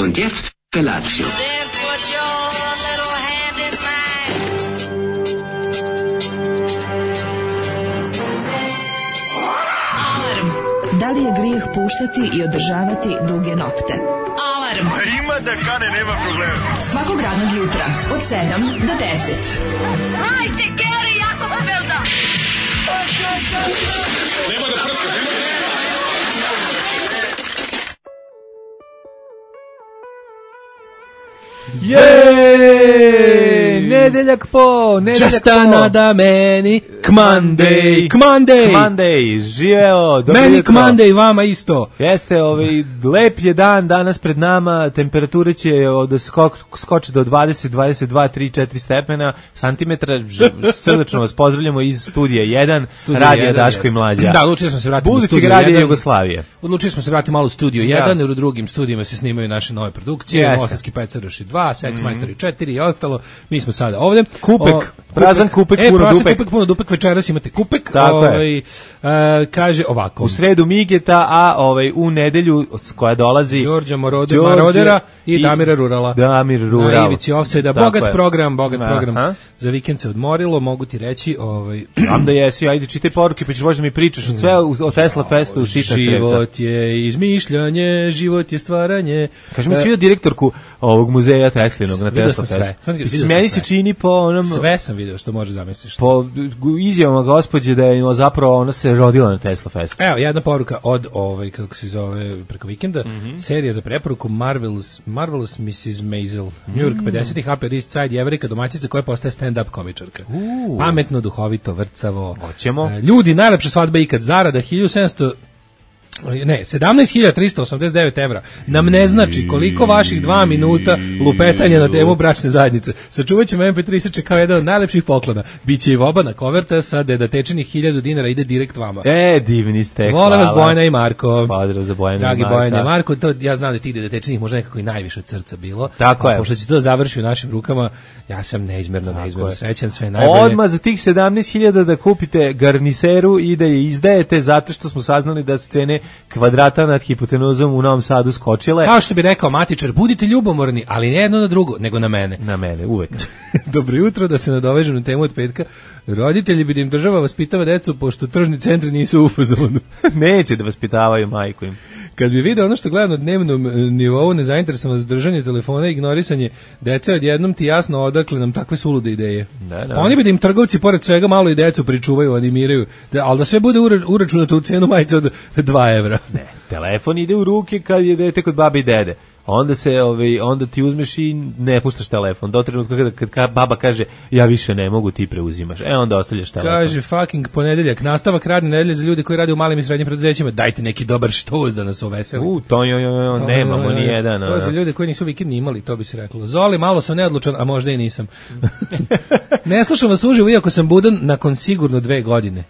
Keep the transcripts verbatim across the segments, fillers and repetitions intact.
Und jetzt Felatio. Da li je grijeh puštati i održavati duge nokte? Alarm! A ima da kane, nema problema. Svakog radnog jutra, od sedam do deset. Hajde, Geri, jako se velda! Nema da prska, nema da... Jej, nedeljak po, nedeljak Just po. another meni, Kmandej, Kmandej, Kmandej, živeo, dobro meni jutro. Kmandej, vama isto. Jeste, ovaj, lep je dan danas pred nama, temperature će od skok, skoči do dvadeset, dvadeset dva, tri, četiri stepena, santimetra, Ž- srdačno vas pozdravljamo iz studija jedan, radija jedan, Daško i jeste. Mlađa. Da, odlučili smo se vratiti u Budućeg studio radija jedan. Jugoslavije. Odlučili smo se vratiti malo u studio jedan, jer u drugim studijima se snimaju naše nove produkcije, Jeste. Bosanski pecaroši dva, Sex Majstori četiri i ostalo. Mi smo sada ovdje. Kupek, O, prazan kupek, e, puno prazan dupek. kupek, puno dupek, večeras imate kupek. Tako je. ovaj, e, kaže ovako. U sredu Migeta, a ovaj u nedelju koja dolazi Đorđa Morode, Đorđe Marodera i Damira Rurala. Damir Rural. Na ivici offseda. Tako Bogat je. program, bogat Aha. program. Za vikend se odmorilo, mogu ti reći, ovaj Znam da jesi, ajde čitaj poruke, pa ćeš možda mi pričaš od sve o Tesla Festu u Šitna Crevca. život je izmišljanje, život je stvaranje. Kaži mi, si vidio direktorku ovog muzeja Teslinog na Vidio Tesla sam sve. Festu? Sam vidio Mislim, sam meni sve. se čini po onom... Sve sam video što možeš zamisliš. Po izjavama gospođe da je zapravo ona se rodila na Tesla Festu. Evo, jedna poruka od, ovaj, kako se zove, preko vikenda, Mhm. serija za preporuku Marvelous, Marvelous missus Maisel, New York pedesetih, Upper East Side, jevrika, domaćica koja postaje stand-up komičarka. Uh. Pametno, duhovito, vrcavo. Hoćemo. E, Ljudi, najlepša svadba ikad, zarada hiljadu sedamsto ne, sedamnaest hiljada trista osamdeset devet evra nam ne znači koliko vaših dva minuta lupetanja na temu bračne zajednice. Sačuvat ćemo em pe tri seče kao jedan od najlepših poklona. Biće i vobana koverta sa dedatečenih hiljadu dinara, ide direkt vama. E, divni ste, Vole vas hvala. Bojana i Marko. Pozdrav za Bojana i Dragi Marka. Bojana i Marko, to ja znam da ti dedatečenih možda nekako i najviše od srca bilo. Tako A je. pošto će to završi u našim rukama, ja sam neizmjerno, neizmjerno srećan, sve najbolje. Odmah za tih sedamnaest hiljada da kupite garniseru i da je izdajete zato što smo saznali da su cene kvadrata nad hipotenuzom u Novom Sadu skočile. Kao što bi rekao matičar, budite ljubomorni, ali ne jedno na drugo, nego na mene. Na mene, uvek. Dobro jutro, da se nadovežem na temu od petka. Roditelji bi da im država vaspitava decu, pošto tržni centri nisu u fazonu. Neće da vaspitavaju majku im. Kad bi video ono što gledam na dnevnom e, nivou, nezainteresovanost držanje telefona i ignorisanje dece, odjednom ti jasno odakle nam takve sulude ideje. Da, da. Pa oni bi da im trgovci pored svega malo i decu pričuvaju, animiraju, da, ali da sve bude ura- uračunato u cenu majice od dva evra. Ne, telefon ide u ruke kad je dete kod babe i dede. Onda se ovaj onda ti uzmeš i ne puštaš telefon. Do trenutka kada kad, kad baba kaže ja više ne mogu, ti preuzimaš. E onda ostavljaš telefon. Kaže fucking ponedeljak, nastavak radne nedelje za ljude koji rade u malim i srednjim preduzećima. Dajte neki dobar štoz da nas uveseli. U, to jo, jo, jo, To, nemamo e, ni jedan. To je za ljude koji nisu vikend imali, to bi se reklo. Zoli, malo sam neodlučan, a možda i nisam. Ne slušam vas uživo, iako sam budan nakon sigurno dve godine.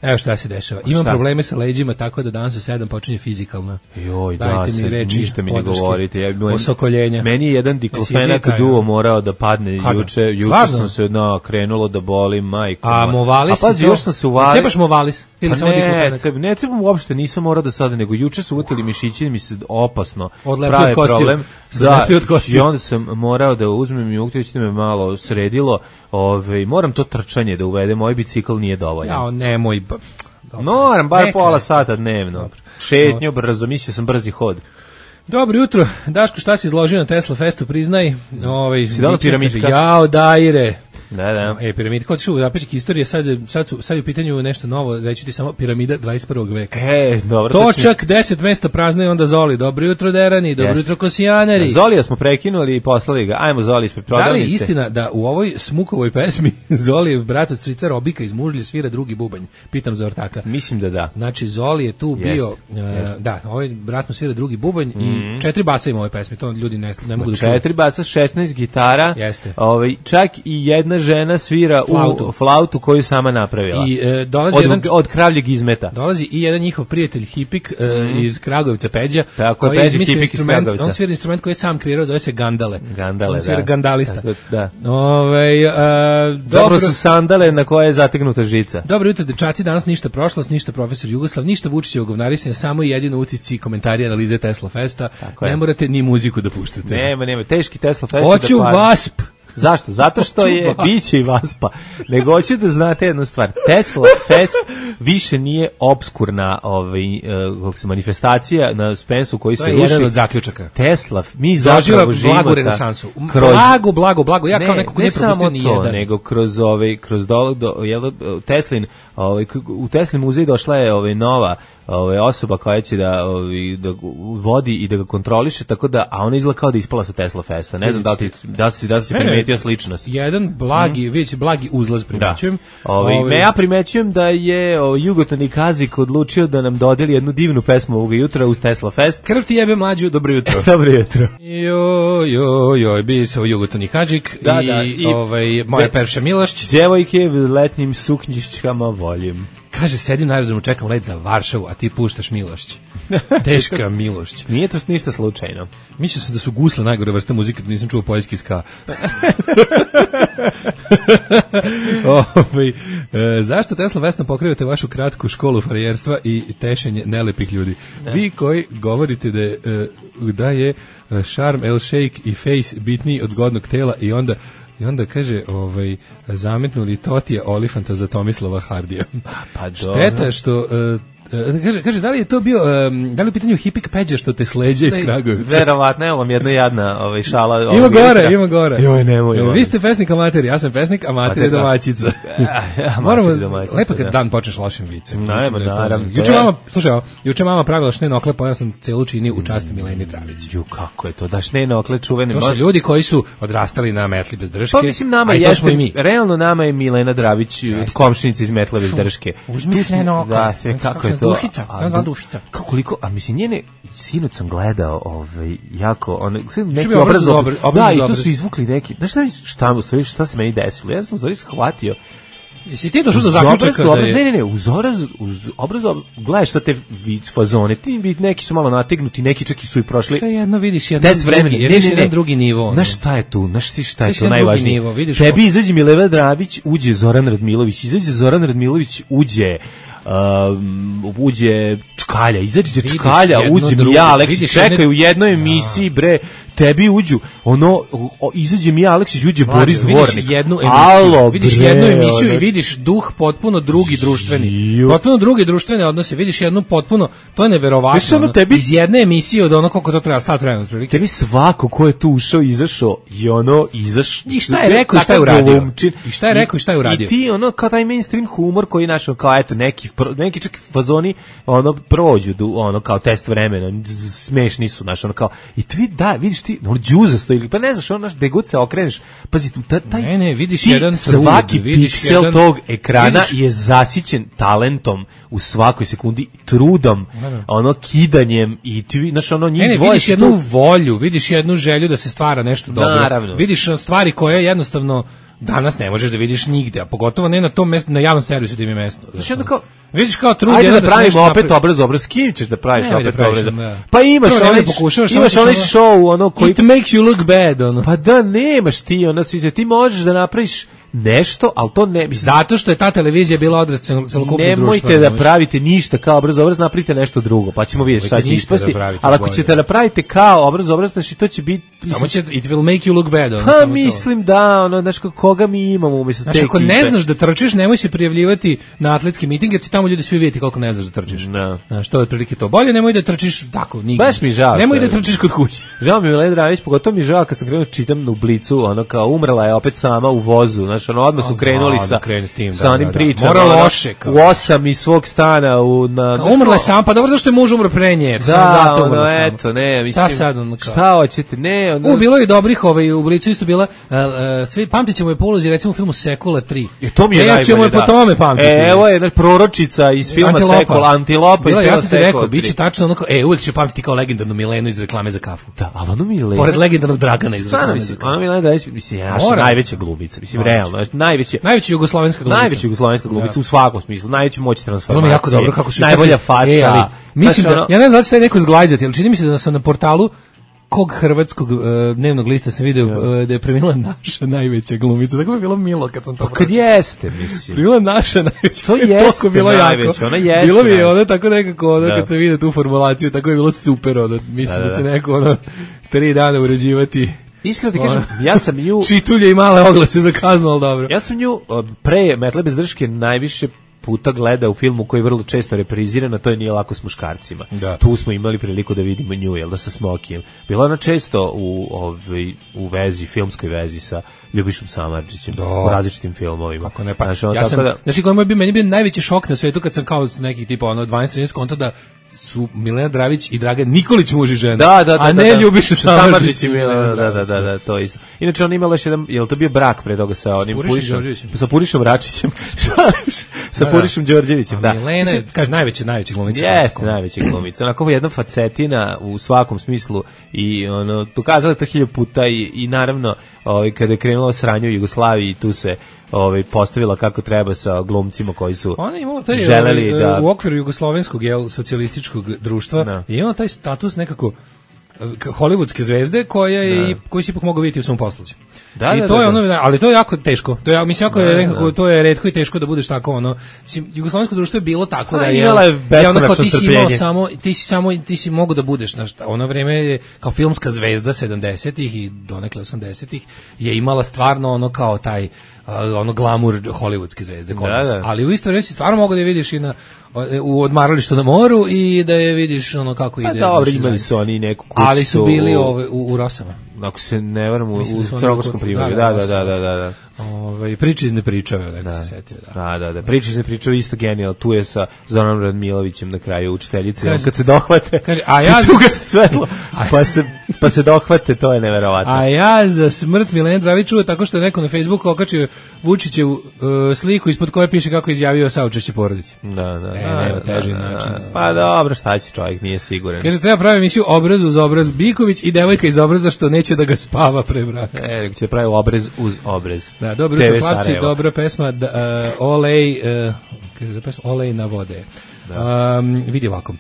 Evo šta se dešava. Imam Šta? probleme sa leđima, tako da danas u sedam počinje fizikalna. Joj, da, Dajte mi sad reči, ništa mi ne podrške, govorite. Ja, moj- osokoljenja. Meni je jedan Jesi i diklofenak vi taj, duo a? morao da padne Kada? juče. Juče Stvarno? sam se no, krenulo da boli, majko. A moja. Movalis? A pazi, još sam se uvalio. Cepaš Movalis? Ili Pa samo ne, diklofenak? cep, ne cepam uopšte, nisam morao da sada, nego juče su uvotili mišići i mi se opasno Odlepili prave od kostiju. problem. Se Da, odlepili od kostiju. i onda sam morao da uzmem i uktić da me malo sredilo. Ove, moram to trčanje da uvedem, moj bicikl nije dovoljan. Jao, nemoj. ba- Dobro. Moram, bar Neka pola je. sata dnevno. Dobro. Šetnju, brzo, mislio sam brzi hod. Dobro jutro. Daško, šta si izložio na Tesla Festu, priznaj. Ovaj, Si dao Mića piramidka? kaže, Jao, dajre. Da, da. E, piramida, kod ću u zapećik istorije, sad, sad, su, sad je u pitanju nešto novo, reći ti samo piramida dvadeset prvog veka. E, dobro. to će- Točak, deset mesta prazno i onda Zoli. Dobro jutro, Derani, dobro Jeste. jutro, Kosijaneri. Zolija smo prekinuli i poslali ga. Ajmo Zoli ispred Da li prodavnice. je istina da u ovoj Smukovoj pesmi Zolijev brat od strica Robika iz Mužlje svira drugi bubanj? Pitam za ortaka. Mislim da da. Znači, Zoli je tu Jeste, bio, e, jeste. da, ovaj brat mu svira drugi bubanj i četiri basa ima u ovoj pesmi, to ljudi ne, ne mogu da čuju. Četiri baca, šesnaest gitara. Jeste. Ovaj, čak i jedna jedna žena svira Flautu. u flautu koju sama napravila. I e, dolazi od, jedan od kravljeg izmeta. Dolazi i jedan njihov prijatelj Hipik e, mm. iz Kragujevca, Peđa, Tako, koji Peđa izmislio Hipik iz instrument, Kragujevca. on svira instrument koji je sam kreirao, zove se gandale. Gandale, on svira da. gandalista. Tako, da. Ovaj e, Zapravo dobro su sandale na koje je zategnuta žica. Dobro jutro, dečaci, danas ništa prošlost, ništa profesor Jugoslav, ništa Vučićevo govnarisanje, samo jedino utisci, komentari, analize Tesla Festa. Ne morate ni muziku da puštate. Nema, nema, teški Tesla Fest. Hoću da Wasp. Zašto? Zato što je biće i Vaspa. Nego hoću da znate jednu stvar. Tesla Fest više nije obskurna ovaj, uh, se manifestacija na Spensu koji to se je ruši. jedan od zaključaka. Tesla, mi zaživa zapravo živimo blagu renesansu. Kroz, blago, blago, blago. Ja ne, kao neko ko ne nije propustio ni samo to, jedan. nego kroz ovaj kroz do, do jel, Teslin, ovaj u Teslin muzej došla je ovaj nova ovaj osoba koja će da ovaj da vodi i da ga kontroliše, tako da a ona izgleda kao da ispala sa Tesla Festa. Ne znam da li ti da si da si primetio sličnost. Jedan blagi, mm. vidite blagi uzlaz primećujem. Da. Ovaj Ove... me ja primećujem da je o, Jugoton Kazik odlučio da nam dodeli jednu divnu pesmu ovog jutra uz Tesla Fest. Krv ti jebe mlađu, dobro jutro. Dobro jutro. Jo, jo, jo, bi se Jugoton Kazik da, i, da, i ovaj moja Perša Milošć. Djevojke u letnjim suknjičkama volim. Kaže, sedim na aerodromu, čekam let za Varšavu, a ti puštaš Milošć. Teška Milošć. Nije to ništa slučajno. Mislio sam da su gusle najgore vrste muzike, da nisam čuo poljski ska. Ove, e, zašto Tesla Vesna pokrivate vašu kratku školu frajerstva i tešenje nelepih ljudi? Ne. Vi koji govorite da je, da je šarm, el shake i face bitniji od zgodnog tela i onda I onda kaže, ovaj, zametnuli Totija Olifanta za Tomislava Hardija. Pa Šteta što... Uh, Kaže, kaže, da li je to bio, um, da li je u pitanju Hipik Peđa što te sleđe iz Kragujevca? Verovatno, evo vam jedna jadna ovaj, šala. Ima ovaj, gore, jutra. Ima gore. Joj, nemoj. Joj, vi ste pesnik amater, ja sam pesnik, amater je domaćica. Moramo, lepo kad dan počneš lošim vicem. Naravno, naravno. Juče mama, slušaj, ovo, juče mama pravila šnene okle, pa ja sam celu činio u časti Mileni Dravić. Ju, kako je to, da šnene okle čuvene. To su ljudi koji su odrastali na metli bez drške. Pa mislim, nama jeste, realno nama je Milena Dravić, komšinica iz metle bez drške. Uzmi šnene okle. Da, kako je to. Dušica. Kako koliko, a mislim njene sinoć sam gledao, ovaj jako on neki obraz, obraz, obraz, obraz, da, i tu su izvukli neki. Znaš šta mi šta u stvari šta se meni desilo? Ja sam stvari shvatio. Jesi ti došao do zaključka da je... Ne, ne, ne, uz obraz, uz obraz, gledaš šta te vid fazone, ti vid neki su malo nategnuti, neki čak i su i prošli. Sve jedno vidiš jedan drugi, ne, ne, ne, jedan drugi nivo. Znaš šta je tu, znaš ti šta je tu najvažnije? Tebi izađe Milena Dravić, uđe Zoran Radmilović, izađe Zoran Radmilović, uđe Um, uđe Čkalja, izađe Čkalja, uđe ja, Aleksić, čekaj u jednoj emisiji, bre, tebi uđu, ono, o, izađe mi Aleksić, uđe Mlađo, Boris Dvornik. Vidiš jednu emisiju, Alo, vidiš bre, jednu emisiju ono... i vidiš duh potpuno drugi društveni. Potpuno drugi društvene odnose, vidiš jednu potpuno, to je neverovatno. Ono, tebi... Iz jedne emisije od ono koliko to treba, sat vremena otprilike. Tebi svako ko je tu ušao, izašao i ono, izaš... I šta je rekao i šta je uradio? I šta je rekao i šta je uradio? I ti ono, kao taj mainstream humor koji je našao, kao eto, neki, neki čak fazoni, ono, prođu, ono, kao test vremena, smešni su, znaš, ono, kao, i ti, da, vidiš ti, ono, džuzasto ili, pa ne znaš, ono, gde god se okreneš, pazi, ta, taj, ne, ne, vidiš ti, jedan trud, svaki vidiš piksel jedan, tog ekrana vidiš, je zasićen talentom u svakoj sekundi, trudom, ne, ne. ono, kidanjem i ti, znaš, ono, njih ne, ne, dvoje... vidiš jednu tu... volju, vidiš jednu želju da se stvara nešto dobro. Naravno. Vidiš stvari koje jednostavno danas ne možeš da vidiš nigde, a pogotovo ne na tom mestu, na javnom servisu da im je mesto. Znači, ono kao, vidiš kao trud ajde jedan da da pravimo opet napravi... obraz, obraz, s kim ćeš da praviš ne, opet da obraz? Ne. Pa imaš Prvo, onaj, pokušavaš, imaš onaj ono, show, ono koji... It makes you look bad, ono. Pa da, nemaš ti, ono, svi se, ti možeš da napraviš nešto, ali to ne... Zato što je ta televizija bila odraz celokupnog društva. Nemojte da pravite ništa kao obraz, obraz, napravite nešto drugo, pa ćemo vidjeti šta će ispasti, da ali ako ćete da napravite kao obraz, obraz, znači to će biti... Samo će, it will make you look bad. Ono, pa mislim to. Da, ono, znaš, koga mi imamo umjesto te ekipe. Znači, ako ne znaš da trčiš, nemoj se prijavljivati na atletski miting, jer će tamo ljudi svi vidjeti koliko ne znaš da trčiš. No. Znaš, to je otprilike to. Bolje nemoj da trčiš tako, nigdje. Baš mi žao. Nemoj da trčiš kod kuće. Žao mi je Milena Dravić, pogotovo mi žao kad sam krenuo čitam u Blicu, ono kao umrla je opet sama u vozu, znači ono odmah su krenuli sa, s, tim, sa onim da, da, pričama. Mora loše. Kao. U osam iz svog stana. U, na, kao, umrla je sam, pa dobro zašto je muž umro pre nje. Da, zato ono, eto, ne, mislim. Šta sad ono kao? Šta hoćete, ne, ne, ono... U, bilo je dobrih, ovaj, u Blicu isto bila, uh, uh, svi, pamtit ćemo je po ulozi, recimo u filmu Sekula tri. E, to mi je e, najbolje, ćemo je po da. tome pamtiti. E, evo je jedna proročica iz filma Antilopa. Sekula, Antilopa Bila, iz filma ja sam ti rekao, Sekula tri. biće tačno onako, e, uvijek ću pamtiti kao legendarnu Milenu iz reklame za kafu. Da, ali ono Milena... Pored legendarnog Dragana iz Stvarno, reklame za mislim, kafu. ono Milena Dragić, mislim, ja Mora. najveća glumica, mislim, realno, najveća... Najveća jugoslovenska glumica. Najveća jugoslovenska glumica Da. u svakom smislu, najveća moć transformacije. Ono mi je jako dobro kako su najbolja čak- faca. E, ali, mislim Znači, da, ono- ja ne znam da će taj neko zglajzati, ali čini mi se da sam na portalu kog hrvatskog uh, dnevnog lista sam video uh, da je preminula naša najveća glumica. Tako mi je bilo milo kad sam to Pa kad pročitao. jeste, mislim. Bila naša najveća. To jeste Toliko bilo najveća, jako. ona jeste Bilo mi je najveća. ono tako nekako, ono, Da. kad sam vidio tu formulaciju, tako je bilo super, ono, mislim Da, da, da, će da. neko, ono, tri dana uređivati Iskreno ti kažem, ja sam nju... čitulje i male oglase za kaznu, ali dobro. Ja sam nju od pre Metle bez drške najviše puta gleda u filmu koji je vrlo često repriziran, a to je Nije lako s muškarcima. Da. Tu smo imali priliku da vidimo nju, jel da, sa Smokijem. Bila ona često u, ovaj, u vezi, filmskoj vezi sa Ljubišom Samardžićem, Da. u različitim filmovima. Kako ne, pa, Znaš, ono, ja tako sam, da, znači, koji je bio, meni je bio najveći šok na svetu kad sam kao s nekih tipa, ono, dvanaest trinaest konta da su Milena Dravić i Dragan Nikolić muž i žena, da, da, da, a ne da, da. Ljubiša Samardžić Samardžić. i Milena, da, da, da, da, to je isto. Inače, on imala još jedan, je li to bio brak pre toga sa onim Purišom Purišom? Đorđevićem. Sa Purišom Račićem. sa Da, da. Purišom Đorđevićem, da. Milena je, kaže, najveća, najveća glumica. Jeste najveća glumica. Onako jedna facetina u svakom smislu i ono dokazala to hiljadu puta i, i naravno ovaj kada je krenulo sranje u Jugoslaviji tu se ovaj postavila kako treba sa glumcima koji su Ona je imala taj, želeli ovaj, da u okviru jugoslovenskog jel, socijalističkog društva Da. je imala taj status nekako eh, k- hollywoodske zvezde koja je Da. i koji se ipak mogao vidjeti u svom posluđu. Da, I da, to da, je da. ono, ali to je jako teško. To je mislim jako Da, je nekako da. to je retko i teško da budeš tako ono. Mislim jugoslovensko društvo je bilo tako Pa, da je imala je je ono kao beskonačno ti si imao strpljenje. samo ti si samo ti si mogao da budeš na šta. Ono vreme je kao filmska zvezda sedamdesetih i donekle osamdesetih je imala stvarno ono kao taj uh, ono glamur hollywoodske zvezde kod Da, nas. da. Ali u isto vreme si stvarno mogu da je vidiš i na u odmaralištu na moru i da je vidiš ono kako Pa ide. dobro, naši imali zajednice. su oni neku kuću. Ali su bili u- ove, u, u Rosama. ako se ne varam, u, Mislim da su u oni Crnogorskom oko- primorju. da, Da, da, da, da, da, da, da, da. Ovaj priče iz nepričave, neko se setio, da. Da, da, da. Priče se pričaju isto genijalno. Tu je sa Zoranom Radmilovićem na kraju učiteljice. Kaže- On kad se dohvate, kaže, a ja kad se za- ugasi svetlo, pa se, pa se dohvate, to je neverovatno. A ja za smrt Milene Dravić čuo tako što je neko na Facebooku okačio Vučićevu uh, sliku ispod koje piše kako je izjavio saučešće porodici. Da, da. E, da, nema da, teži da, način. da. Pa dobro, šta će čovjek, nije siguran. Kaže, treba pravi emisiju Obraz uz obraz Biković i devojka iz obraza što neće da ga spava pre braka. E, nego će da pravi obrez uz obrez. Da, dobro T V jutro, Papci, Sarajevo. dobra pesma, da, uh, Olej, uh, kaže da pesma, Olej na vode. Um, vidi ovako.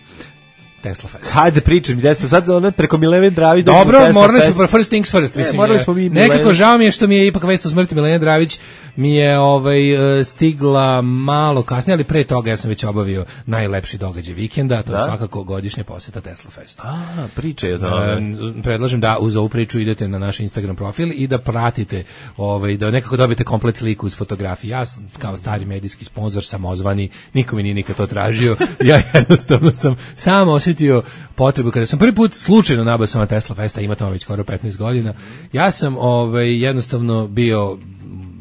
Tesla Fest. Hajde pričam, gde sam sad ono preko Milene Dravić. Dobro, Tesla morali Fest. smo first things first, Ne, mislim. morali je- smo mi Nekako Milenu- žao mi je što mi je ipak vest o smrti Milene Dravić mi je ovaj e, stigla malo kasnije, ali pre toga ja sam već obavio najlepši događaj vikenda, to je Da? svakako godišnja poseta Tesla Festu. A, pričaj o tome. E, predlažem da uz ovu priču idete na naš Instagram profil i da pratite, ovaj, da nekako dobijete komplet sliku uz fotografije. Ja sam kao stari medijski sponzor, samozvani, niko mi nije nikad to tražio. Ja jednostavno sam samo osjetio potrebu kada sam prvi put slučajno nabao sam na Tesla Festa, ima tamo već skoro petnaest godina. Ja sam ovaj jednostavno bio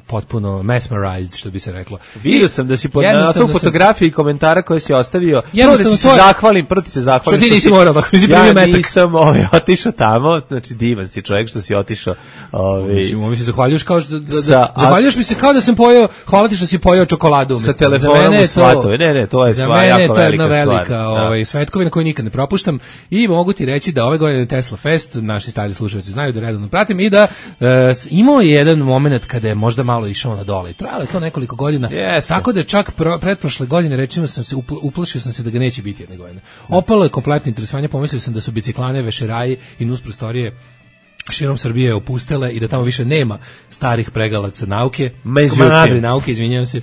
potpuno mesmerized, što bi se reklo. Vidio sam da si pod jednostavno naslovom sam- fotografije i komentara koje si ostavio. Prvo da Jednostavno ti se to je- zahvalim, prvo ti se zahvalim. Što ti nisi si- morao, ako nisi primio Ja metak. nisam ovaj, otišao tamo, znači divan si čovjek što si otišao. Ovaj, Mislim, mi se zahvaljuješ kao što da, da, Sa- zahvaljuješ mi se kao da sam pojeo, hvala ti što si pojeo čokoladu sa umesto. telefonom Za mene u je to- svatove. Ne, ne, to je Za stvar, mene je jako to jedna velika stvar. velika Da. ovaj, svetkovina koju nikad ne propuštam i mogu ti reći da ove godine Tesla Fest, naši stari slušalci znaju da redovno pratim i da e, s- imao je jedan moment kada je možda malo išao na dole. Trajalo je to nekoliko godina, Jeste. tako da čak pro, pretprošle godine recimo sam se upl- uplašio sam se da ga neće biti jedne godine. Opalo je kompletno interesovanje, pomislio sam da su biciklane, vešeraji i nus prostorije širom Srbije opustele i da tamo više nema starih pregalaca nauke, Međutim. komanadri nauke, izvinjavam se.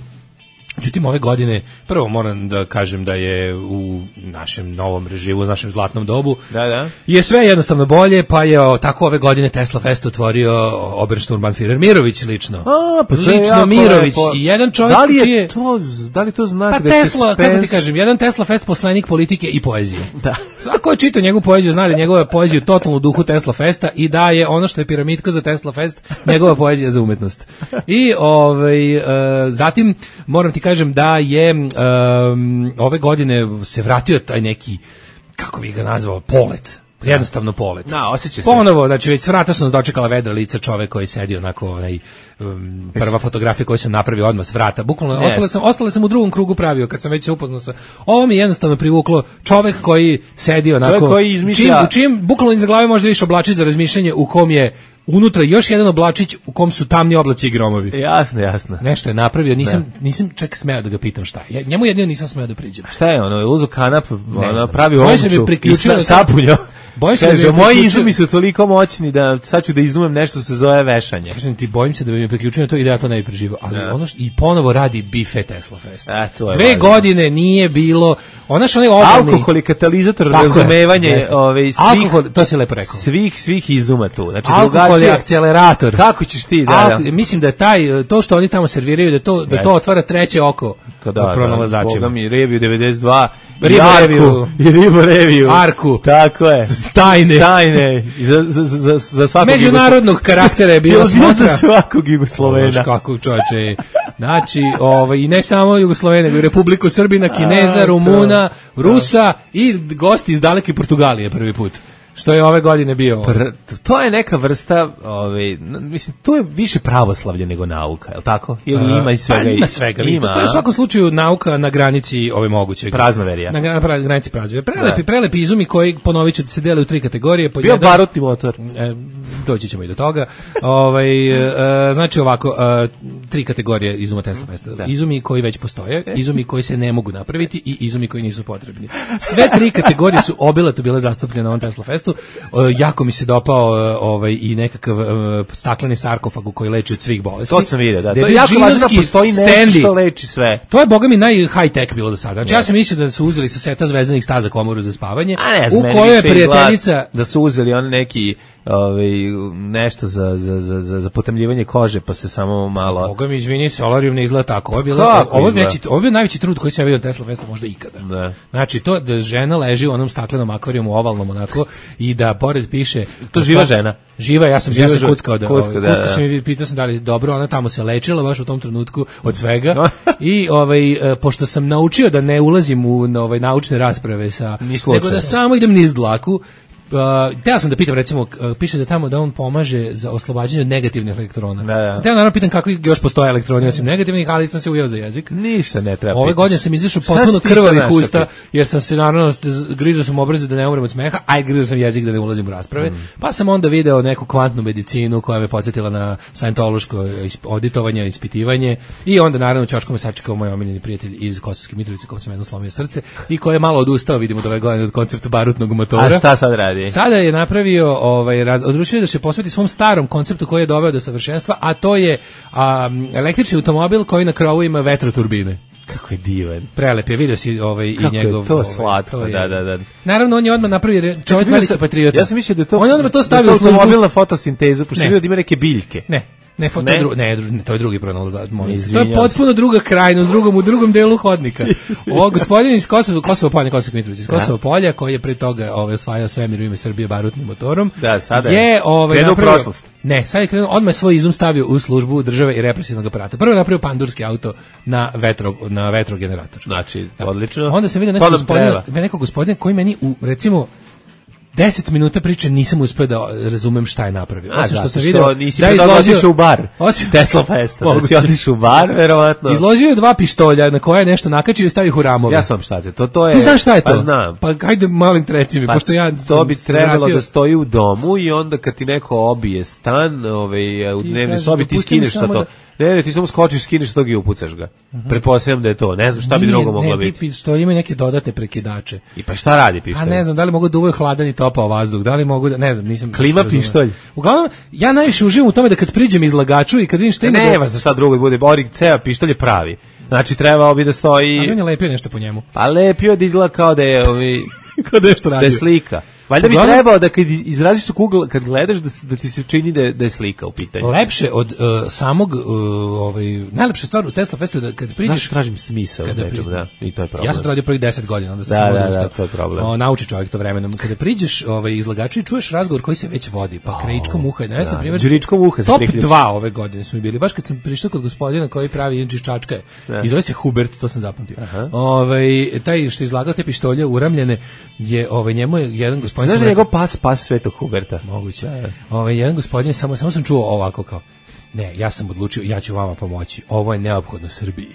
Međutim, ove godine, prvo moram da kažem da je u našem novom režimu, u našem zlatnom dobu, Da, da. je sve jednostavno bolje, pa je o, tako ove godine Tesla Fest otvorio Obersturmbannführer Mirović lično. A, pa to je lično jako Mirović lepo. i jedan čovjek da li je čiji je... to, da li to znak Pa da Tesla, će kako ti Spence- kažem, jedan Tesla Fest poslanik politike i poezije. Da. Svako je čitao njegovu poeziju, zna da je njegova poezija u totalnu duhu Tesla Festa i da je ono što je piramidka za Tesla Fest, njegova poezija za umetnost. I ovaj, e, zatim moram ti kažem da je e, ove godine se vratio taj neki, kako bih ga nazvao, polet. jednostavno polet. Da, osjeća se. Ponovo, znači već s vrata sam dočekala vedra lica čovek koji sedi onako, onaj, um, prva fotografija koju sam napravio odmah s vrata. Bukvalno, yes. ostale sam, ostale sam u drugom krugu pravio kad sam već se upoznao sa. Ovo mi je jednostavno privuklo čovek koji sedi onako. Čovek koji izmišlja. Čim, u čim bukvalno iza glave možda vidiš oblačić za razmišljanje u kom je unutra još jedan oblačić u kom su tamni oblaci i gromovi. Jasno, jasno. Nešto je napravio, nisam, nisam čak smeo da ga pitam šta. Ja, njemu jedino nisam smeo da priđem. Šta je ono, uzu kanap, ono, pravi Koji se omču bi priključio i sapunjo. Bojim se Kaže, da bi moji priključio- izumi su toliko moćni da sad ću da izumem nešto se zove vešanje. Kažem ti, bojim se da bi mi priključio na to i da ja to ne bi preživao. Ali Da. ono što, i ponovo radi bife Tesla Fest. E, to je Dve važno. godine nije bilo, ona što onaj obalni... Alkohol je katalizator Tako je, razumevanje jeste. ove, svih, Alkohol, to si lepo rekao. svih, svih izuma tu. Znači, Alkohol je drugačije- akcelerator. Kako ćeš ti, da, Alko- da. Mislim da je taj, to što oni tamo serviraju, da to, da to Jeste. otvara treće oko Da, pronalazačima. Boga mi, Reviju devedeset dva, Ribo i Arku, Reviju. i Ribo Reviju. Arku. Tako je. Tajne. Tajne. I Za, za, za, za svakog Međunarodnog Jugoslo- karaktera je bila Bilo bilo smotra. za svakog Jugoslovena. Znaš kako čoveče. Znači, ovaj, i ne samo Jugoslovene, nego i Republiku Srbina, Kineza, A, Rumuna, Rusa i gosti iz daleke Portugalije prvi put. Što je ove godine bio. Pr- to je neka vrsta, ovaj, n- mislim, to je više pravoslavlje nego nauka, je li tako? Ili ima i svega? Pa, ima i- svega. Ima, to je u a? svakom slučaju nauka na granici ove mogućeg. Praznoverija. Na, na pra- granici praznoverija. Prelepi, Da. prelepi izumi koji, ponovit ću, se dele u tri kategorije. Po Bio jedan- barutni motor. E, doći ćemo i do toga. Ovaj e, znači ovako, e, tri kategorije izuma Tesla Festa. Izumi koji već postoje, izumi koji se ne mogu napraviti i izumi koji nisu potrebni. Sve tri kategorije su obilato bile zastupljene na ovom Tesla Festu. E, jako mi se dopao e, ovaj i nekakav e, stakleni sarkofag u koji leči od svih bolesti. To sam vidio, da. Gde To je jako važno da džinovski postoji nešto stendi. što leči sve. To je, boga mi, naj high tech bilo do sada. Znači, ja sam mislio da su uzeli sa seta Zvezdanih staza komoru za spavanje, A ne znam, u meni kojoj je više izgleda prijateljica... da su uzeli on neki ovaj, nešto za, za, za, za, za potemljivanje kože, pa se samo malo... Boga mi, izvini, Solarium ne izgleda tako. Ovo je, bilo, Kako ovo je, izgleda? veći, ovo je bio najveći trud koji sam ja vidio na Tesla Festu možda ikada. Da. Znači, to da žena leži u onom staklenom akvarijumu ovalnom onako i da pored piše... To živa žena? Živa, ja sam, Živa ja sam žena. kuckao da... Kucka, ovaj, da, kuckao da. sam i pitao sam da li dobro, ona tamo se lečila baš u tom trenutku od svega. I ovaj, e, pošto sam naučio da ne ulazim u na, ovaj, naučne rasprave sa... Ni slučajno. nego da samo idem niz dlaku. Uh, teo sam da pitam, recimo, uh, piše da tamo da on pomaže za oslobađanje od negativnih elektrona. Da, da. Sam teo naravno pitam kakvi još postoje elektroni osim negativnih, ali sam se ujeo za jezik. Ništa ne treba. Ove pitati. godine sam izašao Šta potpuno si ti sad krvavih našao usta, pitati? jer sam se naravno grizao sam obraze da ne umrem od smeha, a i grizao sam jezik da ne ulazim u rasprave. Mm. Pa sam onda video neku kvantnu medicinu koja me podsjetila na sajentološko isp- auditovanje, ispitivanje i onda naravno ćoško me sačekao moj omiljeni prijatelj iz Kosovske Mitrovice kom sam jedno slomio srce i koji je malo odustao, vidimo od ove godine od koncepta barutnog motora. A šta sad radi? Sada je napravio, ovaj, raz, odlučio da se posveti svom starom konceptu koji je doveo do savršenstva, a to je a, električni automobil koji na krovu ima vetroturbine. Kako je divan. Prelep je, vidio si ovaj, i Kako je njegov... to ovaj, slatko, to je- da, da, da. Naravno, on je odmah napravio, re- čovjek Vidio veliki sam- patriota. Ja sam mislio da je to... On je odmah to da stavio je u službu. automobil na fotosintezu, pošto Ne. sam vidio da ima neke biljke. Ne. Ne, fo, to, Ne? je dru, ne, dru- ne, to je drugi pronalazač. molim te. To Izvinjavam je potpuno druga krajnost, drugom, u drugom delu hodnika. Ovo gospodin iz Kosova, Kosovo polja, Kosovske Mitrovice, iz Kosova polja, koji je pre toga ovaj, osvajao svemir u ime Srbije barutnim motorom. Da, sada je. je ovaj, Krenuo u napravio- prošlost. Ne, sad je krenuo, odmah je svoj izum stavio u službu države i represivnog aparata. Prvo je napravio pandurski auto na, vetro, na vetrogenerator. Znači, odlično. Onda sam vidio To nekog nam gospodina, treba. nekog gospodina koji meni u, recimo, deset minuta priče nisam uspeo da razumem šta je napravio. A, Osim što zato sam što video nisi da je pre toga izložio otišao u bar. Osim- Tesla Festa. Da si Moguće. otišao u bar, verovatno. Izložio je dva pištolja na koje je nešto nakačio i stavio ih u ramove. Ja sam šta te, to, to je... Ti znaš šta je to? Pa znam. Pa hajde malim treci mi, Pa pošto ja to sam bi se trebalo vratio- da stoji u domu i onda kad ti neko obije stan, ovaj, u Ti dnevnoj kažeš, sobi ti dopusti mi skineš sa samo to. da- Ne, ne, ti samo skočiš, skineš tog i upucaš ga. Pretpostavljam da je to. Ne znam šta bi Nije, drugo moglo ne, biti. ti pištolji imaju neke dodatne prekidače. I pa šta radi pištolj? A ne znam, da li mogu da uvaju hladan i topao vazduh, da li mogu da, ne znam, nisam... Klima razumeo. pištolj. Uglavnom, ja najviše uživam u tome da kad priđem izlagaču i kad vidim šta ima... da- Nema za šta drugo da bude. Ori, ceo pištolj je pravi. Znači trebao bi da stoji... Ali on je lepio nešto po njemu. Pa lepio da izgleda kao da je... Ovaj, Kao da je što da je radio. slika. Valjda bi Uglavnom- trebao da kad izraziš kugl, kad gledaš da, se- da ti se čini da je, da je slika u pitanju. Lepše od uh, samog, uh, ovaj, najlepša stvar u Tesla Festu je da kad priđeš... Znaš, tražim smisao Kada u nečemu, pri- da, i to je problem. Ja sam to radio prvih deset godina, onda sam Da, samo da, odustao. da, to je problem. O, nauči čovjek to vremenom. Kada priđeš ovaj, izlagaču i čuješ razgovor koji se već vodi, pa krajičkom uha. Ne, ja sam da, primjer, đuričkom uha se top priključi. dva ove godine su mi bili. Baš kad sam prišao kod gospodina koji pravi inči čačka, i zove se Hubert, to sam zapamtio. Ovaj, taj što je izlagao te pištolje uramljene, je, ovaj, njemu je jedan gospodin gospodin... Znaš da sam njegov pas, pas Svetog Huberta? Moguće. Ovaj, jedan gospodin, samo, samo sam čuo ovako kao, ne, ja sam odlučio, ja ću vama pomoći. Ovo je neophodno Srbiji.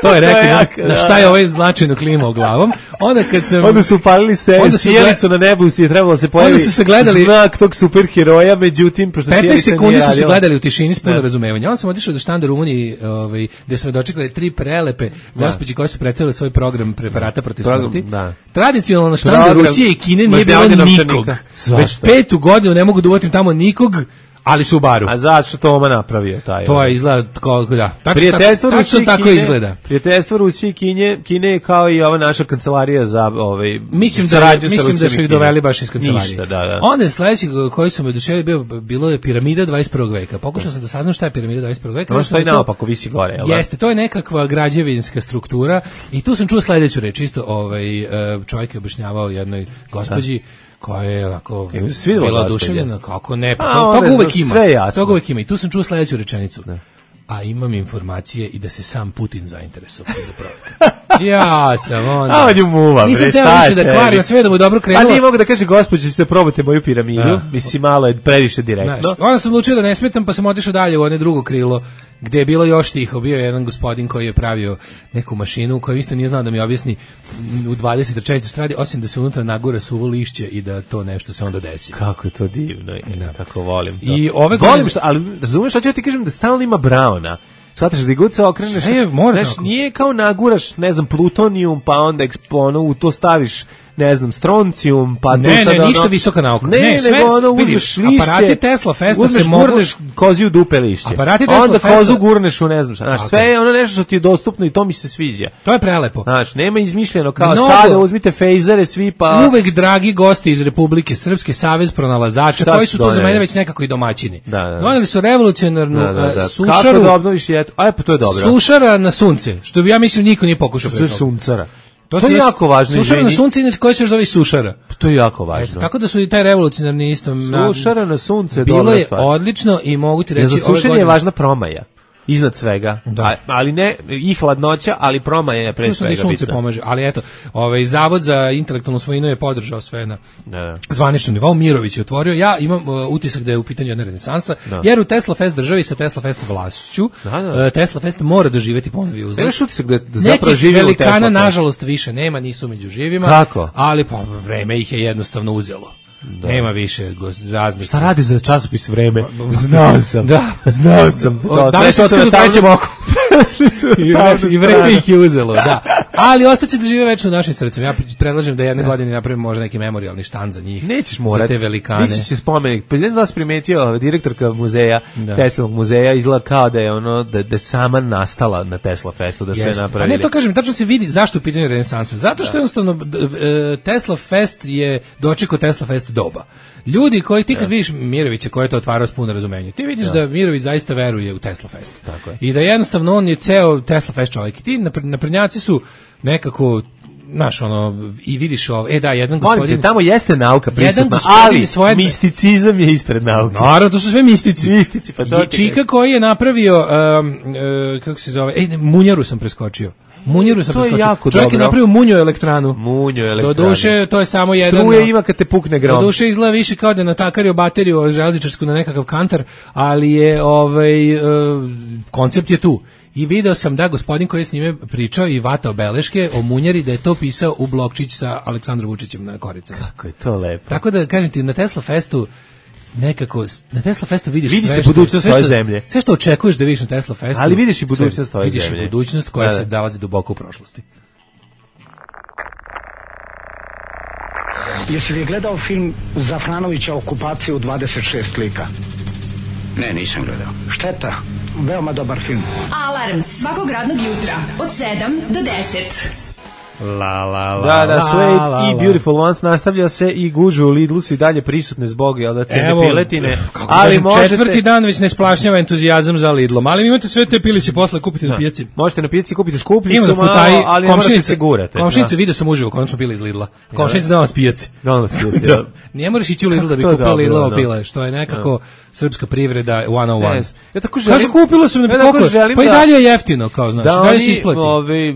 To je rekao, jak, na šta je ovaj značajno klimao glavom. Onda kad sam... Onda su upalili se sjelicu na nebu i je trebalo da se pojavi onda su se gledali, znak tog superheroja, međutim, pošto petnaest sekundi su se gledali u tišini s puno razumevanja. Onda sam otišao do štanda u Rumuniji, ovaj, gde su me dočekali tri prelepe gospođe koje su predstavile svoj program preparata protiv smrti. Tradicionalno na štandu Rusije i Kine nije bilo nikog. Već petu godinu ne mogu da uvatim tamo nikog, ali su u baru. A zato što Toma napravio taj. To je izgleda kao da. Tačno prijateljstvo tako, Rusije tako Kine, izgleda. Prijateljstvo Rusije i Kine, Kine je kao i ova naša kancelarija za ovaj mislim da mislim da su ih doveli baš iz kancelarije. Ništa, da, da. Onda sledeći koji su me oduševili bio bilo je piramida dvadeset prvog veka. Pokušao sam da saznam šta je piramida dvadeset prvog veka. Ono što je naopako visi gore, je l' jeste, to je nekakva građevinska struktura i tu sam čuo sledeću reč, isto ovaj čovjek je objašnjavao jednoj gospođi koja je onako bila oduševljena, kako ne, pa to, to uvek ima, to uvek ima. I tu sam čuo sledeću rečenicu. Ne. A imam informacije i da se sam Putin zainteresovao za projekat. Ja sam onda... A on ju muva, bre, nisam teo više da kvarim, sve da mu dobro krenulo. A nije mogu da kaže, gospođo, ste probate moju piramidu, da. Mislim, malo je previše direktno. Znaš, onda sam odlučio da ne smetam, pa sam otišao dalje u one drugo krilo, gde je bilo još tiho. Bio je jedan gospodin koji je pravio neku mašinu, koja isto nije znao da mi objasni u dvadeset četiri šta radi, osim da se unutra nagura suvo lišće i da to nešto se onda desi. Kako je to divno, da. Kako volim to. I ove volim godine... što, ali razumiješ šta ću ti kažem, da stalno ima Brauna. Shvataš da god se okreneš, je, znaš, nije kao naguraš, ne znam, plutonijum, pa onda ekspono, u to staviš, ne znam, stroncijum, pa ne, tu sad ne, ono... ništa visoka nauka. Ne, ne, sve, nego ono, uzmeš vidiš, lišće, aparati Tesla Festa uzmeš, se mogu... gurneš koziju dupe lišće, aparati Tesla onda Festa... kozu gurneš u, ne znam, znaš, okay. Sve je ono nešto što ti je dostupno i to mi se sviđa. To je prelepo. Znaš, nema izmišljeno, kao Mnogo, sada uzmite fejzere svi, pa... Uvek dragi gosti iz Republike Srpske, Savez pronalazača, koji su to za mene već nekako i domaćini. Da, da. Doneli su revolucionarnu da, da, da. sušaru... Kako da obnoviš jetu? Aj, pa to je dobro. Sušara na sunce, što bi ja mislim niko nije pokušao pre toga. Suncara. To, to je jako važno. Sušara na sunce, inače koji se zove sušara. To je jako važno. Eto, tako da su i taj revolucionarni isto... Sušara na sunce je bilo dobra je stvar. Odlično i mogu ti reći... Za sušenje je važna promaja. Iznad svega, da. Ali ne i hladnoća, ali promaja je pre svega bitna. Sunce pomaže, ali eto, ovaj Zavod za intelektualnu svojinu je podržao sve na da. Zvaničnom nivou. Mirović je otvorio. Ja imam uh, utisak da je u pitanju jedna renesansa, da. Jer u Tesla Fest državi sa Tesla Fest vlašću, da, da. Uh, Tesla Fest mora doživeti ponovi uzlet. Nemaš utisak da, da zapravo živi u Tesla Fest? Velikana, nažalost, više nema, nisu među živima. Kako? Ali pa vreme ih je jednostavno uzelo. Da. Nema više raznih. Šta radi za časopis Vreme? Znao sam. Da, znao sam. Da li se otkrizu trećem oku? I vreme ih je uzelo, da. Ali ostaće da žive večno u našim srcima. Ja predlažem da jedne da. godine napravimo možda neki memorijalni štand za njih. Nećeš morati. Za te velikane. Nećeš se spomenik. Pa ne znam da vas primetio, direktorka muzeja, da. Teslovog muzeja, izgleda kao da je ono, da, da sama nastala na Tesla Festu, da sve napravili. A ne, to kažem, tačno se vidi zašto je pitanje renesansa. Zato što da. jednostavno Tesla Fest je dočekao Tesla Fest doba. Ljudi koji ti kad ja. vidiš Mirovića koji je to otvarao s puno razumenja, ti vidiš ja. da Mirović zaista veruje u Tesla Fest. Tako je. I da jednostavno on je ceo Tesla Fest čovjek. I ti naprednjaci su nekako naš ono i vidiš ovo, e da, jedan gospodin... Molim te, tamo jeste nauka prisutna, ali svoje... misticizam je ispred nauke. Naravno, to su sve mistici. Mistici, pa to... I Čika koji je napravio, um, uh, kako se zove, ej, Munjaru sam preskočio. Munjaru sam preskočio. Jako čovjek dobro. je napravio Munjo elektranu. Munjo elektranu. Do duše, to je samo jedan... Struje ima kad te pukne grom. Do duše izgleda više kao da je natakario bateriju železničarsku na nekakav kantar, ali je, ovaj, uh, koncept je tu. I video sam da gospodin koji je s njime pričao i vatao beleške o Munjari, da je to pisao u blokčić sa Aleksandrom Vučićem na koricama. Kako je to lepo. Tako da, kažem ti, na Tesla Festu nekako, na Tesla Festu vidiš vidi sve se budućnost svoje zemlje. Sve što očekuješ da vidiš na Tesla Festu. Ali vidiš i budućnost svoje vidiš zemlje. Vidiš i budućnost koja da, da. se nalazi duboko u prošlosti. Jesi li gledao film Zafranovića Okupacija u dvadeset šest lika? Ne, nisam gledao. Šteta, veoma dobar film. Alarm svakog radnog jutra od sedam do deset. La, la, la, da, da, sve la, la, i Beautiful Ones nastavlja se i gužve u Lidlu su i dalje prisutne zbog jel da cene Evo, piletine. Ali kažem, možete... četvrti dan već ne splašnjava entuzijazam za Lidlom, ali imate sve te piliće posle kupiti da. na pijaci. Možete na pijaci kupiti skupljicu, malo, ali ne morate se gurate. Komšinice, vidio sam uživo, konačno pile iz Lidla. Komšinice da vas pijaci. Da vas pijaci. Da. Ne moraš ići u Lidl da bi kupio Lidlovo pile, što je nekako srpska privreda sto jedan. Ja tako želim. Kažu kupilo sam na koliko. Pa i dalje je jeftino, kao znaš, dalje se isplati. Ovaj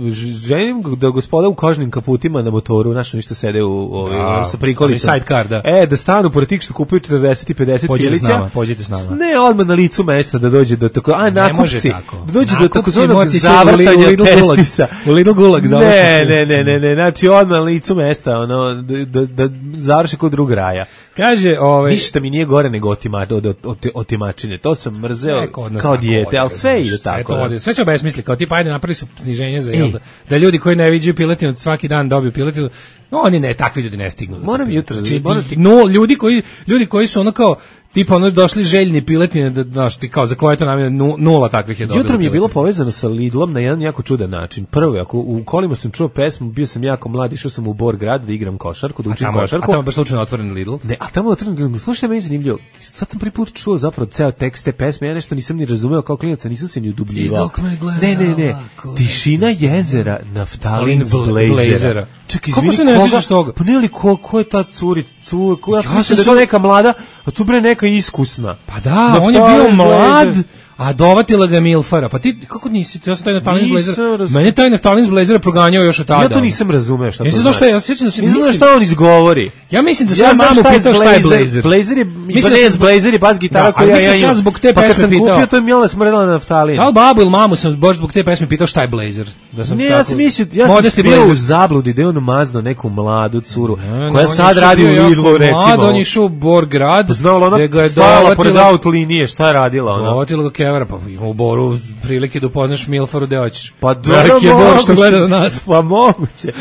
želim da gospoda u kožnim kaputima na motoru, znaš, oni što sede u, u, Da, sa prikolicom. ali sidecar, da. E, da stanu pored tih što kupuju četrdeset i pedeset Pođite s pilića. nama, pođite s nama. Ne, odmah na licu mesta da dođe do tako, a Ne može nakupci, tako. da dođe do Nakupci takozvanog morate ići u zavrtanja Lidl Gulag. pesmisa. U Lidl Gulag Ne, završite. ne, ne, ne, ne, znači odmah na licu mesta, ono, da, da, da završi kod drug raja. Kaže, ovaj Ništa mi nije gore nego otima, od, od, od, otimačine. To sam mrzeo sve kod nas kao tako dijete, ode, ali sve razumeš, ide sve tako. to da. ode, sve se obesmisli, kao tipa ajde napravili su sniženje za Ej. jel da, da ljudi koji ne viđaju piletinu svaki dan dobiju piletinu. No, oni ne, takvi ljudi ne stignu. do Moram te jutros, piletine. moram Znači, no, ljudi koji ljudi koji su ono kao tipa ono došli željni piletine da znaš ti kao za koje to nam nu, nula takvih je dobilo. Jutro mi je bilo piletine. povezano sa Lidlom na jedan jako čudan način. Prvo, ako u kolima sam čuo pesmu, bio sam jako mlad, išao sam u Bor grad da igram košarku, da A učim tamo, a košarku. tamo je baš slučajno otvoren Lidl. Ne, a tamo je otvoreno, slušaj, meni je zanimljivo. Sad sam prvi put čuo zapravo ceo tekst te pesme, ja nešto nisam ni razumeo kao klinac, a nisam se ni udubljivao. I dok me gledala, Ne, ne, ne. ko Tišina jezera, naftalin Bl- blazera. blazera. Čekaj, Kako izvini, se ne koga- sjećaš toga? Pa ne li ko, ko je ta curi, cu, ko, ja sam Ja mislio sam da je to se- neka mlada, a tu bre neka iskusna. Pa da, Naftalin on je bio mlad, blazer. a dovatila ga Milfara. Pa ti, kako nisi, ja sam taj Naftalin Nisam Blazer, razumeo. mene taj Naftalin Blazer proganjao još od tada. Ja to nisam razumeo šta to Nisam znači. znao šta je, ja se sjećam da se Nisam znao mislim- šta on izgovori. Ja mislim da Ja sam ja znam mamu šta je pitao šta je Blazer. Blazer je, Mislim pa da ne, sam- Blazer je bas gitara Da, koju ali ja, mislim ja da sam imam. zbog te pa kad pesme sam pitao. kupio, to je Mjela smrdela na naftalin. Da li babu ili mamu sam baš zbog te pesme pitao šta je Blazer? Da sam Ne, tako, ja sam mislio, ja sam Modesti bio u Blazer. zabludi da je on mazno neku mladu curu, Ne, koja on je sad išao radi u bio jako Lidlu, recimo. mlad, on je išao u Borgrad, Znala ona gde ga je stajala pored dovatila- auto linije, šta je radila ona? dovatila ga Kevara, pa ima u Boru prilike da upoznaš Milfaru gde hoćeš. Pa Veliki je Bor što gleda na nas. Pa moguće.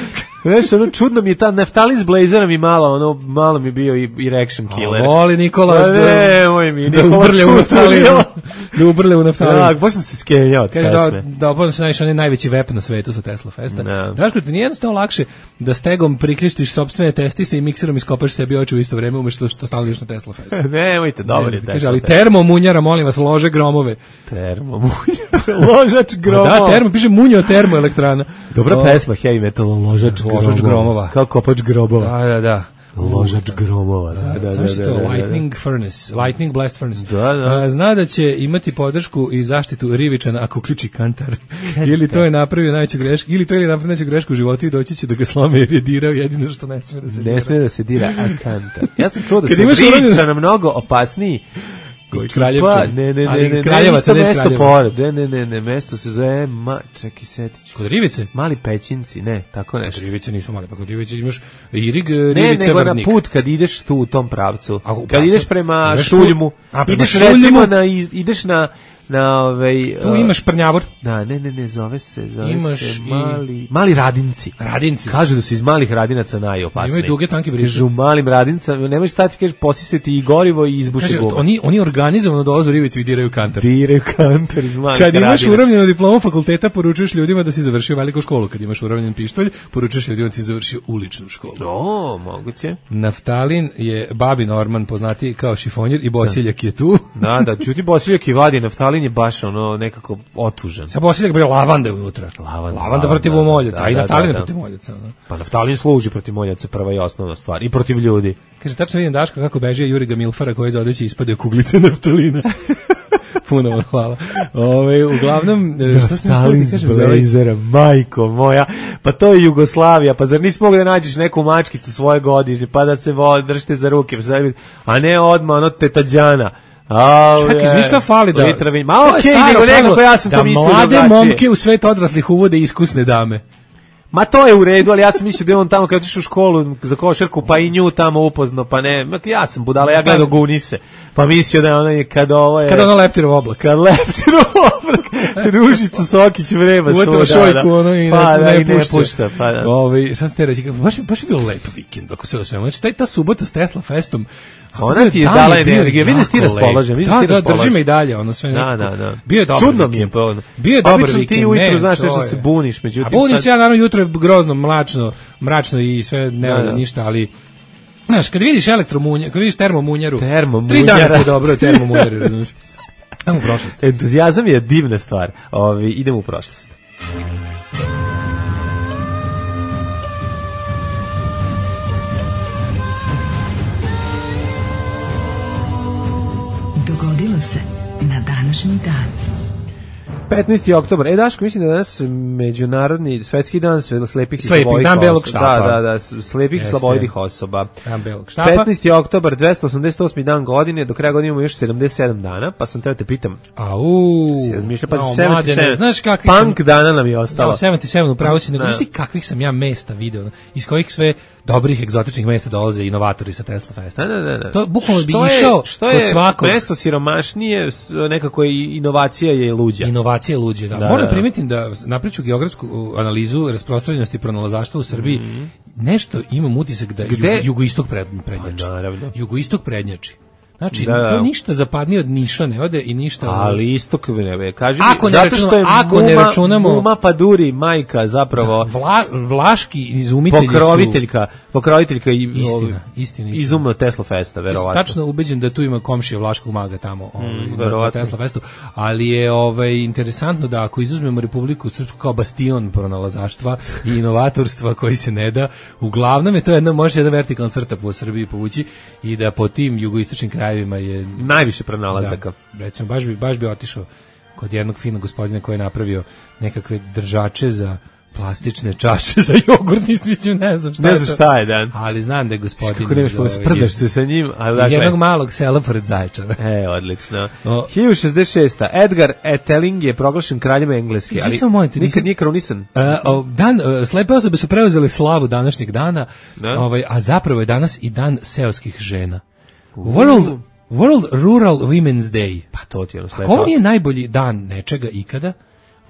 Znaš, ono čudno mi je ta naftalin s blazera mi malo, ono, malo mi je bio i erection killer. A voli Nikola Pa da, ne, moj mi, da Nikola ubrle u čutura. naftalin. Da ubrle u naftalin. Da, baš sam se skenjao od Kaže da, pesme. da upoznam se najviše, on je najveći vep na svetu sa Tesla Festa. Da. Daško, ti nije jednostavno lakše da stegom priklištiš sopstvene testise i mikserom iskopaš sebi oči u isto vreme umešto što stalno ideš na Tesla Fest. Nemojte, dobro je. Ne, kaže, ali termo munjara, molim vas, lože gromove. Termo, munja, ložač gromova. Da, termo, piše munjo termoelektrana. Dobra O, pesma, heavy metal, ložač gromova. Ložač gromova. Kao kopač grobova. Da, da, da. Ložač gromova. Da, da, da, Znaš što, da, da, da. Lightning Furnace, Lightning Blast Furnace. Da, da. A, zna da će imati podršku i zaštitu Rivičana ako uključi kantar. ili to je napravio najveću grešku, ili to je napravio najveću grešku u životu i doći će da ga slome jer je dirao jedino što ne smije da se dira. Ne smije da se dira akanta. Ja sam čuo da Kad su imaš uranjeno- Rivičana mnogo opasniji. Koji Ekipa- Kraljevčan? Ne, ne, Ali ne, ne, Kraljevac, ne, a ne mesto Kraljeva. pored. Ne, ne, ne, ne, mesto se zove, ma, čekaj, setit ću. Kod Rivice? Mali pećinci, ne, tako nešto. Rivice nisu male, pa kod Rivice imaš Irig, Ne, Rivice, nego na Vrdnik. put kad ideš tu u tom pravcu. A, u Kad pravcu? ideš prema Ideš Šuljmu, tu- a, prema ideš Šuljmu? recimo na, iz- ideš na, na ovaj... Tu uh, imaš Prnjavor, Da, ne, ne, ne, zove se, zove Imaš se i- mali, mali radinci. Radinci. Kažu da su iz malih radinaca najopasniji. Imaju duge, tanke briže. Kažu u malim radincama, nemoj stati, kažeš, posisati i gorivo i izbuše Kaže, gume. oni, oni organizovano dolaze u Rivicu i diraju kantar. Diraju kantar iz malih Kad imaš radinaca. uravnjenu diplomu fakulteta, poručuješ ljudima da si završio veliku školu. Kad imaš uravnjen pištolj, poručuješ ljudima da si završio uličnu školu. O, moguće. Naftalin je babi Norman, poznati kao šifonjer, i Bosiljak je tu. Da, da, čuti Bosiljak i vadi, naftalin je baš ono nekako otužan. Sa Bosiljak bre lavanda unutra. Lavanda, Lavanda protiv da, moljaca, da, a i da, Naftalin da, je da. protiv moljaca. ono. Pa naftalin služi protiv moljaca, prva i osnovna stvar. I protiv ljudi. Kaže, tačno vidim Daška kako beže Juriga Milfara koji za odeći ispade kuglice naftalina. Puno vam hvala. Ove, uglavnom, e, šta sam Naftalin mislio s da kažem za ovaj- blazera, majko moja. Pa to je Jugoslavija, pa zar nisi mogu da nađeš neku mačkicu svoje godišnje, pa da se vo, držite za ruke, pa sad- a ne odmah ono tetađana. Au, Čekaj, je. znaš šta fali da... Litra vina. Ma To je okej, staro nego pravilo nekako ja sam to da mislio mlade drugačije. momke u svet odraslih uvode iskusne dame. Ma to je u redu, ali ja sam mislio da je on tamo kad je otišao u školu za košarku, pa i nju tamo upoznao, pa ne, ma ja sam budala, ja gledao Gunise, pa mislio da je ona kad ovo je... Kada ono leptirov oblak. Kad leptiro oblak, Ružica Sokić vreba Uvatila svuda, šojku, ono, i pa, ne, da, ne, i ne pušta. pušta, pa da. Ove, šta sam te reći, baš, baš je bio lep vikend, ako se o svemu. Znači, taj, ta subota s Tesla Festom, Ona ti je dan dala bio energiju, vidim da si ti jako lep. raspoložen, vidim da si ti Da, da, raspoložen. drži me i dalje, ono sve Da, nekako. da, da. Bio je dobar Čudno mi je vikend. pa ono. Bio je dobar Obično ti vikend. ujutru ne, znaš to nešto je. se buniš, međutim A bunim sad- se ja, naravno, jutro je grozno, mračno, mračno i sve ne Da, valja da. ništa, ali znaš, kad vidiš elektromunjaru, kad vidiš termomunjaru, Termomunjara. tri dana ti je dobro termomunjaru, razumiješ? Ajmo u prošlost. Entuzijazam je divna stvar. Ovi, idemo u prošlost. Dogodilo se na današnji dan. petnaesti oktobar. E, Daško, mislim da je danas međunarodni svetski dan slepih i Slepi, slabovih dan belog osoba. štapa. Da, da, da, slepih i Jeste. slabovih osoba. Dan belog štapa. petnaesti oktobar, dvesta osamdeset osmi dan godine, do kraja godine imamo još sedamdeset sedam dana, pa sam teo te pitam. Au. Si razmišljao, pa no, sedamdeset sedam. mladene, znaš kakvi Punk sam... dana nam je ostalo. Da, sedamdeset sedam upravo si, nego Da. znaš ti kakvih sam ja mesta video, iz kojih sve dobrih egzotičnih mesta dolaze inovatori sa Tesla Festa. Da, da, da, da. To bukvalno bi Što je- išao što kod je svakog. mesto siromašnije, s- nekako i inovacija je luđa. Inovacije luđe, da. Da, Moram da. primetim da napriču geografsku uh, analizu rasprostranjenosti pronalazaštva u Srbiji. Nešto imam utisak da Mhm. Gde? jugo, jugoistok pred, prednjači. Pa, naravno. Jugoistok prednjači. Znači, Da, da. to ništa zapadnije od Niša ne ode i ništa... Ali istok ne, kaži Ako mi, ne zato računamo- što je ako ne Muma, računamo- Muma Paduri, majka zapravo Vla, vlaški izumitelji su... pokroviteljka, pokroviteljka i Istina, ovi- istina, istina. izumno Tesla Festa, Ja sam verovatno. tačno ubeđen da tu ima komšija Vlaškog maga tamo ovaj, na- na verovatno. Tesla Festu, ali je ovaj, interesantno da ako izuzmemo Republiku Srpsku kao bastion pronalazaštva i inovatorstva koji se ne da, uglavnom je to jedna, može jedna vertikalna crta po Srbiji povući i da po tim jugoistočnim krajevima je Najviše pronalazaka. da, recimo, baš bi, baš bi otišao kod jednog finog gospodina koji je napravio nekakve držače za plastične čaše za jogurt, mislim, ne znam šta Ne je znam to. šta je, dan. Ali znam da je gospodin Kako nemaš iz, pa ovaj, sprdaš iz- se sa njim, a iz dakle... jednog malog sela pored Zaječara. E, odlično. O. hiljadu šezdeset šesta. Edgar Eteling je proglašen kraljem Engleske, Nisam ali samo molim te, nikad nisam- nije kronisan. E, o, dan, e, slepe osobe su preuzele slavu današnjeg dana, Da. ovaj, a zapravo je danas i dan seoskih žena. World, World Rural Women's Day. Pa to ti je ono Ako slepo. ovo nije najbolji dan nečega ikada,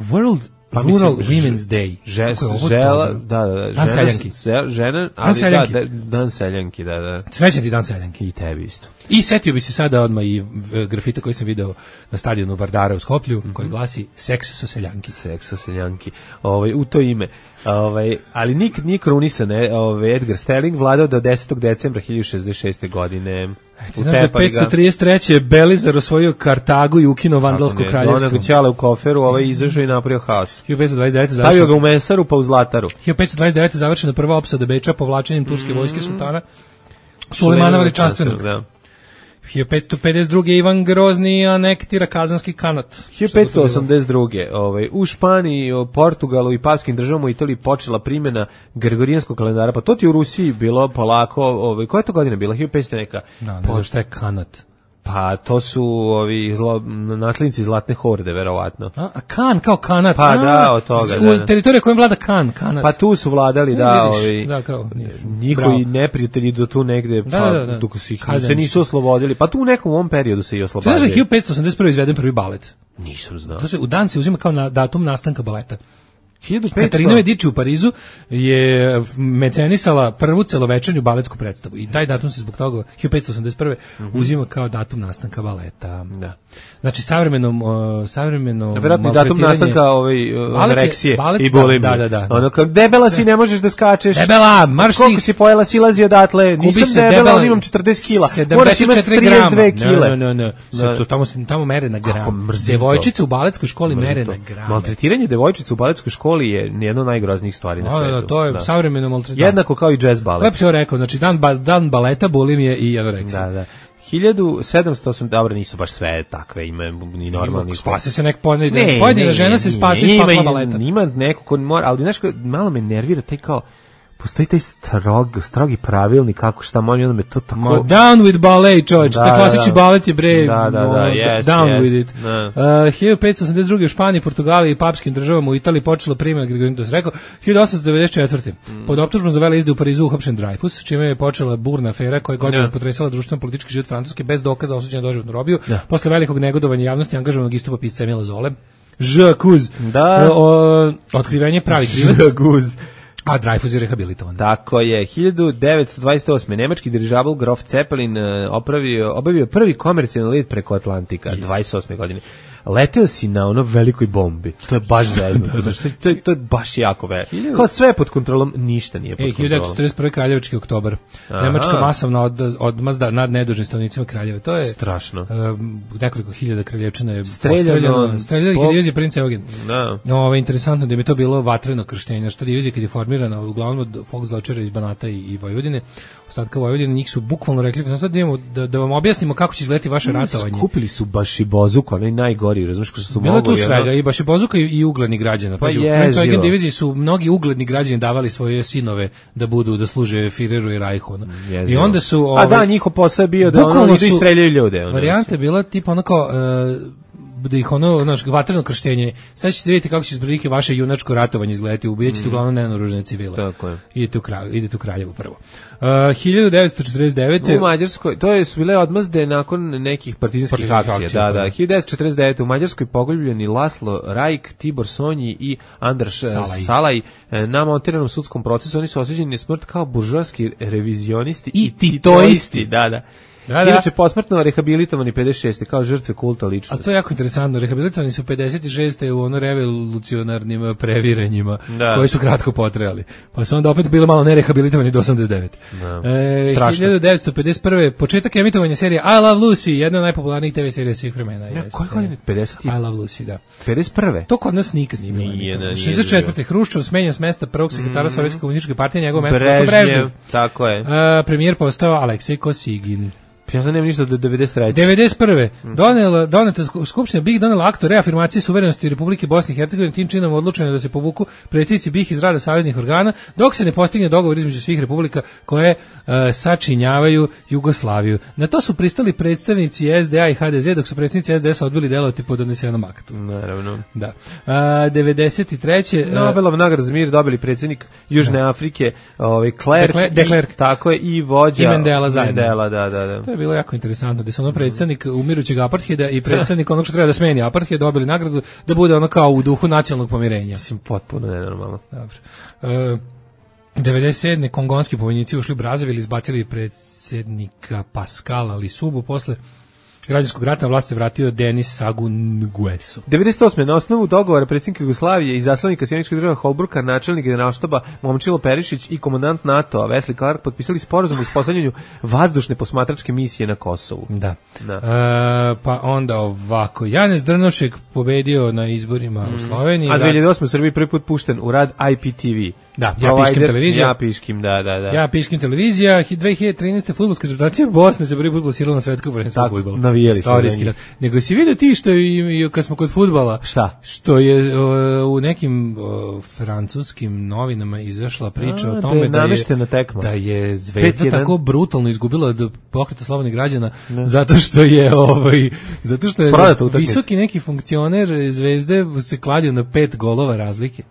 World Pa Rural mislim, Women's Day. Že, Kako je ovo žela, dobro? da, da, da. Dan žena, seljanki. Se, žena, ali seljanki. da, da, dan seljanki, da, da. Srećan ti dan seljanki. I tebi isto. I setio bi se sada odmah i e, grafita koji sam video na stadionu Vardara u Skoplju, Mhm. koji glasi Seks sa seljanki. Seksa seljanki. Ovaj, u to ime. Ovaj, ali nikad nije krunisan, e, ovaj, Edgar Stelling vladao do desetog decembra hiljadu šezdeset šeste godine. Ti znaš da je Utepali ga. petsto trideset treće. Belizar osvojio Kartagu i ukinuo vandalsko Kako ne, kraljevstvo. Onog ćale u koferu, ovaj izašao i napravio haos. hiljadu petsto dvadeset devete. Stavio ga završena- u mesaru pa u zlataru. hiljadu petsto dvadeset devete. završena prva opsada Beča povlačenjem turske vojske sultana Sulejmana Veličanstvenog. Da. hiljadu petsto pedeset druge. Ivan Grozni anektira Kazanski kanat. hiljadu petsto osamdeset druge. Ovaj, u Španiji, o Portugalu i Paskim državama u Italiji počela primjena gregorijanskog kalendara. Pa to ti u Rusiji bilo polako, ovaj, koja je to godina bila? hiljadu petsto neka. Da, ne znam šta je kanat. Pa to su ovi zlo, naslednici Zlatne horde, verovatno. A, a kan kao kanat. Pa a, da, od toga, z- da, U da. teritoriju kojem vlada kan, kanat. Pa tu su vladali, E, da, vidiš, ovi, da, kao, nisu. njihovi Bravo. neprijatelji do tu negde, Da, pa, da, da. dok su ih, se Kazanski. nisu oslobodili. Pa tu u nekom ovom periodu se i Znaš da je oslobodili. hiljadu petsto osamdeset prve. izveden prvi balet? Nisam znao. To se u dan se uzima kao na datum nastanka baleta. hiljadu petsto Katarina Medici u Parizu je mecenisala prvu celovečernju baletsku predstavu i taj datum se zbog toga hiljadu petsto osamdeset prve. uzima kao datum nastanka baleta. Da. Znači savremenom uh, savremeno Vjerojatno datum maltretiranje- nastanka ovaj, uh, Balet je- anoreksije balet, i da, bulimije. da, da, da. Ono kao, debela si, ne možeš da skačeš. Debela, marš ti. Koliko si pojela, silazi odatle. Kupi Nisam se debela, debela, ali imam četrdeset kila. Moraš sedamdeset imati četiri trideset dve grama. kile. Ne, ne, ne. Se Da. to tamo se tamo mere na Kako gram. mrzim to. Devojčice u baletskoj školi Mrzim mere to. na gram. Maltretiranje devojčica u baletskoj školi je jedno od najgroznijih stvari na Da, svetu. da, to je Da. savremeno maltretiranje. Jednako kao i jazz balet. Lepo si ovo rekao, znači dan, ba, dan baleta, bulimije i anoreksija. Da, da. hiljadu sedamsto osam, dobro, nisu baš sve takve, ima ni normalni. Spasi se nek pojedina, pojedina žena se spasi iz ima, pakla ima, baleta. ima neko ko mora, ali znaš, ko- malo me nervira taj kao, postoji taj strog, strogi pravilnik kako šta molim, onda me to tako... Ma, down with ballet, čovječ, Da, taj klasični da. balet je bre, Da, da, da, ono, jest, down jest, with it. da. Uh, hiljadu petsto osamdeset druge. u Španiji, Portugaliji i papskim državama u Italiji počela primjena Gregorijanskog, to se rekao, hiljadu osamsto devedeset četvrte. Mm. Pod optužbom za veleizde u Parizu uhapšen Dreyfus, čime je počela burna afera koja je godinama Da. potresala društveno politički život Francuske bez dokaza osuđena doživotnu robiju. Posle velikog negodovanja javnosti angažovanog istupa pisca Emila Zole. Žakuz. Da. O, otkrivenje pravi krivac. Žaguz. A Dreyfus je rehabilitovan. Tako je, hiljadu devetsto dvadeset osme. nemački dirižabl Grof Zeppelin e, opravio, obavio prvi komercijalni let preko Atlantika, Yes. dvadeset osme godine. Leteo si na ono velikoj bombi. To je baš zeznuto. Znači, to, je- to je baš jako veliko. Hiljadu- Kao sve je pod kontrolom, ništa nije pod E, kontrolom. hiljadu devetsto četrdeset prve. kraljevački oktobar. Aha. Nemačka masovna od, odmazda nad nedužnim stanovnicima Kraljeva. To je Strašno. um, nekoliko hiljada kraljevčana je Streljano, streljano, streljano ih je zbog- divizija princ Eugen. Da. Ovo je interesantno da mi je to bilo vatreno krštenje, što divizija kad je formirana uglavnom od Volksdeutschera iz Banata i, i Vojvodine, ostatka Vojvodine, njih su bukvalno rekli, sad idemo da, da vam objasnimo kako će izgledati vaše ratovanje. Skupili su baš i bozuk, onaj najgori kategoriju, razumiješ, što su bilo mogu. tu svega, i baš je Bozuka i, i ugledni građana. Pa Pazi, u French diviziji su mnogi ugledni građani davali svoje sinove da budu, da služe Führeru i Reichu. No. I onda su... Ovaj, a da, njihov posao je bio da ono idu i streljaju ljude. Varijanta je bila tipa ono kao... Uh, da ih ono, naš vatreno krštenje. Sad ćete vidjeti kako će zbrilike vaše junačko ratovanje izgledati. Ubijat ćete mm. uglavnom nenaoružane civile. Tako je. Idete u, kralj, idete u Kraljevu prvo. Uh, hiljadu devetsto četrdeset devete u Mađarskoj, to je su bile odmazde nakon nekih partizanskih Partizanskih akcija. akcija, Da, da. hiljadu devetsto četrdeset devete u Mađarskoj pogoljubljeni Laslo Rajk, Tibor Sonji i Andrš Salaj. Salaj na montiranom sudskom procesu. Oni su osuđeni na smrt kao buržoarski revizionisti i titoisti. Da, da. Da, da. Inače posmrtno rehabilitovani pedeset šeste kao žrtve kulta ličnosti. A to je jako interesantno, rehabilitovani su pedeset šeste u ono revolucionarnim previranjima da. Koji su kratko potrajali. Pa su onda opet bilo malo nerehabilitovani do osamdeset devete. Da. E, hiljadu devetsto pedeset prve početak emitovanja serije I Love Lucy, jedna od najpopularnijih te ve serija svih vremena. Ja, koje godine? pedeset I Love Lucy, da. pedeset prve To kod nas nikad nije bilo. Nije, nije šezdeset četvrte Hruščov smenjen s mesta prvog sekretara mm. Sovjetske komunističke partije, njegovo mesto Brežnjev, Brežnjev. Tako je. E, premijer postao Aleksej Kosigin. Ja znam nema ništa do devedeset treće devedeset prve Donela, doneta Skupština BiH donela akt o reafirmaciji suverenosti Republike Bosne i Hercegovine, tim činom odlučeno da se povuku predsjednici BiH iz rada saveznih organa, dok se ne postigne dogovor između svih republika koje uh, sačinjavaju Jugoslaviju. Na to su pristali predstavnici S D A i H D Z, dok su predsjednici S D S odbili delovati po donesenom aktu. Naravno. Da. Uh, devedeset treće Uh, Nobelov nagradu za mir dobili predsjednik Južne da. Afrike, ovaj Klerk, de Klerk, tako je, i vođa i Mandela zajedno. Mandela, da, da, da. To je bilo jako interesantno, da su ono predstavnik umirućeg apartheda i predstavnik onog što treba da smeni apartheid dobili nagradu da bude ono kao u duhu nacionalnog pomirenja. Mislim, potpuno nenormalno. Dobro. E, devedeset sedme kongonski pobunjenici ušli u Brazzaville, izbacili predsjednika Pascala Lisubu, posle građanskog rata na vlast se vratio Denis Sagu Nguesso. devedeset osme na osnovu dogovora predsjednika Jugoslavije i zaslanika Sjeničkih država Holbrooka, načelnik generalštaba Momčilo Perišić i komandant NATO-a Wesley Clark potpisali sporazum o uspostavljanju vazdušne posmatračke misije na Kosovu. Da. da. E, pa onda ovako, Janez Drnošek pobedio na izborima mm. u Sloveniji. A dve hiljade osme u Srbiji prvi put pušten u rad I P T V. Da, ja piškim televizija. Ja piškim, da, da, da. Ja piškim televizija. dve hiljade trinaeste fudbalska reprezentacija Bosne se prvi put plasirala na svetsko prvenstvo fudbala. Navijali smo. Nego si vidio ti što i, i kad smo kod fudbala, šta? Što je o, u nekim o, francuskim novinama izašla priča A, o tome da je, da je, da je Zvezda tako brutalno izgubila od pokreta slobodnih građana ne. zato što je ovaj zato što je visoki neki funkcioner Zvezde se kladio na pet golova razlike.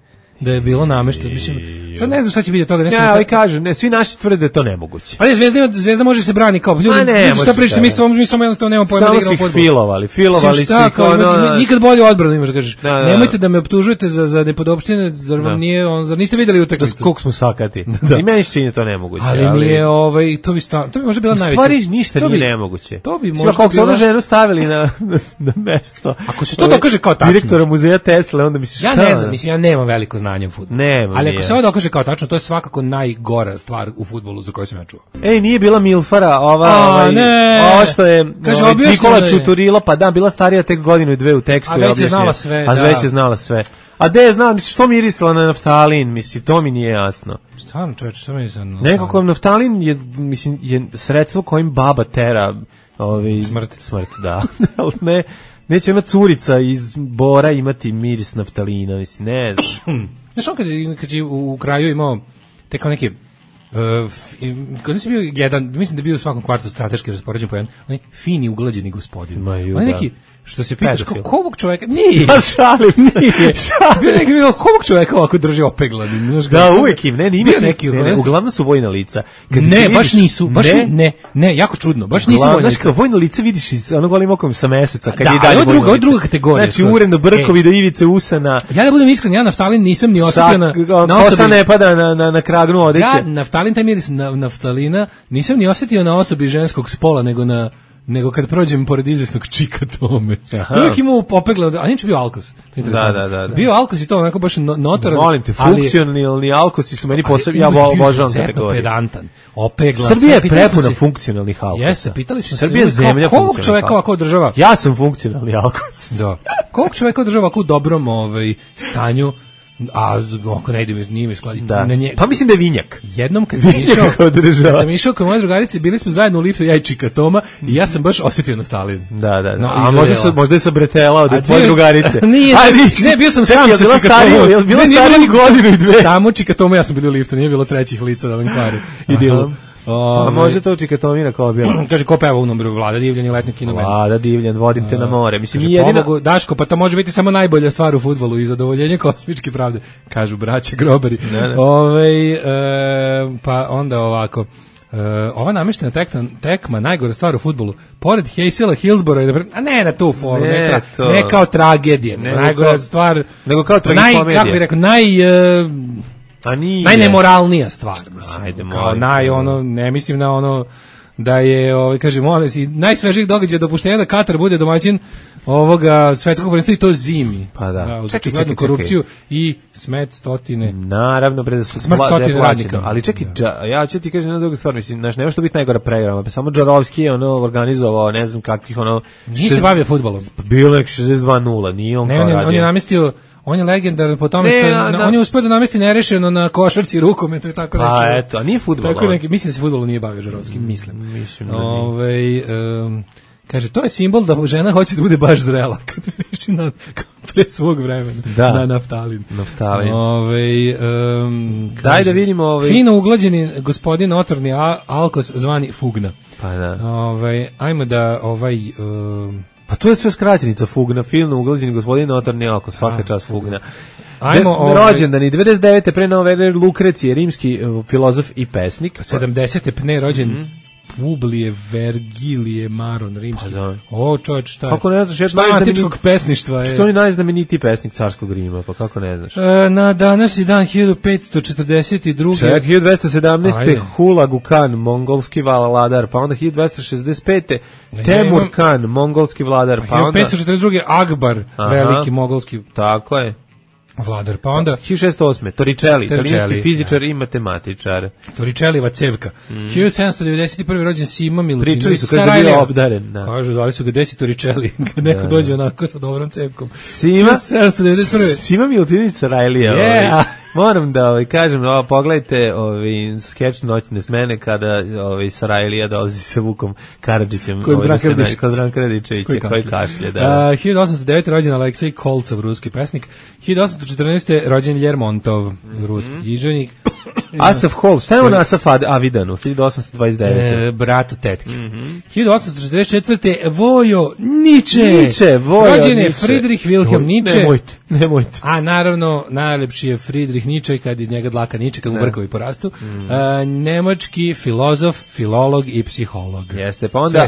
Da je bilo namešteno. Mislim, sad ne znam šta će biti od toga. Ja, ali kažu, ne, svi naši tvrde da je to nemoguće. Ali Zvezda, Zvezda može se brani kao ljudi. Ne, ljudi šta pričate, mi samo mi samo jednostavno nemamo pojma da igramo fudbal. Samo su filovali, filovali su kao ono, nikad bolje odbranu imaš, kažeš. Da, da, nemojte da me optužujete za za nepodopštine, zar vam nije, on zar niste videli utakmicu. Koliko smo sakati. Da. I meni se čini to nemoguće, ali, ali nije ovaj to bi sta, to bi možda bila najveća. Stvari ništa nije nemoguće. To bi možda kako su onu ženu stavili na na mesto. Ako se to dokaže kao tačno. Direktora muzeja Tesla, onda misliš ja ne znam, mislim ja nemam veliko znanje u fudbalu. Ali ako se ovo dokaže kao tačno, to je svakako najgora stvar u fudbalu za koju sam ja čuo. Ej, nije bila Milfara, ova, A, ovaj, ne. ovo što je Kaže, ovaj, Nikola Čuturila, pa da, bila starija tek godinu i dve u tekstu. A već je znala sve, A da. već je znala sve. A de je znala, misli, što mirisala na naftalin, misli, to mi nije jasno. Stvarno, čovječe, što mi sam... Nekako naftalin je, mislim, je sredstvo kojim baba tera ovaj, smrt. Smrt, da. ne, neće ona curica iz Bora imati miris naftalina, mislim, ne znam. Znaš, on kad, kad je u kraju imao te kao neke Uh, kad nisi bio jedan, mislim da je bio u svakom kvartu strateški raspoređen po jedan, onaj fini uglađeni gospodin. On neki, što se pitaš, kao ovog čoveka, nije, pa šalim se, nije, bio neki bio, ovog čoveka ovako drži opeglanim. Da, uvijek im, ne, ne, ima neki, ne, ne, uglavnom su vojna lica. Kad ne, vidiš, baš nisu, baš ne, ne, ne, jako čudno, baš nisu vojna lica. Znaš, kao vojno lice vidiš iz onog golim okom sa meseca, kad da, je i dalje vojno lice. Da, ovo je druga kategorija. Znači, uredno brkovi do ivice usana. Ja da budem iskren, ja naftalin nisam ni osjetio na, na osobi. Kosa ne pada na, na, na kragnu odeće. Ja naftalin, taj miris na, naftalina, nisam ni osjetio na osobi ženskog spola, nego na nego kad prođem pored izvesnog čika tome. To uvijek imao popegla, a niče bio alkos. Da, da, da, da. Bio alkos i to onako baš notor. Molim te, funkcionalni alkosi su meni posebno, ja obožavam kategoriju. Pedantan, opegla. Srbija je prepuna funkcionalnih alkosa. Jeste, pitali smo se. Srbija je zemlja funkcionalnih čoveka ovako održava. Ja sam funkcionalni alkos. Da. Kog čoveka održava ovako u dobrom ovaj, stanju A ako ne ide mi, nije mi skladi. Da. Nje... Pa mislim da je vinjak. Jednom kad sam išao, kad sam išao kod moje drugarice, bili smo zajedno u liftu, ja i Čika Toma, i ja sam baš osjetio naftalin. Da, da, da. No, a možda, su, možda je sa Bretela od tvoje drugarice. Nije, a, ne, bio sam sam sa Čika Tomom. Je bilo stariji godinu i dve? Samo Čika Toma, ja sam bili u liftu, nije bilo trećih lica da vam kvari. I dilu. A može to Čika Tomina kao bila? Kaže, ko peva u numeru Vlada Divljan i letnji kinomet. Vlada Divljan, vodim te na more. Mislim, kaže, jedina... pomogu, Daško, pa to može biti samo najbolja stvar u fudbalu i zadovoljenje kosmičke pravde, kažu braće grobari. Ne, ne. Ove, e, pa onda ovako, e, ova namještena tekma, tekma, najgora stvar u fudbalu, pored Heysela, Hillsbora, a ne na tu foru, ne, ne, tra, ne kao tragedije, ne, najgora kao, stvar, nego kao tragikomedija. Kako bih rekao, naj... E, A nije. Najnemoralnija stvar, mislim. Ajde, kao naj ono, ne mislim na ono da je, ovaj kaže, molim se, najsvežijih događaja dopuštenja da Katar bude domaćin ovoga svetskog prvenstva i to zimi. Pa da. da uz čekaj, čekaj, korupciju čekaj. I smet stotine. Naravno, pre da su smrt stotine radnika. Ali čekaj, da. ja ću ti kažem jedna druga stvar, mislim, znaš, nema što biti najgora pregrama, pa samo Džarovski je ono organizovao, ne znam kakvih ono... Nije se bavio fudbalom. Bilo nek šezdeset dva nula, nije on ne, kao on, radio. On je namestio on je legendaran po tome ne, što na, na, on je uspeo da namesti nerešeno na košarci, rukometu i tako pa, nešto. eto, a nije fudbal. Tako neki, mislim da se fudbalom nije bavio Žarovski, mislim. Mm, mislim da Ove, um, kaže, to je simbol da žena hoće da bude baš zrela kad reši na pre svog vremena da. Na naftalin. Naftalin. Ove, um, kaže, daj da vidimo ovaj fino uglađeni gospodin notorni Alkos zvani Fugna. Pa da. Ove, ajmo da ovaj um, pa to je sve skraćenica Fugna, film uglađeni gospodin notorni Alkos, svaka čast Fugna. Ajmo, ovaj, rođendan i devedeset devete pre nove ere Lukrecije, rimski uh, filozof i pesnik. sedamdesete pne rođen mm-hmm. Publije Vergilije Maron, rimski. Pa da. O, čovječ, šta je? Kako ne znaš, šta je antičkog pesništva je? Što je najznamenitiji pesnik carskog Rima, pa kako ne znaš? E, na današnji dan hiljadu petsto četrdeset druge. Ček, hiljadu dvesta sedamnaeste. Hulagu Khan, mongolski vladar, pa onda hiljadu dvesta šezdeset pete. Temur imam... Khan, mongolski vladar, pa onda... hiljadu petsto četrdeset druge. Akbar, aha, veliki mongolski... Tako je. Vladar, pa onda hiljadu šessto osme. Torricelli, italijanski fizičar i matematičar. Torricelliva cevka. Mm. hiljadu sedamsto devedeset prve rođen Sima Milutinović. Pričali su kada je bio obdaren. Da. Kažu, zvali su ga desi Torricelli, kad neko da, dođe onako sa dobrom cevkom. Sima, sedamsto devedeset prve. Sima Milutinović Sarajlija. Yeah. Ovaj. Moram da ovaj, kažem, ovo, pogledajte ovaj, skeč Noćne smene kada ovaj, Sarajlija dolazi sa Vukom Karadžićem. Kod Branka Radičevića, koji kašlje. Da, da. Uh, hiljadu osamsto devete. rođen Aleksej Kolcov, ruski pesnik. hiljadu osamsto četrnaeste. rođen Ljermontov, ruski književnik. Asaf Hol, šta je on Asaf Avidanu, hiljadu osamsto dvadeset devete. E, bratu tetke. Mm-hmm. hiljadu osamsto četrdeset četvrte. Vojo Niče. Niče, Vojo rođen je Niče. Friedrich Wilhelm Niče. Nemojte, nemojte. A naravno, najlepši je Friedrich Niče, kad iz njega dlaka niče, kad mu brkovi porastu. Mm. A, nemački filozof, filolog i psiholog. Jeste, pa onda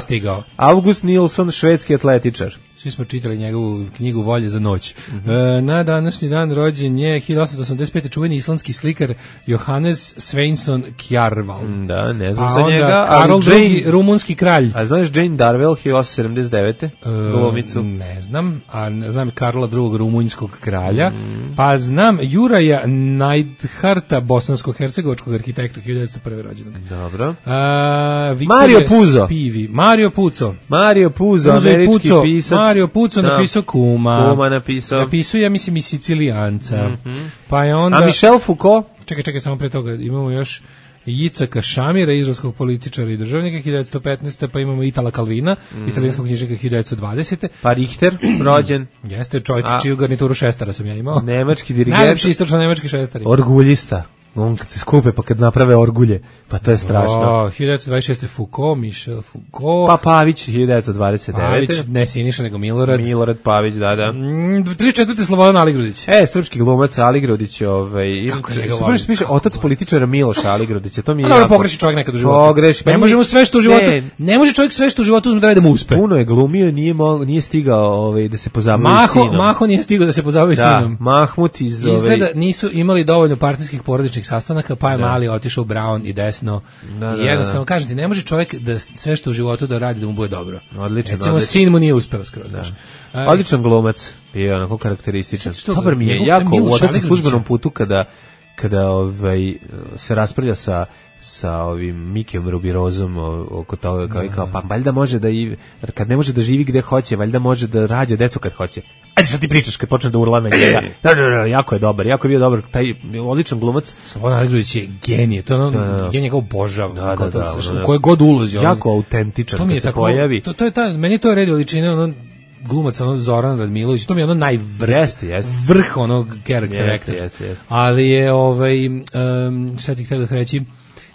August Nilsson, švedski atletičar. Svi smo čitali njegovu knjigu Volje za noć. Mm-hmm. E, na današnji dan rođen je hiljadu osamsto osamdeset pete. čuveni islandski slikar Johannes Sveinsson Kjarval. Da, ne znam a za njega. Karol drugi, rumunski kralj. A znaš Jane Darwell, hiljadu osamsto sedamdeset devete. E, glumicu? Ne znam, a ne znam Karola drugog rumunjskog kralja. Mm. Pa znam Juraja Neidharta, bosansko-hercegovačkog arhitekta, hiljadu devetsto prve. rođenog. Dobro. A, Mario Puzo. Spivi. Mario Puzo. Mario Puzo, Puzo američki Puzo. pisac. Mario Puzo napisao Kuma. Kuma napisao. Napisao, ja mislim, i Sicilijanca. Mm-hmm. Pa je onda... A Michel Foucault? Čekaj, čekaj, samo pre toga imamo još Jicaka Šamira, izraelskog političara i državnika, hiljadu devetsto petnaeste. Pa imamo Itala Kalvina, mm. italijanskog knjižnika, hiljadu devetsto dvadesete. Pa Richter, rođen. Jeste, čovjek čiju garnituru šestara sam ja imao. Nemački dirigent. Najlepši istočno nemački šestari. Orguljista. On kad se skupe, pa kad naprave orgulje, pa to je strašno. O, hiljadu devetsto dvadeset šeste. Foucault, Michel Foucault. Pa Pavić, hiljadu devetsto dvadeset devete. Pavić, ne Siniša, nego Milorad. Milorad Pavić, da, da. Mm, tri četvrte. Slobodan Aligrudić. E, srpski glumac Aligrudić, ovaj. Kako se ga volim? Piše otac političara Miloša Aligrudića, to mi je jako. Pogreši čovjek nekad u životu. Pogreši. Ne možemo sve što u životu. Ne, ne može čovjek sve što u životu uzme da mu uspe. Puno je glumio, nije mo, nije stigao ovaj da se pozabavi Maho, sinom. Maho nije stigao da se pozabavi da, sinom. Mahmut iz ove. Izgleda nisu imali dovoljno partijskih porodičnih sastanaka, pa je da. Mali otišao u Brown i desno. Da, I jednostavno, kažem ti, ne može čovjek da sve što u životu da radi da mu bude dobro. Odlično. Recimo, odlično. Sin mu nije uspeo skroz. Da. Odličan glumac, je onako karakterističan. Dobar mi je jako u odasim službenom putu kada kada ovaj, se raspravlja sa sa ovim Mikijom Rubirozom oko toga kao, kao pa valjda može da i kad ne može da živi gde hoće, valjda može da rađa decu kad hoće. Ajde šta ti pričaš kad počne da urla na njega. Da, da, da, jako je dobar, jako je bio dobar, taj odličan glumac. Slobodan Aligrudić je genije, to ono, da, genije kao obožavam, da, da, da, da, da, koje god ulozi. Jako on, autentičan to mi je kad se tako, pojavi. To, to je ta, meni to je red veličine, ono, glumac ono Zoran Radmilović, to mi je ono najvrh, jeste, jeste. vrh onog character actors. Jeste, jeste. Ali je, ovaj, um, šta ti htio da reći,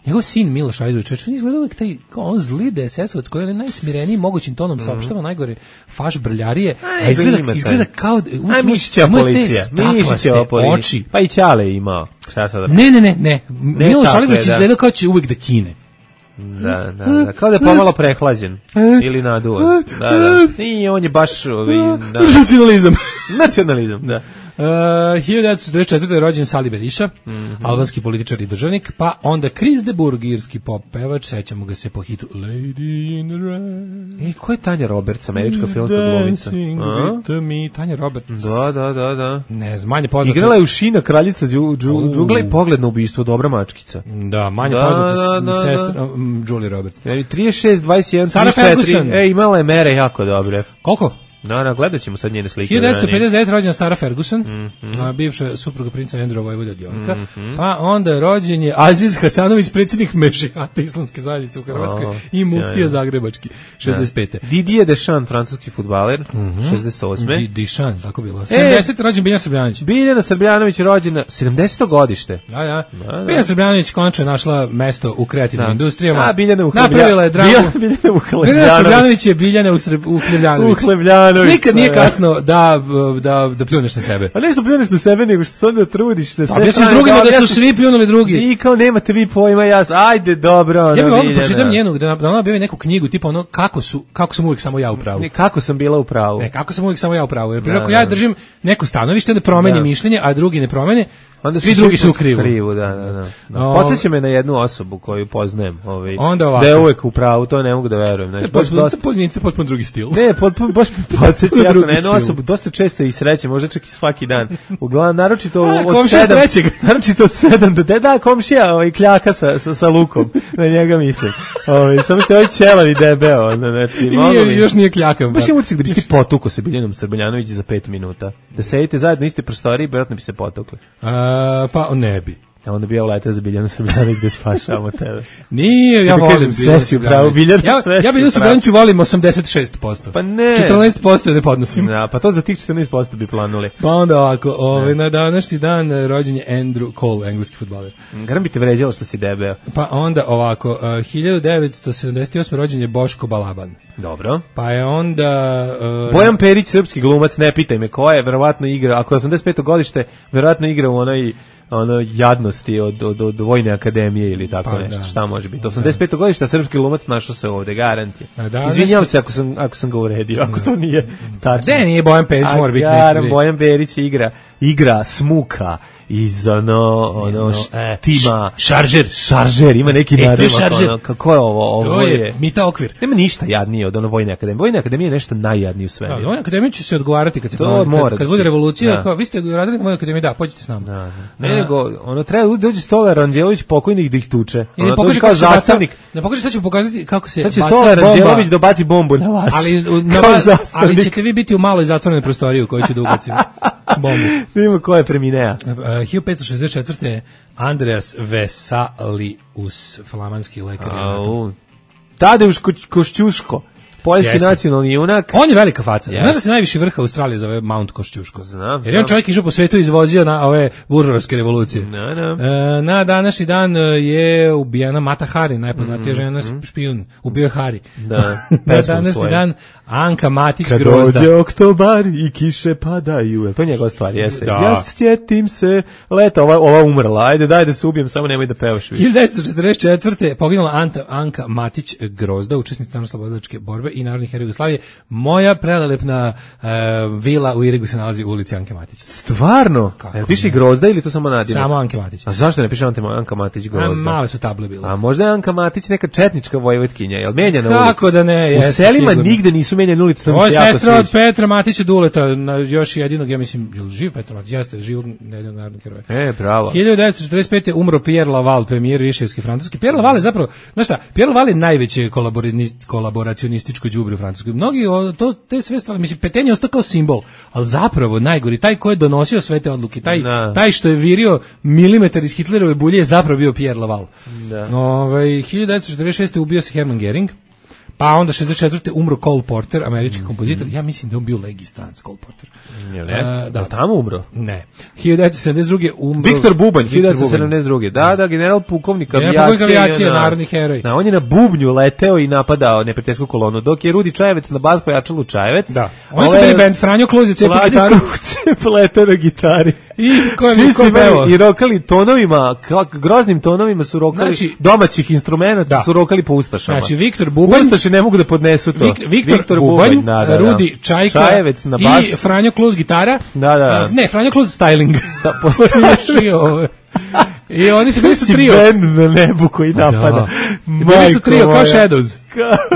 njegov sin Miloš Aligrudić, on izgleda uvek taj, kao on zli D S S-ovac koji je najsmireniji mogućim tonom saopštava najgore faš brljarije, a izgleda, izgleda kao... Aj, Mišićeva policija, Mišićeva policija. Pa i Ćale je imao. Šta sad? Ne, ne, ne, ne. Miloš Aligrudić izgleda kao će uvek da kine. Da, da, da, kao da je pomalo prehlađen ili naduvan. Da, da. I on je baš ovi, da. Nacionalizam. Nacionalizam, da. Uh, hiljadu devetsto četrdeset četvrte je rođen Sali Berisha, mm-hmm. albanski političar i državnik, pa onda Chris de Burgh, irski pop pevač, sećamo ga se po hitu Lady in the Red. E, ko je Tanja Roberts, američka filmska glumica? Me, Tanja Roberts. Da, da, da, da. Ne znam, manje poznata. Igrala je u Šina, kraljica džungla i Pogled na ubistvo, dobra mačkica. Da, manje da, poznata da, da, sestra um, Julie Roberts. E, trideset šest, dvadeset jedan, Sarah Ferguson. E, imala je mere jako dobre. Koliko? No, no, gledat ćemo sad njene slike. hiljadu devetsto pedeset devet rođena Sarah Ferguson, mm-hmm. a, bivša supruga princa Andrewa Vojvoda od Jorka, mm-hmm. pa onda rođen je Aziz Hasanović, predsjednik Mešihata islamske zajednice u Hrvatskoj, oh, i muftija zagrebački, šezdeset pete. Da. Didier Deschamps, francuski fudbaler, mm-hmm. šezdeset osme. Di, Deschamps, tako bilo. sedamdesete rođen Biljana Srbljanović. Biljana Srbljanović rođena, sedamdeseto godište. Da, ja. Da, da. Biljana Srbljanović konačno je našla mesto u kreativnim da. industrijama. A, Biljana Uhljebljanović. Napravila je dramu. Biljana Uhljebljanović. Biljana Srbljanović je Biljana Uhljebljanović. Uhljebljanović. Nikad nije kasno da, da, da pljuneš na sebe. A nešto pljuneš na sebe, nego što se onda trudiš da sve... Objasniš drugima da su svi pljunuli drugi. I kao nemate vi pojma, ja, ajde, dobro. Ja bih ovdje pročitam njenu, da ona objavi neku knjigu, tipa ono, kako su, kako sam uvijek samo ja u pravu. Ne, kako sam bila u pravu. Ne, kako sam uvijek samo ja u pravu. Jer prije ako ja držim neko stanovište, da promeni mišljenje, a drugi ne promene, onda svi drugi su u krivu. krivu da, da, da. da. Podsjeća me na jednu osobu koju poznajem, ovaj, onda ovako. Da je uvek u pravu, to ne mogu da verujem. Znači, baš dosta... potpuno, potpuno drugi stil. Ne, potpuno, baš mi podsjeća jako na jednu osobu, dosta često i sreće, možda čak i svaki dan. Uglavnom, naročito a, od sedam, naročito od sedam do de, da, komšija, ovaj, kljaka sa, sa, sa lukom, na njega mislim. Ovaj, samo ste ovaj ćelavi debeo. Znači, I nije, mi, još nije kljakav. Baš je ucik da bi ti potuko sa Biljanom Srbljanović za pet minuta. Da sedite zajedno iste prostorije, vjerojatno bi se potukli. A, pa ne bi. Ja onda bi ja uletao za Biljanu Srbljanović da spašavamo tebe. Nije, ja volim Biljanu Srbljanović. Ja, ja Biljanu Srbljanović volim osamdeset šest posto. Pa ne. četrnaest posto ne podnosim. Da, pa to za tih četrnaest posto bi planuli. Pa onda ovako, ovaj, na današnji dan rođen je Andrew Cole, engleski fudbaler. Garam bi te vređalo što si debeo. Pa onda ovako, uh, hiljadu devetsto sedamdeset osme rođen je Boško Balaban. Dobro. Pa je onda... Uh, Bojan Perić, srpski glumac, ne pitaj me ko je, verovatno igra, ako je osamdeset peto godište, verovatno igra u onoj ono jadnosti od, od, od vojne akademije ili tako pa, nešto, da. Šta može biti. osamdeset peto godište, srpski glumac našao se ovde, garant je. Izvinjavam se ako sam, ako sam ga uredio, ako to nije tačno. Ne, nije Bojan Perić, mora biti neki. Bojan Perić igra, igra smuka iz ono, ono e, tima šaržer, šaržer, ima neki e, nadimak, ono, kako je ovo, ovo to je, je Mita Okvir. Nema ništa jadnije od ono vojne akademije. Vojna akademija je nešto najjadnije u svemiru. Da, vojna akademija će se odgovarati kad se to kad, kad, kad bude revolucija, da. Kao vi ste radili na vojnoj akademiji, da, pođite s nama. Da, da. Ne, A, nego ono treba dođe Stolar Ranđelović pokojnik da ih tuče. Ono dođe kao zastavnik. Ne pokaže, sad ću pokazati kako se baca bomba. Stolar Ranđelović da baci bombu na vas. Ali na vas, ali ćete vi biti u maloj zatvorenoj prostoriji u kojoj će da ubacimo bombu. Vidimo ko je preminea. hiljadu petsto šezdeset četvrte Andreas Vesalius, flamanski lekar. Tadeusz Košćuško, poljski Jesne. nacionalni junak. On je velika faca. Yes. Znaš da se najviši vrh Australije zove Mount Košćuško? Znam. Jer je on čovjek išao po svetu i izvozio na ove buržovske revolucije. No, no. E, na današnji dan je ubijena Mata Hari, najpoznatija mm, žena mm. špijun. Ubio je Hari. Da. Na današnji dan Anka Matić Kad Grozda. Kad dođe oktobar i kiše padaju. To je njegova stvar, jeste. Da. Ja sjetim se leta, ova, ova umrla. Ajde, daj da se ubijem, samo nemoj da pevaš više. hiljadu devetsto četrdeset četvrte poginula Anta, Anka Matić Grozda, učesnica narodnooslobodilačke borbe i narodni heroj Jugoslavije. Moja prelelepna uh, vila u Irigu se nalazi u ulici Anke Matić. Stvarno? Kako E, piše ne? Grozda ili to samo nadimak? Samo Anke Matić. A zašto ne piše Anka Matić A, Grozda? male su table bile. A možda je Anka Matić neka četnička vojvotkinja, jel menjana ulica? Kako da ne, U jeste, selima sigurno. nigde nisu menjane ulice, to mi Ovo se je jako sestra od sviđa. Petra Matića Duleta, na, još jedinog, ja mislim, je li živ Petar Matić? Jeste, živog jednog narodnog heroja. E, bravo. hiljadu devetsto četrdeset pete umro Pierre Laval, premijer Viševske Francuske. Pierre Laval je zapravo, znaš šta, Pierre Laval je najveće kolaboracionističko đubre u Francuskoj. Mnogi, o, to, te sve stvari, mislim, Petain je ostao kao simbol, ali zapravo najgori, taj ko je donosio sve te odluke, taj, Da. taj što je virio milimetar iz Hitlerove bulje je zapravo bio Pierre Laval. Da. Ovaj, hiljadu devetsto četrdeset šeste ubio se Hermann Göring. Pa onda šezdeset četvrte umro Cole Porter, američki Mm-hmm. kompozitor. Ja mislim da je on bio legistranac, Cole Porter. Jel E, jeste? da. Jel tamo umro? Ne. hiljadu devetsto sedamdeset druge umro Viktor Bubanj, Viktor hiljadu devetsto sedamdeset druge. Da, da, general pukovnik General avijacije. pukovnik avijacije, na- narodni heroj. Da, on je na bubnju leteo i napadao neprijateljsku kolonu, dok je Rudi Čajevec na bas pojačalu Čajevec. Da. Oni su Ove- bili band Franjo Kluzi, cepa Vladjo gitaru. Kruce pletao na gitari. I ko je Svi ko su je imali pevao? i rokali tonovima, kak, groznim tonovima su rokali, Znači- domaćih instrumenta Da. su rokali po ustašama. Znači, Viktor Bubanj- Ustaše ne mogu da podnesu to. Vik, Viktor, Bubanj, da, da, da. Rudi Čajka Čajevec na bas. i Franjo Kluz gitara. Da, da. A, Ne, Franjo Kluz styling. Da, posle Smiješio ovo. I oni su bili su si trio. bend na nebu koji napada. Da. I bili su Majko trio kao moja. Shadows.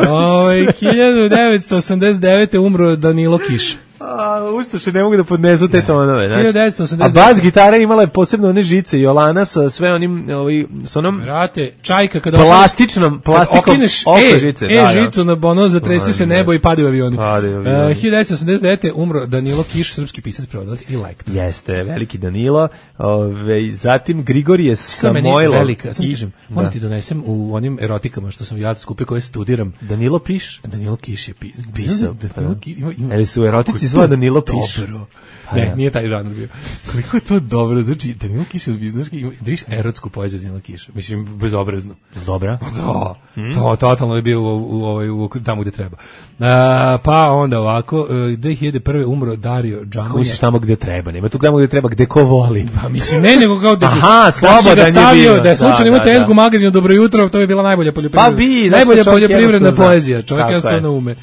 Ovaj hiljadu devetsto osamdeset devete umro Danilo Kiš. A, Ustaše ne mogu da podnesu te tonove, znaš. hiljadu devetsto osamdeset A devete. bas gitara imala je posebno one žice i Olana sa sve onim, ovaj, sa onom Brate, Čajka kada plastičnom, Kad plastikom okineš oko e, žice. e da, da. žicu na bono, zatresi se nebo i padaju avioni. Padaju avioni. Uh, hiljadu devetsto osamdeset devete umro Danilo Kiš, srpski pisac, prevodilac i lektor. Jeste, veliki Danilo. Ove, zatim Grigorije To je meni Samojlov. velika, samo i- kažem, da. moram ti donesem u onim erotikama što sam ja skupio koje studiram. Danilo Piš? Danilo Kiš je pi, Pisao, Danilo pa. Kiš ima, ima, Ili su erotici kako je zvao to Danilo Piš? Dobro. Pa Ne, da. nije taj žanr bio. Koliko je to dobro, znači Danilo Kiš je znaš, ima, da viš erotsku poeziju Danilo Kiša, mislim, bezobrazno. Dobra. Da, to totalno je bio u, u, ovaj, u, tamo gde treba. A, pa onda ovako, e, dve hiljade prve umro Dario Kako Džamonja. misliš tamo gde treba? Nema tu tamo gde treba, gde ko voli. Pa mislim, ne, nego kao da, Aha, da si slobodan ga je stavio, bio. da je slučajno Da, imao da, tezgu da. magazinu Dobro jutro, to je bila najbolja poljoprivredna. Pa bi, zašto najbolja čovjek poljoprivredna jednostavno zna. poezija, čovjek Tako jednostavno je. ume.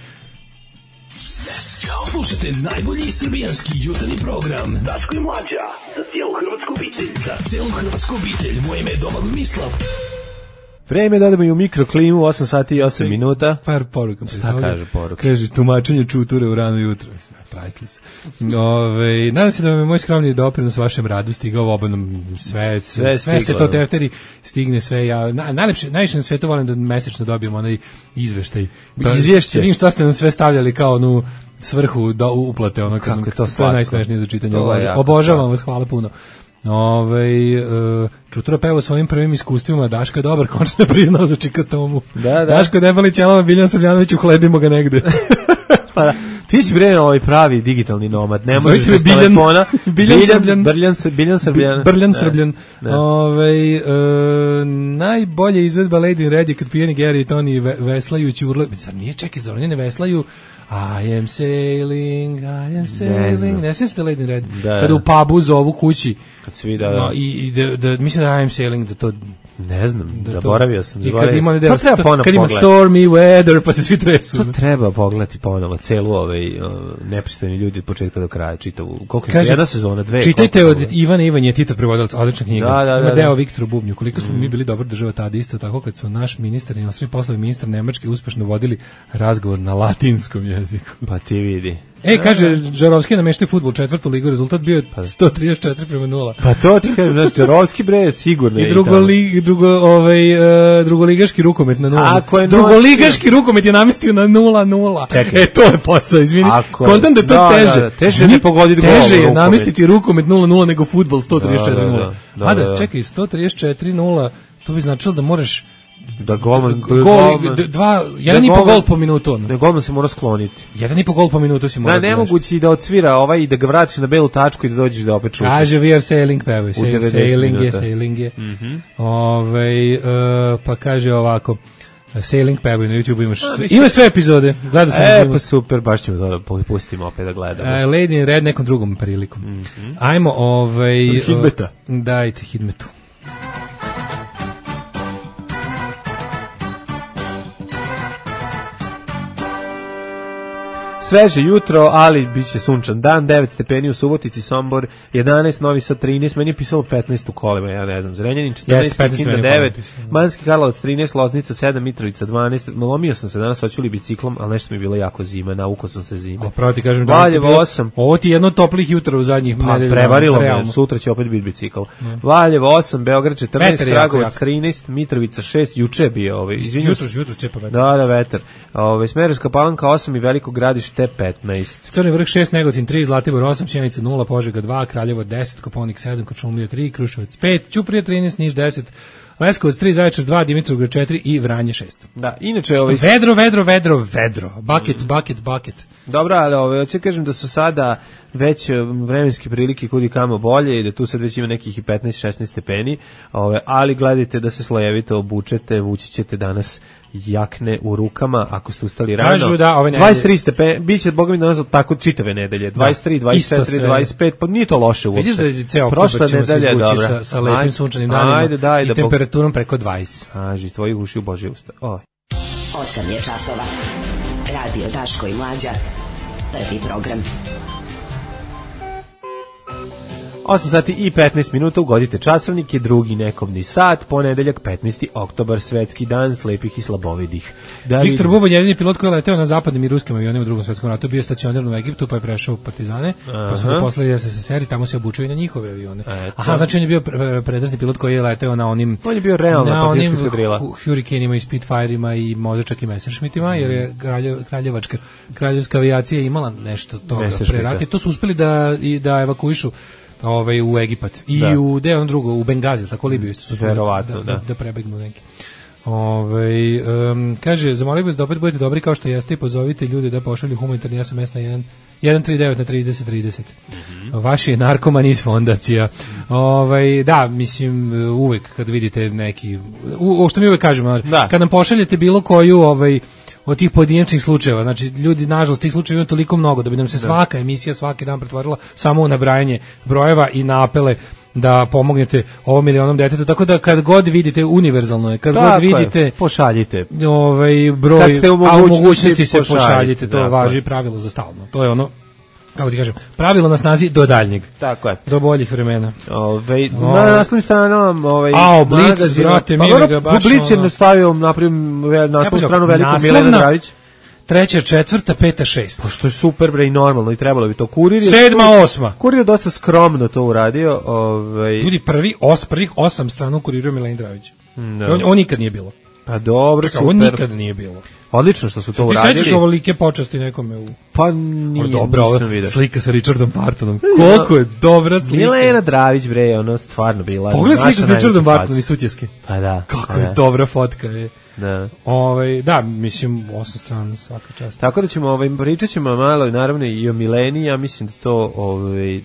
Slušajte najbolji srbijanski jutarnji program Daško i Mlađa za cijelu hrvatsku obitelj. Za cijelu hrvatsku obitelj. Moje ime je Domagoj Mislav. Vreme da odemo i u mikroklimu, osam sati i osam minuta. Par poruka. Šta kaže poruka? Kaže, tumačenje čuture u rano jutro. Priceless. Ove, nadam se da vam je moj skromni doprinos vašem radu stigao obanom sve, sve, sve se stiglo, to da. tefteri, stigne sve. Ja, na, najlepše, najviše na svetu volim da mesečno dobijem onaj izveštaj. Izvješće. Vidim šta ste nam sve stavljali kao onu svrhu do uplate. Ono, Kako je to to je slatko. najsmešnije za čitanje. To je Obožavam, jako obožavam slatko. vas, hvala puno. Ove, e, Čutura peva svojim prvim iskustvima, Daško je dobar, končno je priznao za Čikatomu. Da, da. Daško debeli ćelava, Biljan Srbljanović, uhlebimo ga negde. Pa da. Ti si bre ovaj pravi digitalni nomad, ne Zovite možeš me bez Biljan. telefona. Biljan Srbljan. Biljan, Srb- Biljan Srbljan. Brljan Da. Srbljan. Da. Ovaj e, najbolje izvedba Lady in Red je kad pijeni Gary i Tony ve, veslajući urle. Sad nije, čekaj, zar oni ne veslaju? I am sailing, I am sailing. znam. Ne sjećate Lady in Red? Da. Kada u pubu zovu kući. Kad svi da, da. No, i, i da, da, mislim da I am sailing, da to... Ne znam, Da to- zaboravio sam. I kad zaboravio ima, sam. da, To treba ponovo kad ima pogledati. stormy weather, pa se svi tresu. To treba pogledati ponovo, celu ovaj uh, nepristojni ljudi od početka do kraja, čitavu. Koliko je Kaže, jedna sezona, dve? Čitajte koliko od je? Ivana Ivanja Tito prevodilac, odlična knjiga. Da, da, Ima da, deo da. Viktoru Bubnju. Koliko smo mi bili dobra država tada, isto tako kad su naš ministar i inostrani poslovi ministar Nemačke uspešno vodili razgovor na latinskom jeziku. Pa ti vidi. E, kaže, Žarovski nameštaju fudbal četvrtu ligu, rezultat bio je sto trideset četiri prema nula. Pa to ti kažem, znači, Čarovski bre, sigurno je I drugo, tamo. li, drugo, ovaj, uh, drugoligaški rukomet na nula. Ako je Drugoligaški rukomet je namestio na nula nula. Čekaj. E, to je posao, izvini. Ako je- Kontam da je to da, teže. da, da, teže je Izvini, ne pogoditi gol u Teže je rukomet. namestiti rukomet nula nula nego fudbal sto trideset četiri nula. Da, da, da, Mada, da, da. čekaj, sto trideset četiri nula, to bi značilo da moraš Da golman... gol, golman- d- dva, jedan i po golman- gol po minutu. ono. Da golman se mora skloniti. Jedan i po gol po minutu si mora Da, da daš. nemoguće i da odsvira ovaj i da ga vratiš na belu tačku i da dođeš da opet šutaš. Kaže, we are sailing, pevaju. Sail, devedeset sailing je, minuta. sailing je. Ovaj, e, pa kaže ovako, sailing pevaju na YouTube, imaš sve, mislim- ima sve epizode. Gledao sam E, život. pa super, baš ćemo to da pustimo opet da gledamo. E, Lady in Red nekom drugom prilikom. Ajmo, ovaj... Hidmeta. o, Dajte hidmetu. Sveže jutro, ali bit će sunčan dan, devet stepeni u Subotici, Sombor jedanaest, Novi Sad trinaest, meni je pisalo petnaest u kolima, ja ne znam, Zrenjanin četrnaest, Kikinda devet, Banjski Karlovac trinaest, Loznica sedam, Mitrovica dvanaest, lomio sam se danas, hoću li biciklom, ali nešto mi je bilo jako zima, naukao sam se zime. O, pravo ti kažem, Valjevo osam. Ovo ti je jedno toplih jutra u zadnjih pa, nedelja. Prevarilo me, sutra će opet biti bicikl. Mm. Valjevo osam, Beograd četrnaest, Kragujevac trinaest, Mitrovica šest, juče je bio, ovaj, izvinjam se. Jutro, jutro čepa vetar. Da, da, vetar. Ovaj Smederevska Palanka osam i Veliko Gradište petnaest. Crni vrh šest, Negotin tri, Zlatibor osam, Sjenica nula, Požega dva, Kraljevo deset, Koponik sedam, Kočumlija tri, Kruševac pet, Ćuprija trinaest, Niš deset, Leskovac tri, Zaječar dva, Dimitrovgrad četiri i Vranje šest. Da, inače ovaj vedro, vedro, vedro, vedro. Bucket, mm. bucket, bucket. Dobro, ali ovaj hoće kažem da su sada već vremenske prilike kudi kamo bolje i da tu sad već ima nekih i petnaest šesnaest stepeni, ovaj ali gledajte da se slojevito obučete, vući ćete danas jakne u rukama ako ste ustali rano. Kažu da ove dvadeset tri stepeni, biće bogom mi danas tako čitave nedelje. dvadeset tri, dvadeset četiri, dvadeset pet, pa nije to loše uopšte. Vidiš da je ceo oktobar ćemo se izvući sa, sa lepim sunčanim danima ajde, daj, i da temperaturom preko dvadeset. Kaži, tvojih uši u Božje usta. Oj. osam je časova. Radio Daško i Mlađa. Prvi program. osam sati i petnaest minuta, ugodite časovnik, je drugi nekobni sat, ponedeljak petnaesti oktobar, svetski dan slepih i slabovidih. Da Viktor li... Bubanj, jedini pilot koji je leteo na zapadnim i ruskim avionima u drugom svetskom ratu, bio stacioniran u Egiptu, pa je prešao u Partizane, aha, pa su ga poslali S S S R i tamo se obučio i na njihove avione. Eto. Aha, znači on je bio predratni pilot koji je leteo na onim... On je bio realna na onim skadrila. Huricanima i Spitfireima i možda čak i Messerschmittima, jer je kralje, kraljevačka, kraljevska avijacija imala nešto toga pre rata. To su uspeli da, i da evakuišu ovaj u Egipat i da. u de on drugo u Bengazi, tako Libiju isto su verovatno da, da. da, da prebegnu neki. Ovaj um, kaže zamolio bih vas da opet budete dobri kao što jeste i pozovite ljude da pošalju humanitarni S M S na jedan jedan tri devet na trideset trideset. Mm-hmm. Vaši je narkoman iz fondacija. Ovaj da, mislim uvek kad vidite neki u, o što mi uvek kažemo, da. Kad nam pošaljete bilo koju ovaj od tih pojedinačnih slučajeva, znači ljudi nažalost tih slučajeva ima toliko mnogo da bi nam se da. svaka emisija svaki dan pretvorila samo u nabrajanje brojeva i na apele da pomognete ovom milionom deteta, tako da kad god vidite univerzalno je, kad tako god vidite je, pošaljite ovaj broj, u a u mogućnosti se pošaljite, to da, važi pravilo za stalno, to je ono kako ti kažem, pravilo na snazi do daljnjeg. Tako je. Do boljih vremena. Ove, na naslovnim stranama, ovaj a Blic, brate, mi ga baš. Blic je nastavio napravio naslovnu stranu veliko Milena Dravić. Treća, četvrta, peta, šesta. Pa što je super bre i normalno i trebalo bi to. Kurir je sedma, osma. Kurir je dosta skromno to uradio. Ovaj ljudi prvi os prvih osam strana kuriruje Milena Dravić. No. On, on nikad nije bilo. Pa dobro, super. On nikad nije bilo. Odlično što su to ti uradili. Ti sećaš ovolike počasti nekome u... Pa nije, dobra, slika sa Richardom Bartonom. Koliko je dobra slika. Milena Dravić, bre, ono stvarno bila. Pogledaj sliku sa Richardom Bartonom i Sutjeske. Pa da. Kako pa je da. dobra fotka, je. Da. Ovaj da, mislim osam strana svaka čast. Tako da ćemo ovaj pričaćemo malo naravno i o Mileni, ja mislim da to ovaj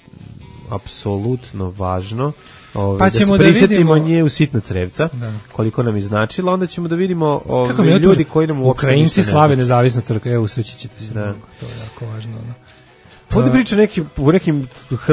apsolutno važno. Ove, pa ćemo da se prisjetimo da nje u sitna crevca, da. Koliko nam je značila, onda ćemo da vidimo ove, ljudi koji nam uopšte Ukrajinci slave nezavisnu crkvu, evo usreći ćete se, da. Mnogo, to je jako važno. No. Ovdje priča neki, u nekim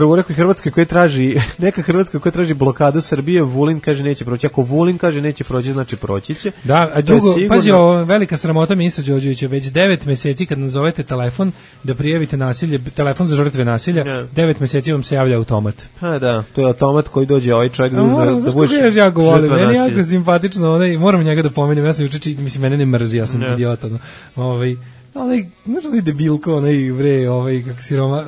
u nekoj Hrvatskoj koja traži, neka Hrvatska koja traži blokadu Srbije, Vulin kaže neće proći. Ako Vulin kaže neće proći, znači proći će. Da, a drugo, pazi, o, velika sramota ministra Đorđevića, već devet meseci kad nazovete telefon da prijavite nasilje, telefon za žrtve nasilja, ja. devet meseci vam se javlja automat. A da, to je automat koji dođe ovaj čovjek da uzme, da budeš ja jako volim, meni je jako simpatično, onaj, moram njega da pomenem, ja sam juče, mislim, mene ne mrzi, ja sam ja. idiot, ono, ovaj, onaj, znaš, onaj debilko, onaj, bre, ovaj, kak si Roma,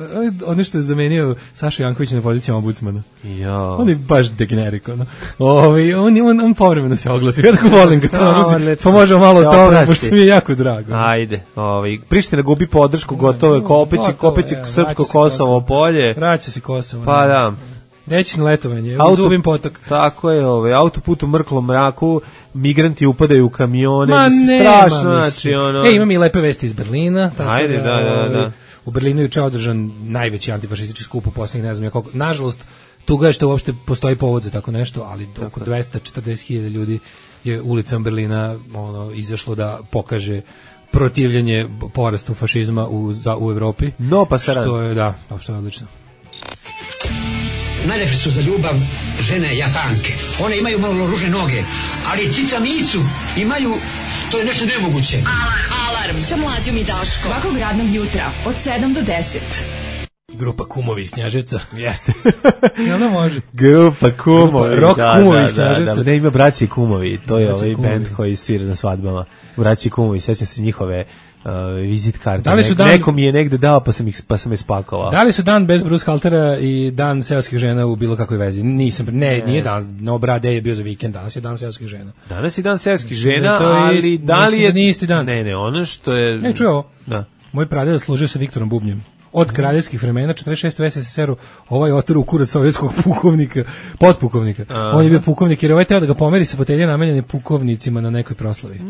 onaj što je zamenio Sašu Jankovića na pozicijama ombudsmana. Ja. On je baš degenerik, ono. Ovaj, on, on, on povremeno se oglasi, ja tako volim kad se oglasim, pa možemo malo o tome, pošto mi je jako drago. Ajde, ovaj, Priština gubi podršku, gotovo je, kopeći, kopeći srpsko Kosovo polje. Vraća se Kosovo. Pa da. Neći na letovanje, Auto, uzubim potok. Tako je, ovaj, autoput u mrklom mraku, migranti upadaju u kamione, ma mislim, nema, strašno, mislim. znači, ono... E, imam i lepe vesti iz Berlina. Tako ajde, da, da, da. da. U Berlinu je juče održan najveći antifašistički skup u posljednjih, ne znam, koliko. Nažalost, tuga je što uopšte postoji povod za tako nešto, ali tako. Oko dvesta četrdeset hiljada ljudi je ulicom Berlina ono, izašlo da pokaže protivljenje porastu fašizma u, za, u Evropi. No, pa saran. Što je, da, što je odlično. Najlepše su za ljubav žene Japanke. One imaju malo ružne noge, ali cica micu imaju, to je nešto nemoguće. Alarm, Alarm sa Mlađom i Daškom. Svakog radnog jutra od sedam do deset. Grupa Kumovi iz Knjaževca. Jeste. Jel da može? Grupa Kumovi. Rock da, Kumovi iz da, da, Knjaževca. da, ne ima Braći i Kumovi, to je Braći ovaj Kumovi. bend koji svira na svadbama. Braći i Kumovi, sećam se njihove uh, vizit karte. Da li su Nek, dan- Neko mi je negde dao pa sam, ih, pa sam je spakovao. Da li su dan bez Bruce Haltera i dan seoskih žena u bilo kakvoj vezi? Nisam, ne, Ne. nije dan, no brade je bio za vikend, danas je dan seoskih žena. Danas je dan seoskih Mislim žena, da to je ali ist- da li mislim je... da nije isti dan. Ne, ne, ono što je... Ne, čuj ovo. Da. Moj pradeda služio sa Viktorom Bubnjem. Od kraljevskih vremena, četrdeset šeste u es es es eru, ovaj otar u kurac sovjetskog pukovnika, potpukovnika. Aha. On je bio pukovnik jer je ovaj teo da ga pomeri sa fotelje namenjene pukovnicima na nekoj proslavi.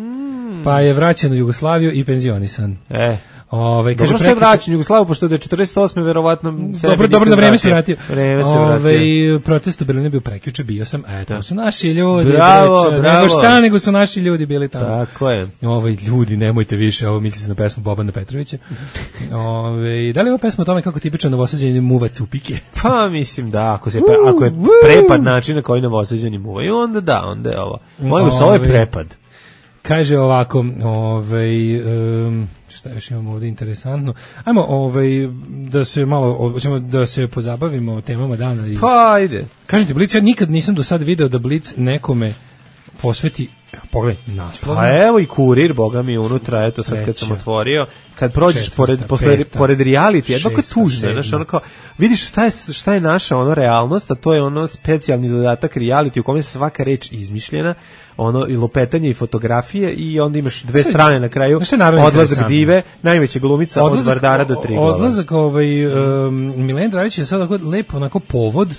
Pa je vraćen u Jugoslaviju i penzionisan. E. Ove, Dobro što je vraćen u Jugoslaviju, pošto da je četrdeset osme verovatno... Dobro, dobro, na vreme se vratio. Vreme se Ove, vratio. protest u Berlinu je bio prekjuče, bio sam, a to su naši ljudi. Bravo, deča, bravo. Nego šta, nego su naši ljudi bili tamo. Tako je. Ove, ljudi, nemojte više, ovo misli se na pesmu Bobana Petrovića. Ove, da li je ova pesma o tome kako tipičan novosađeni muvac u pike? Pa mislim da, ako, se pre, ako je prepad način na koji novosađeni muvaju, onda da, onda je ovo. Molim vas, ovo je Ove, prepad. Kaže ovako, ovaj um, šta još imamo ovdje interesantno. Ajmo ovaj da se malo hoćemo da se pozabavimo temama dana iz. Pa ajde. Kažem ti, Blic, ja nikad nisam do sad video da Blic nekome posveti, pogledaj, naslov. Pa evo i kurir, boga mi unutra, eto sad kad sam Treća. otvorio, kad prođeš Četvrta, pored, posle, peta, pored reality, jedno kao šesta, tužno, sedma. znaš, ono kao, vidiš šta je, šta je naša ono realnost, a to je ono specijalni dodatak reality u kome je svaka reč izmišljena, ono i lopetanje i fotografije i onda imaš dve Sve- strane na kraju, znaš šta je naravno odlazak interesantno? dive, najveća glumica od Vardara do Triglava. Odlazak ovaj um, Milen Dravić je sad onako lep onako povod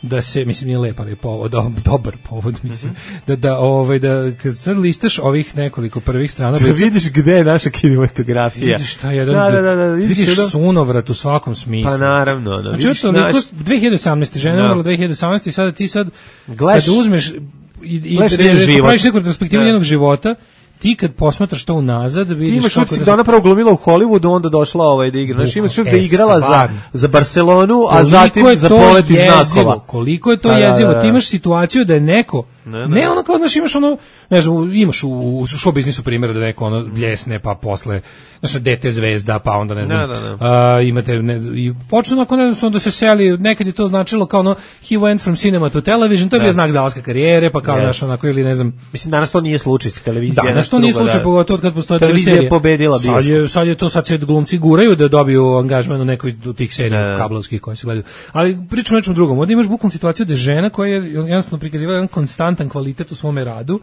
da se, mislim nije lep, ali je povod, do, dobar povod, mislim, da, da, ovaj, da, kad sad listaš ovih nekoliko prvih strana, Da vidiš gde je naša kinematografija. vidiš šta je jedan, Da, da, da, da, vidiš, vidiš ono- sunovrat u svakom smislu. Pa naravno, ono, Znači, vidiš to naš- dve hiljade osamnaeste žena Da. umrla dve hiljade osamnaeste i sada ti sad, Gledaš- kada uzmeš i, i gledaš re- njen re- život. praviš neku retrospektivu Da. njenog života, ti kad posmatraš to unazad, Ti vidiš imaš kako utisak da da ona prvo glumila u Hollywoodu, onda došla ovaj da igra. Znači imaš utisak da je E, igrala za, stvarno. za Barcelonu, a koliko zatim je za to polet iz jezivo, znakova. koliko je to Da, da, jezivo, da, da. ti imaš situaciju da je neko, Ne, ne. ne ono kao, znaš, imaš ono, ne znam, imaš u, u show biznisu primjera da neko ono bljesne, pa posle, znaš, dete zvezda, pa onda ne znam, Da, da, da. a, imate, ne, i počne onako jednostavno da se seli, nekad je to značilo kao ono, he went from cinema to television, to je Da. bio znak zalaska karijere, pa kao, Yes. znaš, onako, ili ne znam, Mislim, danas to nije slučaj sa televizije. danas to nije slučaj, pogotovo od kad postoje Televizija serije. je pobedila sad bioskop. je, sad je to, sad se glumci guraju da dobiju angažman u nekoj od tih serija Da. kablovskih koje se gledaju. Ali pričamo o nečem drugom. Ovdje imaš bukvalnu situaciju da je žena koja je jednostavno prikazivala jedan konstantan kvalitet u svome radu,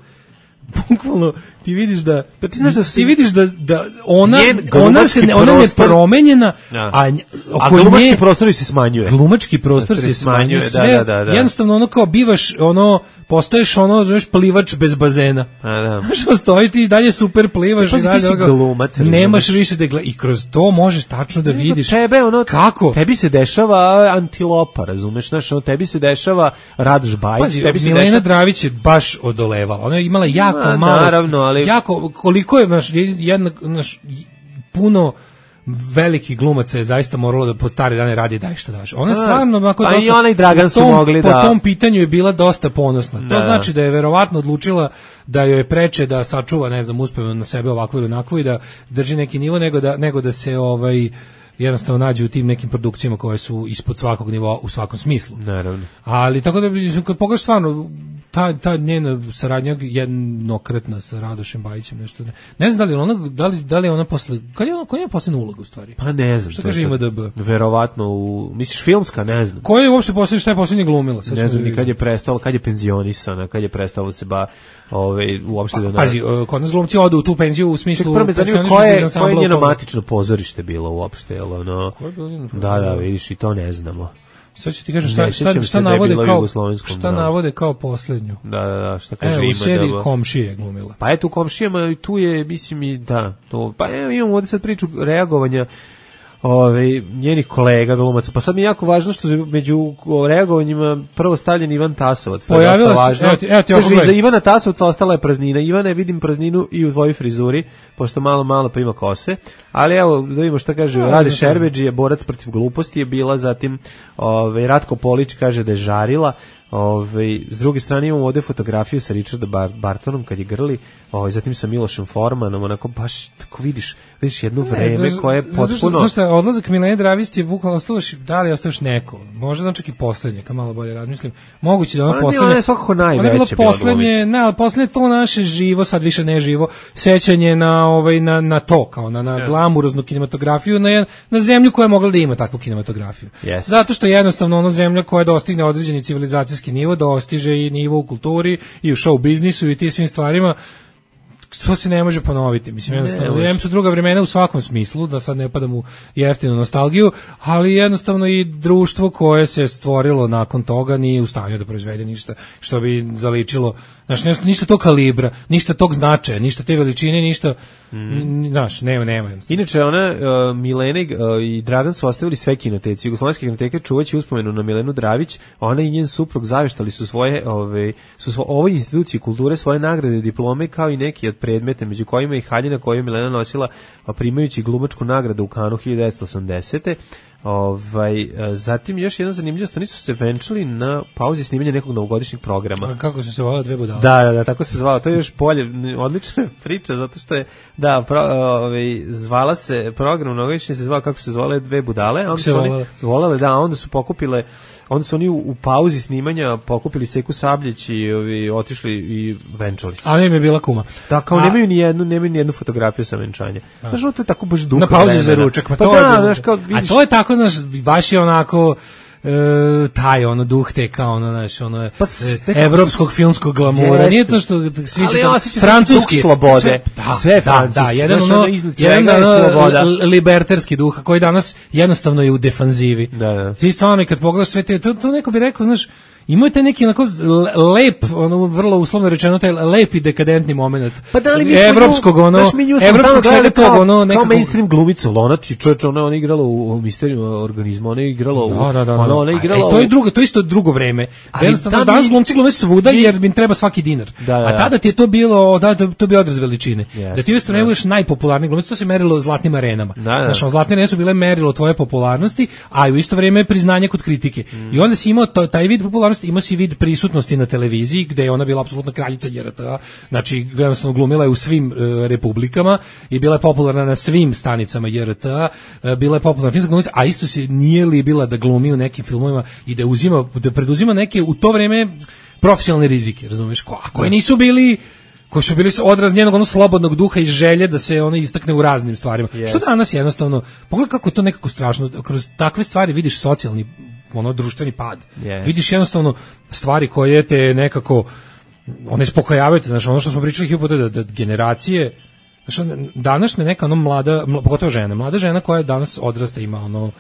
bukvalno ti vidiš da Pa ti znaš da su- ti vidiš da da ona Njen ona se ne, ona ne glumački prostor- promenjena, Da. a nj- A oko glumački nje prostor se smanjuje. glumački prostor Da se se smanjuje, smanjuje, sve, da, da, da, da. jednostavno ono kao bivaš ono, postaješ ono, zoveš plivač bez bazena. A, da. Što stojiš ti i dalje super plivaš E, pazi, i dalje ti si ovoga, glumac, nemaš razumeš? više da gleda, i kroz to možeš tačno da vidiš Tebe, ono, kako. Tebi se dešava antilopa, razumeš? Znaš, ono, tebi se dešava Radoš Bajić, Pazi, tebi se Milena dešava... Dravić je baš odolevala. Ona je imala jako Ma, malo. naravno, ali- Jako, koliko je, znaš, jedna, znaš, puno velikih glumaca je zaista moralo da pod stare dane radi daj šta daš. Ona je A, stvarno onako a i dosta, ona i Dragan po su tom- mogli po da- tom pitanju je bila dosta ponosna. To Da. znači da je verovatno odlučila da joj je preče da sačuva, ne znam, uspeva na sebe ovakvu ili onakvu i da drži neki nivo nego da nego da se ovaj jednostavno nađe u tim nekim produkcijama koje su ispod svakog nivoa u svakom smislu. Naravno. Ali tako da mislim, kad pogledaš stvarno ta ta njena saradnja jednokratna sa Radošem Bajićem nešto ne. Ne znam da li je ona da li da li je ona posle kad je ona koja je poslednja uloga u stvari. Pa ne znam. Šta to kaže sad- I M D B? Verovatno u... Misliš filmska, ne znam. Koja je uopšte poslednja, šta je poslednja glumila? Sad Ne ćemo znam da ni kad je vidimo. prestala, kad je penzionisana, kad je prestala da se ba, ove, uopšte da... Pazi, e, kod nas glumci odu u tu penziju u Ček, smislu prvo me zanima pensionišu koje, se iz koje je ansambla njeno u Polu. matično pozorište bilo uopšte, jel ono... Koje je bilo njeno Da, da, pozorište? vidiš, i to ne znamo. Sad ću ti kažem Ne šta, šta, sjećam šta se da je navode bilo u kao jugoslovenskom šta dramskom. navode kao poslednju. Da, da, da, šta kaže Evo, u ima seriji da... Komšije je glumila. Pa eto u komšijama i tu je, mislim i da, to, pa evo imamo ovdje sad priču reagovanja ove, njenih kolega glumaca. Pa sad mi je jako važno što je među reagovanjima prvo stavljen Ivan Tasovac. To je Pojavila dosta se- važno. evo ti- evo ti Kaže, ovako iza gledaj. Ivana Tasovca ostala je praznina. Ivane, vidim prazninu i u tvojoj frizuri, pošto malo, malo pa ima kose. Ali evo, da vidimo šta kaže. No, Rade no, Šerbeđi je borac protiv gluposti je bila, zatim ove, Ratko Polić kaže da je žarila. Ove, s druge strane imamo ovde fotografiju sa Richardom Bar Bartonom kad je grli, ove, zatim sa Milošem Formanom, onako baš tako vidiš, vidiš jedno vreme ne, koje je potpuno... Znaš šta, odlazak Milene Dravisti je bukvalno ostalo, da li ostaš neko, možda znam čak i poslednje, kad malo bolje razmislim, moguće da ono poslednje... Ona je svakako najveće bilo poslednje, ne, ali poslednje to naše živo, sad više ne živo, sećanje na, ovaj, na, na to, kao na, na glamuroznu kinematografiju, na, na zemlju koja je mogla da ima takvu kinematografiju. Yes. Zato što je jednostavno ono zemlja koja dostigne određeni civilizacijski nivo, dostiže i nivo u kulturi i u show biznisu i ti svim stvarima, to se ne može ponoviti. Mislim, jednostavno, jem su druga vremena u svakom smislu, da sad ne padam u jeftinu nostalgiju, ali jednostavno i društvo koje se stvorilo nakon toga nije u stanju da proizvede ništa što bi zaličilo, znači ništa tog kalibra, ništa tog značaja, ništa te veličine, ništa, mm. znaš, nema, nema. Inače, ona, uh, Milena uh, i Dragan su ostavili sve kinoteci. Jugoslovenske kinoteke čuvaći uspomenu na Milenu Dravić, ona i njen suprug zaveštali su svoje, ove, su svo, ovoj instituciji kulture svoje nagrade, diplome, kao i neki od predmeta, među kojima i haljina koju je Milena nosila primajući glumačku nagradu u Kanu hiljadu devetsto osamdesete. Ovaj, zatim još jedna zanimljivost, oni su se venčali na pauzi snimanja nekog novogodišnjeg programa. A kako su se zvala Dve budale? Da, da, da, tako se zvala. To je još bolje, odlična priča, zato što je, da, pro, ovaj, zvala se, program novogodišnji se zvao kako se zvale Dve budale. Onda su oni volale, da, onda su pokupile, onda su oni u, u pauzi snimanja pokupili Seku Sabljić i ovi, otišli i venčali se. A ne im je bila kuma. Da, kao a, nemaju ni jednu, nemaju ni jednu fotografiju sa venčanja. Znaš, to je tako baš duh. Na pauzi za ručak. Pa, pa to da, je, znaš, kao, vidiš, a to je tako, znaš, baš je onako... E, taj ono duh te kao ono naš ono pa, e, evropskog filmskog glamura. Jest. Nije to što svi se to francuski slobode, sve, da, sve da, da, jedan ono, jedan ono liberterski duh koji danas jednostavno je u defanzivi. Da, da. Ti stvarno kad pogledaš sve te, to, to neko bi rekao, znaš, imate neki onako lep, ono vrlo uslovno rečeno taj lepi dekadentni momenat. Pa da li mi evropskog ono, evropskog svega toga ono nekako kao mainstream glumica, ona ti čoveče, ona ona igrala u, u Misteriju organizma, ona je igrala u, da, da, da, ona, ona igrala. E, to je drugo, to je isto drugo vreme. Jednostavno danas glumci glume svuda jer im treba svaki dinar. Da, da, da. A tada ti je to bilo, da, to, to bi odraz veličine. Yes, da ti uistinu ne budeš najpopularniji glumac, to se merilo zlatnim arenama. Da, da. Znači, zlatne arene su bile merilo tvoje popularnosti, a u isto vrijeme priznanje kod kritike. Mm. I onda si imao to, taj vid popularnosti, imao si vid prisutnosti na televiziji, gde je ona bila apsolutna kraljica J R T-a, znači jednostavno glumila je u svim e, republikama i bila je popularna na svim stanicama J R T-a, e, bila je popularna filmska glumica, a isto se nije libila da glumi u nekim filmovima i da uzima, da preduzima neke u to vreme profesionalne rizike, razumiješ, ko, a koji nisu bili koji su bili odraz njenog ono slobodnog duha i želje da se ono istakne u raznim stvarima. Yes. Što danas jednostavno, pogledaj kako je to nekako strašno, kroz takve stvari vidiš socijalni ono društveni pad. Yes. Vidiš jednostavno stvari koje te nekako one spokojavaju te, znači ono što smo pričali hiljadu puta da, da generacije, znači današnja neka ono mlada, pogotovo žena, mlada žena koja danas odrasta, ima ono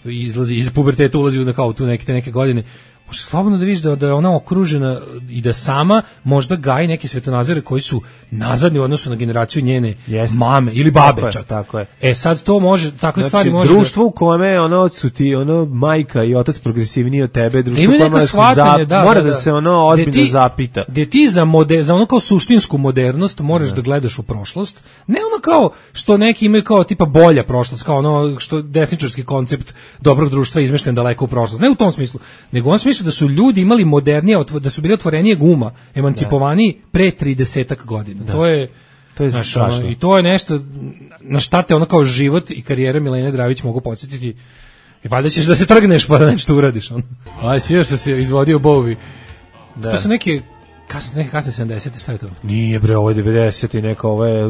izlazi iz puberteta, ulazi u kao tu neke neke godine. Može slobodno da vidiš da, da je ona okružena i da sama možda gaji neke svetonazore koji su nazadni u odnosu na generaciju njene Jest. mame ili babe tako čak. Je, tako je. E sad to može, takve znači, stvari može... društvo u kome ono su ti ono majka i otac progresivniji od tebe, društvo u kome se shvatanje, zap, da, mora da, da. da se ono ozbiljno ti, zapita. Gde ti za, mode, za ono kao suštinsku modernost moraš da. da gledaš u prošlost, ne ono kao što neki imaju kao tipa bolja prošlost, kao ono što desničarski koncept dobrog društva izmešten daleko u prošlost, ne u tom smislu, nego u onom smislu da su ljudi imali modernije, da su bili otvorenije guma, emancipovaniji da. pre tridesetak godina. Da. To je to je znaš, ono, i to je nešto na šta te ono kao život i karijera Milene Dravić mogu podsjetiti. I valjda ćeš da se trgneš pa da nešto uradiš. Ono. Aj, si još se izvodio Bowie. Da. To su neke kasne, neke kasne sedamdesete, šta je to? Nije bre, ovo je devedeset i neka, ovo je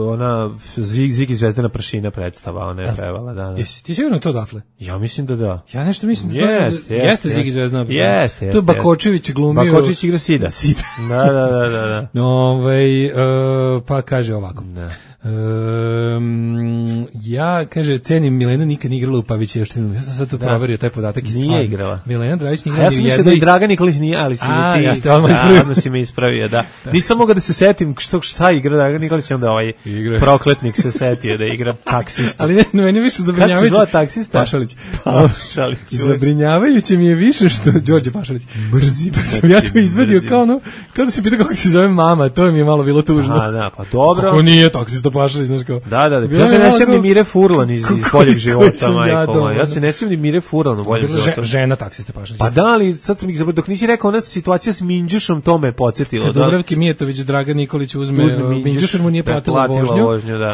ona Zigi Zvezdana prašina predstava, ona je pevala, da, da. Jesi ti sigurno to odatle? Ja mislim da da. Ja nešto mislim da jest, to jest, jeste Zigi Zvezdana prašina. Jeste, jeste. To je Bakočević glumio. Bakočević igra Sida. Sida. Da, da, da, da. da. Ovaj uh, pa kaže ovako. Da. Um, ja, kaže, cenim Milena nikad nije igrala u Pavićevštinu. Ja sam sad to da. proverio, taj podatak i stvarno. Nije igrala. Milena Dravić nije igrala. Ja sam mislio da i Dragan Nikolić nije, ali si A, mi ti... ja ste odmah ispravio. Odmah si me ispravio, da. da. Nisam mogao da se setim što, šta igra Dragan Nikolić, onda ovaj igra. Prokletnik se setio da igra taksista. Ali ne, no, meni više zabrinjavajuće... Kako se zove taksista? Pašalić. Pašalić. Zabrinjavajuće mi je više što... Đorđe Pašalić. Mrzim. Pa sam ja to izvedio kao ono... Kao da se pita kako se zove mama, to mi je malo bilo tužno. A, da, pa dobro. Kako nije taksista istopašali, znaš kao. Da, da, da. Ja se ne sjećam ni Mire Furlan iz boljeg života, majko. Ja se ne sjećam ni Mire Furlan u boljem životu. Žena taksi istopašali. Pa da, ali sad sam ih zaboravio, dok nisi rekao, ona situacija s Minđušom, to me podsjetilo. Kad Dubravki Mijetović, Dragan Nikolić uzme, Minđuš mu nije platila vožnju,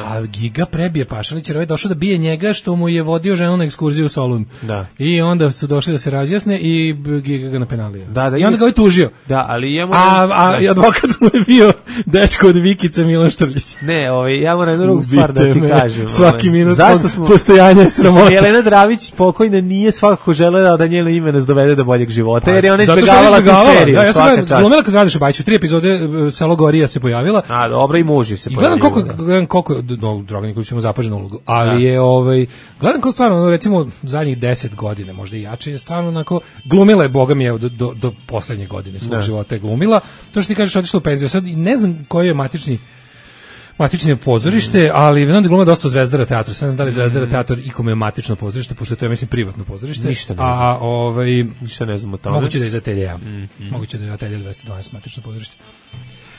a Giga prebije Pašalić, jer ovaj došao da bije njega što mu je vodio ženu na ekskurziju u Solun. Da. I onda su došli da se razjasne i Giga ga napenalio. Da, da, I onda ga ovaj tužio. Da, ali ja moram... A, a da. Advokat mu je bio dečko od Vikica Milan Štrljić. Ne, ovaj, ja moram jednu drugu stvar da ti me. kažem. Svaki ovaj. minut Zašto smo... postojanja je sramota. Jelena Dravić pokojna nije svakako želela da njeno ime nas dovede do boljeg života, pa, jer je ona izbjegavala tu seriju. Da, ja sam glumila kad radiš u Bajiću, tri epizode Selo Gorija se pojavila. A, dobro, i muži se pojavila. I gledam koliko, gledam koliko, no, Dragan Nikolić ima zapaženu ulogu, ali da. je, ovaj, gledam koliko stvarno, recimo, zadnjih deset godine, možda i jače, je stvarno onako, glumila je, boga mi je, do, do, do poslednje godine svog života je glumila. To što ti kažeš, otišla u penziju, sad ne znam koji je matični matično pozorište, ali znam da gluma dosta u Zvezdara teatru. Sad ne znam da li Zvezdara teatr ikome je matično pozorište, pošto to je, mislim, privatno pozorište. Ništa ne znam. A, ovaj, Ništa ne znam o tome. Moguće da je iz Ateljeja. Mm, mm. Moguće da je Ateljeja dvesta dvanaest matično pozorište.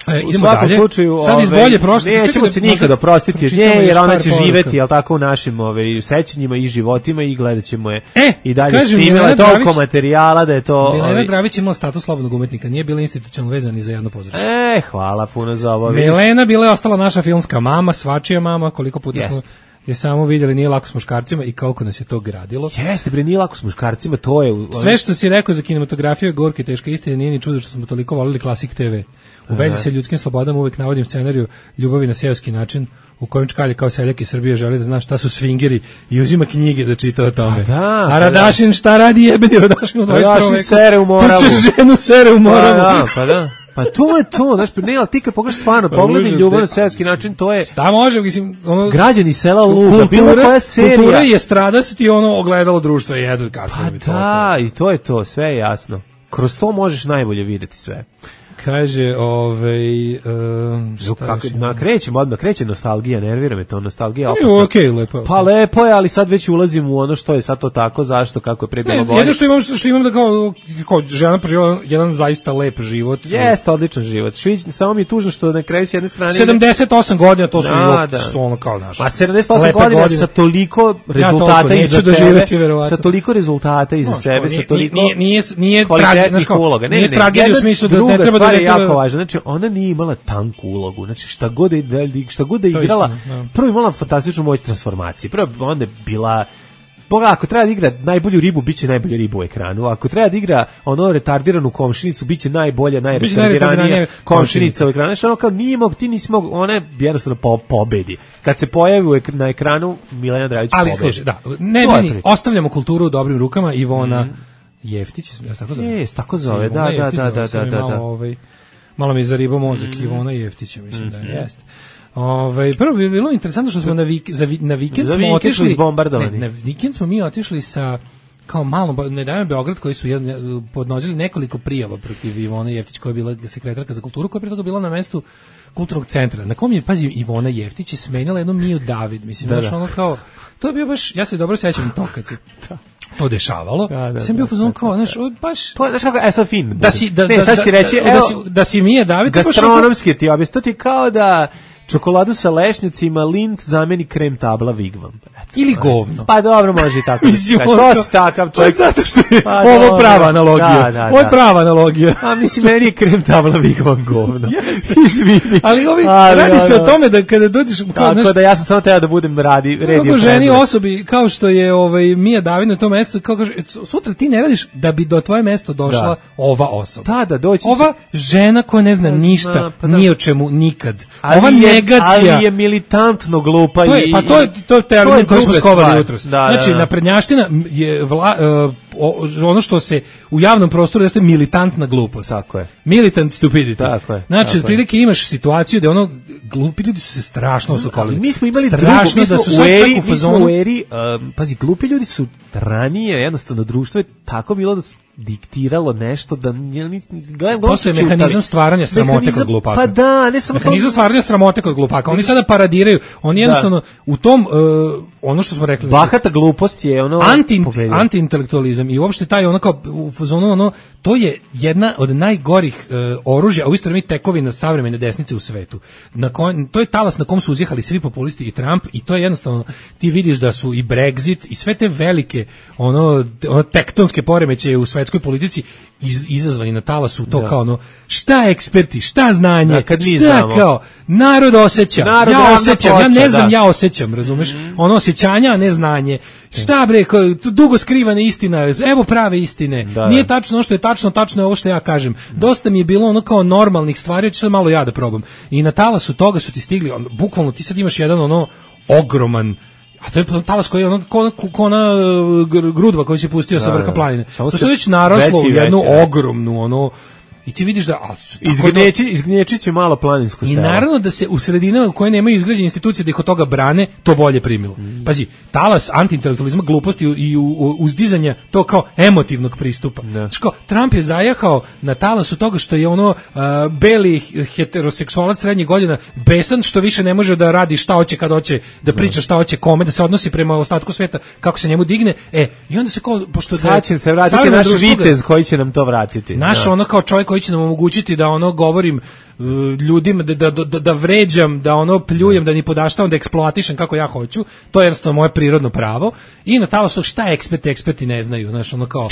E, u svakom dalje. slučaju, sad iz bolje prošle, nećemo se nikad oprostiti od nje, jer ona će živeti, jel tako, u našim ovaj, sećanjima i životima i gledat ćemo je e, i dalje snimila toliko materijala da je to... Milena ovaj... Dravić imala status slobodnog umetnika, nije bila institucionalno vezana ni za jedno pozorište. E, hvala puno za ovo. Milena bila je ostala naša filmska mama, svačija mama, koliko puta yes. smo je samo vidjeli, nije lako s muškarcima i koliko nas je to gradilo. Jeste, bre, nije lako s muškarcima, to je... Sve što si rekao za kinematografiju je gorka i teška istina, nije ni čudo što smo toliko volili Klasik te ve. U vezi sa ljudskim slobodama uvijek navodim scenariju Ljubavi na seoski način, u kojem Čkalje kao seljak iz Srbije želi da zna šta su swingeri i uzima knjige da čita o tome. A, da, a Radašin šta radi jebeni Radašin u dvadeset prvom veku? Sere u Moravu. Tuče ženu, sere u Moravu. Pa da, pa da. Pa to je to, znaš, ne, ali ti kad pogledaš stvarno, pa pogledaj Ljubav na seoski način, to je... Šta može, mislim, ono... Građani sela luda, bilo koja serija... Kultura je strada se ti ono ogledalo društva i jedu kako pa bi to... Pa da, i to je to, sve je jasno. Kroz to možeš najbolje videti sve. Kaže, ovaj um, kako na krećemo odmah, kreće nostalgija, nervira me to, nostalgija opasna. Je okej, okay, lepo. Pa lepo je, ali sad već ulazimo u ono što je sad to tako, zašto, kako je pre bilo bolje. Jedno što imam što imam da kao, kao žena preživela jedan zaista lep život. Jeste odličan život. Švić, samo mi je tužno što na kraju s jedne strane sedamdeset osam godina, to su da, da. ono kao naš. Pa sedamdeset osam godina godine. Sa toliko rezultata ja iza da tebe, živeti, sa toliko rezultata iza no, sebe, sa toliko nije nije nije tragedija, uloga. Ne, nije tragedija u smislu da ne treba da je jako važno. Znači ona nije imala tanku ulogu. Znači šta god da šta god da igrala, istina, prvo imala fantastičnu moć transformacije. Prvo onda je bila Boga, ako treba da igra najbolju ribu, biće najbolja riba u ekranu. Ako treba da igra ono retardiranu komšinicu, biće najbolja, najretardiranija komšinica u ekranu. Znači ono kao nije mog, ti nisi mog, ona je jednostavno po, pobedi. Kad se pojavi na ekranu, Milena Dravić pobedi. Ali slušaj, da, ne, ne, ne, ostavljamo kulturu u dobrim rukama. Ivona mm. Jeftić, ja tako zove. Jes, tako zove, da, da, da, da, da, da, da. Ovaj, malo mi zariba mozak, mm. Ivona Jeftić, mislim mm-hmm. da jeste. Ovaj prvo bi bilo interesantno što smo na vik, za na vikend za smo otišli izbombardovani. Ne, na vikend smo mi otišli sa kao malo ne dajem Beograd koji su jedan, podnosili nekoliko prijava protiv Ivone Jeftić koja je bila sekretarka za kulturu, koja je pre toga bila na mestu kulturnog centra. Na kom je pazi Ivona Jeftić je smenila jednu Miju David, mislim da, baš da. Ono kao to je bio baš ja se dobro sećam to kad se to dešavalo. Da, da, sam bio fazon kao, znaš, baš to je znaš kako je sad fin. Da si da ne, da, sad ti reći, da, da, si, da si Mija David gastronomski ti objasniti kao da čokoladu sa lešnjacima Lindt zameni krem tabla Vigvam. Eto, ili govno. Pa dobro, može i tako. Mislim, što si takav čovjek? Pa zato što je pa, ovo dobro, prava analogija. Da, da, ovo je prava analogija. A mislim, meni je krem tabla Vigvam govno. Izvini. Ali ovi, ali, radi se o tome da kada dođeš... Tako naš, da ja sam samo treba da budem radi, redio. Kako ženi osobi, kao što je ovaj, Mija David na tom mestu, kao kaže, sutra ti ne radiš da bi do tvoje mesto došla da. ova osoba. Da, da, doći ova žena koja ne zna ništa, na, pa da. Ni o čemu, nikad. Ali ova je, negacija. Ali je militantno glupa. To je, i, pa to je, to je termin koji smo skovali jutros. Da, znači, da, da. naprednjaština je vla, uh, o, ono što se u javnom prostoru jeste militantna glupost. Tako je. Militant stupidity. Tako je. Znači, otprilike imaš situaciju da ono glupi ljudi su se strašno osukolili. Mi smo imali strašno drugo, mi da su u eri, u fazonu. Mi smo u eri, um, pazi, glupi ljudi su ranije, jednostavno društvo je tako bilo da su diktiralo nešto da gledam postoje mehanizam stvaranja sramote kod glupaka. Pa da, ne samo mehanizam to... stvaranja sramote kod glupaka. Oni sada paradiraju. Oni jednostavno da. U tom uh, ono što smo rekli, bahata glupost je ono anti antiintelektualizam znam, i uopšte taj ono kao u fazonu ono, to je jedna od najgorih uh, oružja, a u isto vreme tekovina savremene desnice u svetu. Na kon, to je talas na kom su uzjehali svi populisti i Trump i to je jednostavno, ti vidiš da su i Brexit i sve te velike ono, ono tektonske poremećaje u svetskoj politici iz, izazvani na talasu to da. Kao ono, šta eksperti, šta znanje, da, šta znamo. Kao, narod osjeća, narod ja osjećam, poča, ja ne znam, da. Ja osjećam, razumeš, mm. ono osjećanja, a ne znanje, šta bre, dugo skrivana istina, evo prave istine, da, nije tačno ono što je tačno, tačno je ovo što ja kažem, dosta mi je bilo ono kao normalnih stvari, hoću sad malo ja da probam, i na talasu toga su ti stigli, on, bukvalno ti sad imaš jedan ono ogroman, a to je talas koji je ono, ko, ko ona grudva koju si pustio da, sa vrha planine, to se već naraslo u jednu veći, ogromnu ono. I ti vidiš da izgnječi izgnječi će malo planinsko selo. I naravno da se u sredinama u koje nemaju izgrađene institucije da ih od toga brane, to bolje primilo. Mm. Pazi, talas antiintelektualizma, gluposti i uzdizanja to kao emotivnog pristupa. Znači kao, Trump je zajahao na talasu toga što je ono uh, beli heteroseksualac srednjih godina besan što više ne može da radi šta hoće kad hoće, da priča šta hoće kome, da se odnosi prema ostatku sveta kako se njemu digne. E, i onda se kao, pošto da će se vratiti naš vitez koji će nam to vratiti. Naš ono kao čovjek koji će nam omogućiti da ono govorim uh, ljudima, da, da, da, da vređam, da ono pljujem, da ni podaštavam, da eksploatišem kako ja hoću, to je jednostavno moje prirodno pravo i na talasu šta eksperti, eksperti ne znaju, znaš, ono kao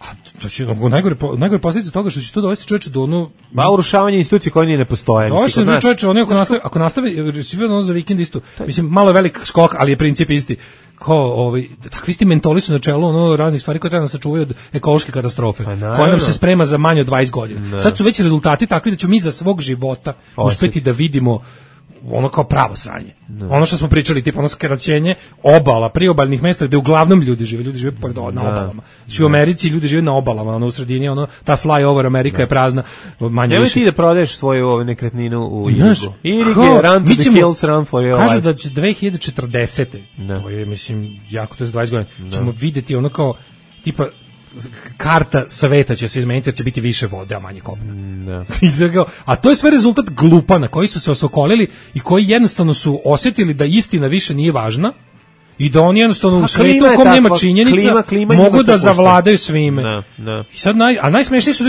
a to će najgore najgore posljedice toga što će to dovesti čoveče do ono ba urušavanje institucija koje ni ne postoje. Mislim da čoveče ono ako nastavi ako nastavi ono za vikend isto. Mislim malo je velik skok, ali je princip isti. Kao ovaj takvi isti mentoli su na čelu ono raznih stvari koje treba da sačuvaju od ekološke katastrofe, koja nam se sprema za manje od dvadeset godina. Ne. Sad su već rezultati takvi da ćemo mi za svog života uspeti da vidimo ono kao pravo sranje. No. Ono što smo pričali, tipa ono skraćenje obala, priobalnih mesta gde uglavnom ljudi žive, ljudi žive pored na obalama. Znači u Americi ljudi žive na obalama, ono u sredini, ono ta flyover Amerika no. je prazna, manje više. Nemoj ti da prodaješ svoju ovu nekretninu u Irigu. Irig je run to the hills, run for your life. Kažu da će dve hiljade četrdesete No. To je, mislim, jako to je za dvadeset godina. No. Ćemo videti ono kao, tipa, karta sveta će se izmeniti jer će biti više vode, a manje kopna. No. A to je sve rezultat glupana koji su se osokolili i koji jednostavno su osjetili da istina više nije važna i da oni jednostavno pa, u svetu u kom nema činjenica klima, klima mogu da zavladaju svime. No, no. I sad naj, a najsmešniji su,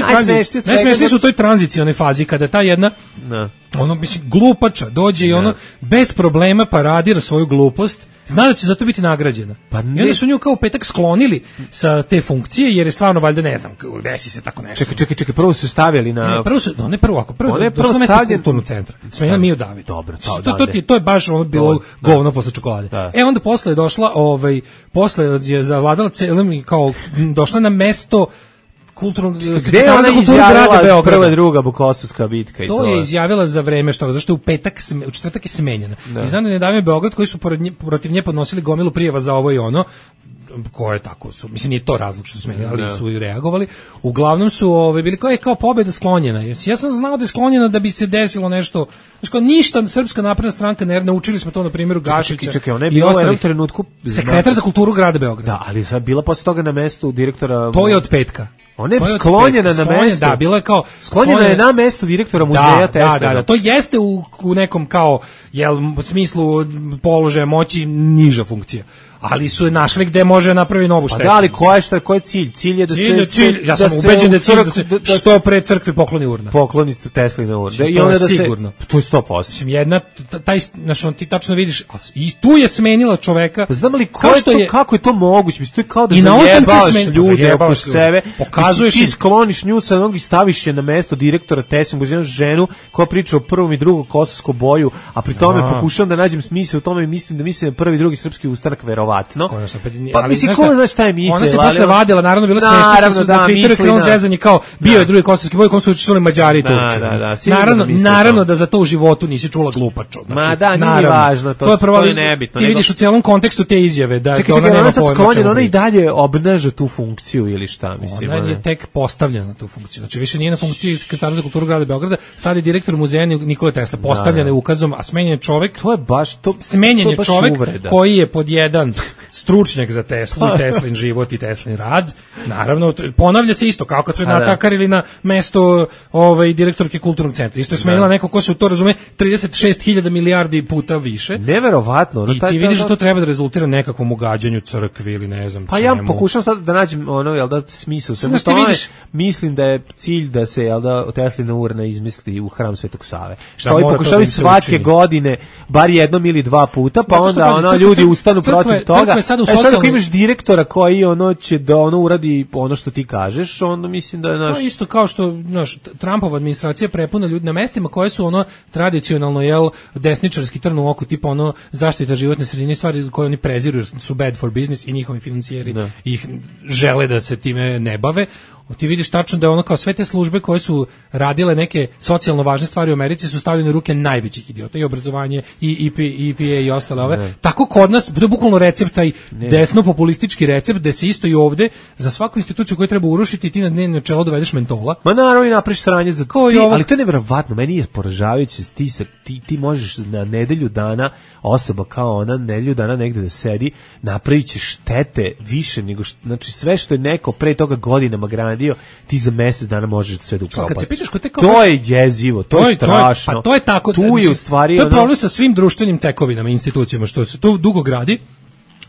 najsmešniji su u toj tranzicionoj fazi kada ta jedna no. ono mislim glupača dođe no. i ono bez problema paradira svoju glupost, zna da će za to biti nagrađena. Pa I onda su nju kao petak sklonili sa te funkcije jer je stvarno valjda ne znam, desi se tako nešto. Čekaj, čekaj, čekaj, prvo su stavili na ne, prvo su, no, ne prvo, ako prvo, je prvo stavljen kulturnog centra. Smenja Miju David. Dobro, to, to, to, to je baš ono bilo Dobre, govno posle čokolade. Da. E onda posle je došla, ovaj, posle je zavladala celim kao došla na mesto kulturnog sekretara za kulturu grada Beograda. Prva druga Bukosovska bitka i to. To je izjavila za vreme što zašto u petak u četvrtak je smenjena. Da. I znam da nedavno je Beograd koji su nje, protiv nje podnosili gomilu prijava za ovo i ono koje tako su, mislim nije to razlog što su smenjeni, ali su i reagovali. Uglavnom su ove bili kao je kao pobeda sklonjena. Ja sam znao da je sklonjena da bi se desilo nešto. Znači kao ništa Srpska napredna stranka ne naučili smo to na primjeru Gašića. Čekaj, čekaj, ona je bila u jednom trenutku sekretar za kulturu grada Beograda. Da, ali sad bila posle toga na mestu direktora. To je od petka. Ona je sklonjena na mesto. Da, bilo je kao sklonjena je na mesto direktora muzeja Tesla. Da, da, da, to jeste u, u nekom kao jel smislu položaja moći niža funkcija. Ali su je našli gde može napraviti novu štetu. Pa da, ali koja je šta, koji je cilj? Cilj je da cilj se cilj, ja sam ubeđen da je cilj da se da, da što pre crkvi pokloni urna. Pokloni Teslina urna. I onda da sigurno. Se, to je sto posto. Mislim jedna taj znači ti tačno vidiš i tu je smenila čoveka. Pa znam li ko što je kako je to moguće? Mislim to je kao da zajebaš ljude oko sebe. Pokazuješ ti skloniš nju sa nogi, staviš je na mesto direktora Tesla, uz jednu ženu koja priča o prvom i drugom kosovskom boju, a pri tome pokušavam da nađem smisao u tome i mislim da mislim da prvi i drugi srpski ustanak verovatno. Pa ali mislim ko znaš šta je mislila. Ona se posle vadila, naravno bilo smešno što na Twitteru krenuo zezanje kao bio je drugi kosovski boj, kom su učestvovali Mađari i Turci. Naravno, naravno da za to u životu nisi čula glupačo. Ma da, nije važno, to je nebitno. Ti vidiš u celom kontekstu te izjave da ona nema pojma. Ona i dalje obnaša tu funkciju ili šta, mislim. Ona je tek postavljena na tu funkciju. Znači više nije na funkciji sekretara za kulturu grada Beograda, sad je direktor muzeja Nikole Tesla, postavljen je ukazom, a smenjen je čovjek. To je baš to. Smenjen je čovjek koji je pod jedan stručnjak za Teslu i Teslin život i Teslin rad. Naravno, ponavlja se isto, kao kad su je natakarili na mesto ovaj, direktorke kulturnog centra. Isto je smenila neko ko se u to razume trideset šest hiljada milijardi puta više. Neverovatno. I ti vidiš da to treba da rezultira nekakvom ugađanju crkvi ili ne znam pa čemu. Ja pokušam sad da nađem ono, jel da, smisao. Samo što vidiš, mislim da je cilj da se, jel da, Teslina urna izmisli u hram Svetog Save. Što ovi pokušavaju svake učini. godine, bar jednom ili dva puta, pa onda pazi, ono, crkve, ljudi ustanu crkve, protiv toga. E sad socijalni... ako imaš direktora koji ono će da ono uradi ono što ti kažeš, onda mislim da je naš... No, isto kao što naš, Trumpova administracija prepuna ljudi na mestima koje su ono tradicionalno, jel, desničarski trn u oku, tipa ono zaštita životne sredine, stvari koje oni preziru jer su bad for business i njihovi financijeri da. ih žele da se time ne bave. Ti vidiš tačno da je ono kao sve te službe koje su radile neke socijalno važne stvari u Americi su stavljene u ruke najvećih idiota, i obrazovanje i E P A i ostale ove. Ne. Tako kod nas, to je bukvalno recept, taj desno populistički recept, da se isto i ovde za svaku instituciju koju treba urušiti ti na dnevno čelo dovedeš mentola. Ma naravno i napraviš sranje za ti, ali to je neverovatno, meni je poražavajuće, ti, ti, ti možeš na nedelju dana, osoba kao ona, nedelju dana negde da sedi, napravit će štete više nego, što, znači sve što je neko pre toga godinama grana dio, ti za mesec dana možeš sve da upropastiš. To je jezivo, to, to je strašno. To je, pa to je tako. Tu je u stvari to je problem ono... sa svim društvenim tekovinama i institucijama, što se to dugo gradi,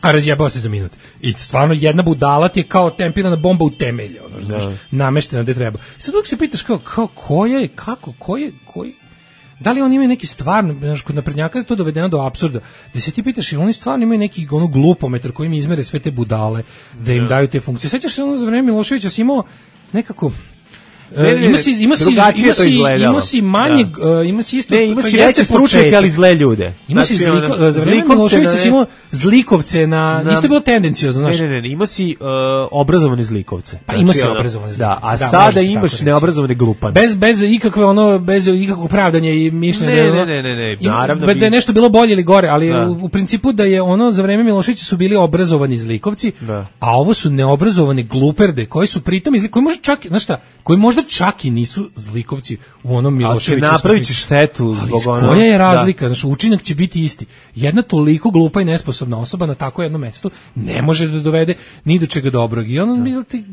a razjebao se za minut. I stvarno jedna budala ti je kao tempirana bomba u temelje, ono, znaš, nameštena gde treba. Sad uvijek se pitaš kao, kao ko je, kako, ko je, koji... Da li oni imaju neki stvarno, znaš, kod naprednjaka je to dovedeno do apsurda, da se ti pitaš, ili oni stvarno imaju neki ono glupometar kojim izmere sve te budale, da im daju te funkcije. Sećaš se ono za vreme Miloševića si imao nekako... Ne, ne, ne, ima si ima si ima si ima si manje da. uh, ima si isto ne, ima si veće stručnjake ali zle ljude. Ima si znači, zliko, ono, za vreme Miloševića si imao zlikovce na, na isto je bilo tendenciozno, znaš. Ne, ne, ne, ima si uh, obrazovane zlikovce. Pa znači, ima si obrazovane zlikovce. Da, a da, sada imaš neobrazovane glupane. Bez bez ikakve ono bez ikakvog pravdanja i mišljenja. Ne, ne, ne, ne, ne, naravno. Da je nešto bilo bolje ili gore, ali da. u, u principu da je ono za vreme Miloševića su bili obrazovani zlikovci, da. a ovo su neobrazovane gluperde koji su pritom izli, koji možda čak, znaš šta, koji možda čak i nisu zlikovci u onom Miloševiću. Ali napravit će štetu zbog onog. Koja je razlika? Da. Znači, učinak će biti isti. Jedna toliko glupa i nesposobna osoba na tako jednom mestu ne može da dovede ni do čega dobrog. I ono, da. ti,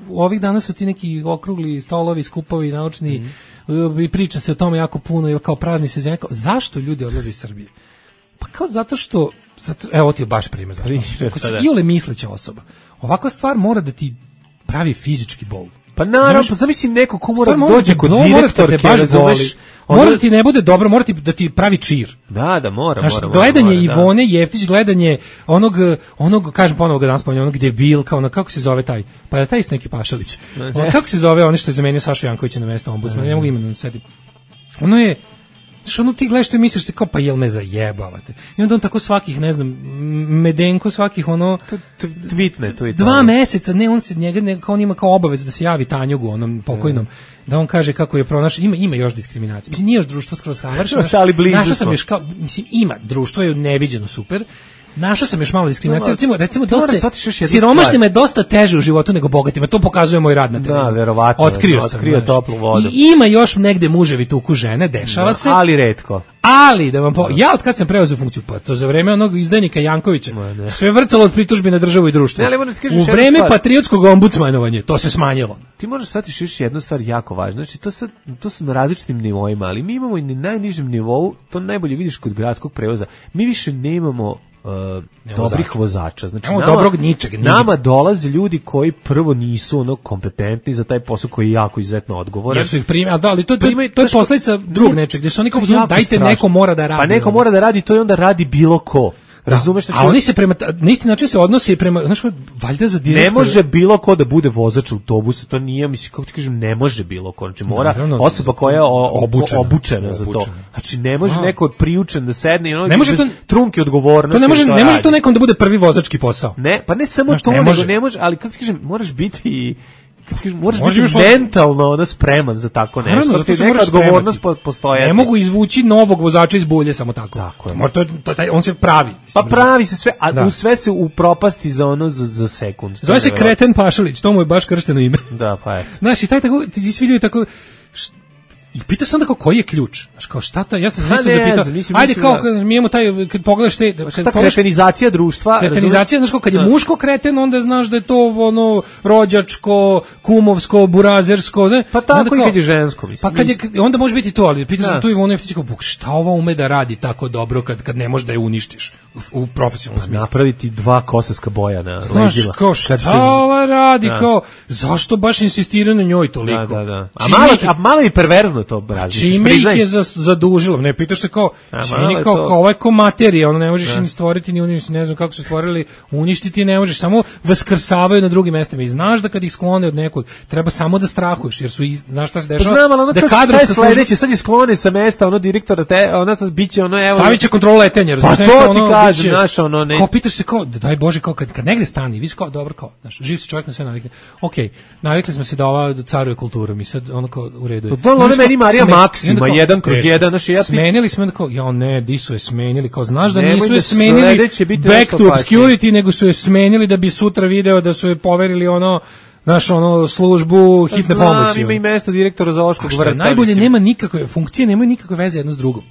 ovih dana su ti neki okrugli stolovi, skupovi, naučni, mm. i priča se o tome jako puno, ili kao prazni se zemlja. Zašto ljudi odlaze iz Srbije? Pa kao zato što, zato, evo ti je baš primjer. Zašto? Ako si iole misleća osoba, ovakva stvar mora da ti pravi fizički bol. Pa naravno, pa zamisli neko ko mora da dođe kod direktorke, razumeš, mora da ti ne bude dobro, mora ti da ti pravi čir. Da, da, mora, znaš, mora. Gledanje mora, Ivone da. Jeftić, gledanje onog, onog, kažem ponovo ga danas spominjem, onog debilka, ono, kako se zove taj, pa je taj isto neki Pašalić. Ono, kako se zove ono što je zamenio Sašu Jankovića na mesto ombudsmana, ne mogu imenom sedim. Ono je, što ono ti gledaš i misliš se kao pa jel me zajebavate. I onda on tako svakih, ne znam, Medenko svakih ono tweetne to i to. Dva meseca, ne on se njega ne, kao on ima kao obavezu da se javi Tanjugu onom pokojnom. Mm. Da on kaže kako je pronašao, ima ima još diskriminacije. Mislim nije još društvo skroz savršeno. Ali blizu našao sam još kao, mislim ima, društvo je neviđeno super. Našao sam još malo diskriminacije, recimo, recimo dosta, siromašnima je dosta teže u životu nego bogatima, to pokazuje moj rad na terenu. Da, verovatno. Otkrio sam, otkrio toplu vodu. I ima još negde muževi tuku žene, dešava da, se. Ali retko. Ali, da vam po... ja od kad sam preuzeo funkciju, pa to za vreme onog izdajnika Jankovića, sve vrcalo od pritužbi na državu i društvo. Ne, u vreme patriotskog ombudsmanovanja, to se smanjilo. Ti možeš shvatiti još jednu stvar jako važna, znači to, sad, to su na različitim nivoima, ali mi imamo i na najnižem nivou, to najbolje vidiš kod gradskog prevoza, mi više nemamo Uh, dobrih vozača. Znači, nama, dobrog ničeg. Nama dolaze ljudi koji prvo nisu ono kompetentni za taj posao koji je jako izuzetno odgovoran. Jer su ih primili, da, ali to, to, to, to je posljedica drugog nečeg, gdje su oni kao dajte strašno. Neko mora da radi. Pa neko mora da radi, to je onda radi bilo ko. Razumeš da, a oni se prema na isti način se odnose prema, znaš, valjda za direktor. Ne može bilo ko da bude vozač autobusa, to nije, mislim, kako ti kažem, ne može bilo ko, znači mora naravno, osoba koja je o, obučena, obučena za to. Znači ne može a. neko priučen da sedne i ono ne može to, trunke odgovornosti. To ne može, ne može to nekom da bude prvi vozački posao. Ne, pa ne samo znaš, to, ne može. Nego ne može, ali kako ti kažem, moraš biti moraš Može biti mentalno onda spreman za tako nešto. Naravno, zato neka odgovornost postoje. Ne mogu izvući novog vozača iz bulje samo tako. Tako je. To, to, taj, on se pravi. Pa pravi se sve, a da. u sve se upropasti za ono za, za sekund. Zove se Kreten Pašalić, to mu je baš kršteno ime. Da, pa je. Znaš, i taj tako, ti svi ljudi tako, I pita se onda kao koji je ključ. Znaš, kao šta ta, ja sam se Ha, isto ne, zapitao. znam, mislim, Ajde mislim kao da- kad mi imamo taj kad pogledaš te kad Šta pogledaš kretenizacija društva? kretenizacija, znaš kao kad je muško kreten, onda znaš da je to ono rođačko, kumovsko, burazersko, ne? Pa tako Onda i kao- kad je žensko, mislim. Pa kad je onda može biti to, ali pitaš Da. se tu Ivona Jeftić kao "Buk, šta ova ume da radi tako dobro kad kad ne može da je uništiš u, u profesionalnom smislu. Napraviti dva kosovska boja na Znaš, leđima. kao šta Kad se- ova radi, Da. kao, zašto baš insistira na njoj toliko? Da, da, da. A Čime malo, ih je- a malo i perverzno to radi. Čime ih je za, zadužilo? Ne, pitaš se kao, A, čini malo je kao, to- kao ovo je ko materija, ono ne možeš ni stvoriti, ni uništiti, ne znam kako su stvorili, uništiti ne možeš, samo vaskrsavaju na drugim mestima i znaš da kad ih sklone od nekog, treba samo da strahuješ, jer su, iz- znaš šta se Pa dešava? znam, ali ono da kao šta je kadrovska služba- sledeće, sad je sklone sa mesta, ono direktora, te, ona to biće, ono, evo... Stavit će kontrolu letenja, Pa razumiješ, to nešto, ti ono, kažem, biće- znaš, ono, ne... Kao pitaš se kao, daj Bože, kao kad, kad negde stani, vidiš kao, dobro, kao, znaš, živ si čovjek na sve navikne. Okej, navikli smo se da ova caruje kultura, mi sad ono kao u redu je. Pa to ono Znaš, kao, meni Marija sme- Maksima, i onda kao, jedan kroz teško. jedan, znaš, ja ti- Smenili smo, onda kao, ja ne, di su je smenili, kao, znaš da Nemoj nisu da je smenili sledeće biti back nešto to opasnije. obscurity, nego su je smenili da bi sutra video da su je poverili ono, znaš, ono, službu hitne Znam, pomoći. ima i ono. mesto direktora A zoološkog što je vrta. najbolje, mislim. nema nikakve funkcije, nemaju nikakve veze jedno s drugom.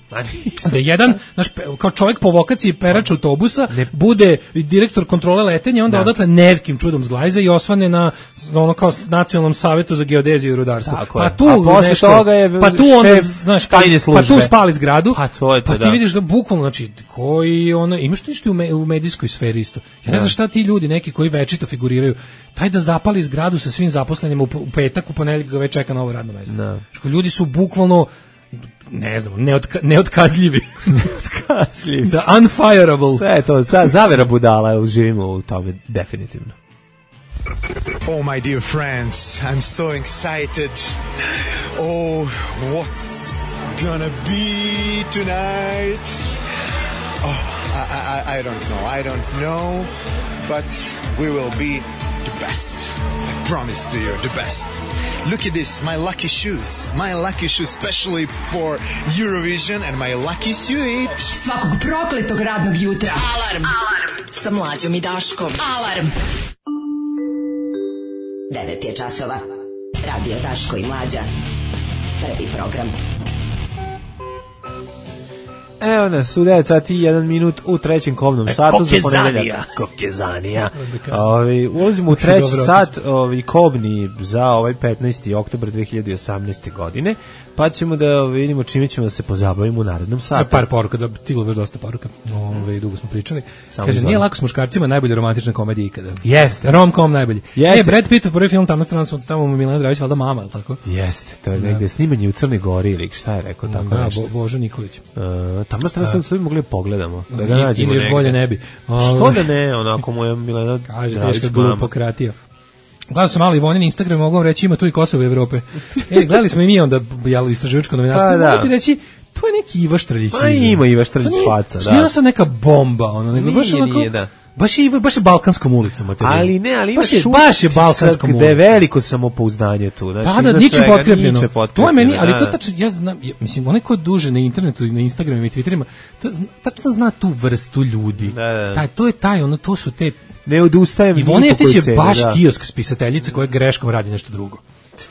Da jedan, znaš, pe- kao čovjek po vokaciji perač autobusa, bude direktor kontrole letenja, onda Da. odatle nekim čudom zglajza i osvane na ono kao s nacionalnom savetu za geodeziju i rudarstvo. Tako Pa je. tu A posle nešto, toga je pa tu onda, šef znaš, tajne pa službe. tu spali zgradu, Pa to je to, pa ti da. vidiš da bukvalno, znači, koji ono, imaš nešto u, me, u medijskoj sferi isto. Ja ne znam šta ti ljudi, neki koji večito figuriraju, taj da zapali zgradu sa svim zaposlenima u, u petak, u ponedeljak ga već čeka novo radno mesto. Da. Što ljudi su bukvalno, ne znam, neotka, neotkazljivi. Neotkazljivi. Da, unfireable. Sve je to, za, zavera budala, živimo u tome, definitivno. Oh, my dear friends, I'm so excited. Oh, what's gonna be tonight? Oh, I, I, I don't know, I don't know, but we will be the best. I promise to you, the best. Look at this, my lucky shoes. My lucky shoes, especially for Eurovision, and my lucky suit. Svakog prokletog radnog jutra. Alarm. Alarm. Sa Mlađom i Daškom. Alarm. devet je časova. Radio Daško i Mlađa. Prvi program. Evo nas, u devet sati i jedan minut u trećem kobnom satu za ponedeljak. Kokezanija. Ovi, ulazimo u treći dobro sat ovi, kobni za ovaj petnaesti oktobar dve hiljade osamnaeste. godine, pa ćemo da ovi, vidimo čime ćemo da se pozabavimo u narednom satu. Par poruka, da stiglo baš dosta poruka. Ove, dugo smo pričali. Samo Kaže, izvoli. nije lako s muškarcima, najbolje romantična komedija ikada. Jeste. Rom-com najbolji. Jeste. E, Brad Pitt, prvi film, tamo strana su tamo mu Milena Dravić, valjda mama, ili tako? Jeste, to je negde snimanje u Crnoj Gori ili šta je rekao tako Da, nešto. Bo, Božo Nikolić. Uh, tamo strana sam sve mogli pogledamo. Da ga I- nađemo ili još negde. bolje ne bi. Što Ove, da ne, onako mu je Milena Kaže, Dravić teška mama. glupokratija. Gledao sam malo Ivonin Instagram, mogu vam reći, ima tu i Kosovo i Evrope. E, gledali smo i mi onda, jel, istraživačko novinarstvo, Pa, da. mogu ti reći, to je neki Iva Štrljić. Pa ima Iva Štrljić To nije- faca, to da. nije sad neka bomba, ono, nego baš Nije, onako, nije, da. baš je, Iva- baš je Balkanskom ulicom materijal. Ali ne, ali baš imaš je, baš je utisak Balkanskom da je ulicom. veliko samopouzdanje tu. Znači, Da, da, iznad ničim svega, potkrepljeno. ničim To je meni, ali da, to da. tačno, ja znam, ja, mislim, onaj ko je duže na internetu i na Instagramu i Twitterima, to zna- tačno zna tu vrstu ljudi. Da, da. Taj, to je taj, ono, to su te... Ne odustajem. Ivona ni po Jeftić je kojoj ceni, baš da. kiosk spisateljica koja greškom radi nešto drugo.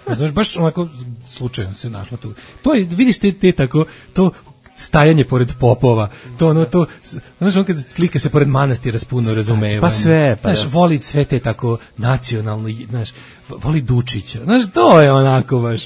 Znaš, baš onako slučajno se našla tu. To je, vidiš te, te tako, to stajanje pored popova, to ono, to, znaš, on kad slika se pored manastira s puno razumevanja. pa sve, pa znaš, da. voli sve te tako nacionalno, znaš, voli Dučića, znaš, to je onako baš,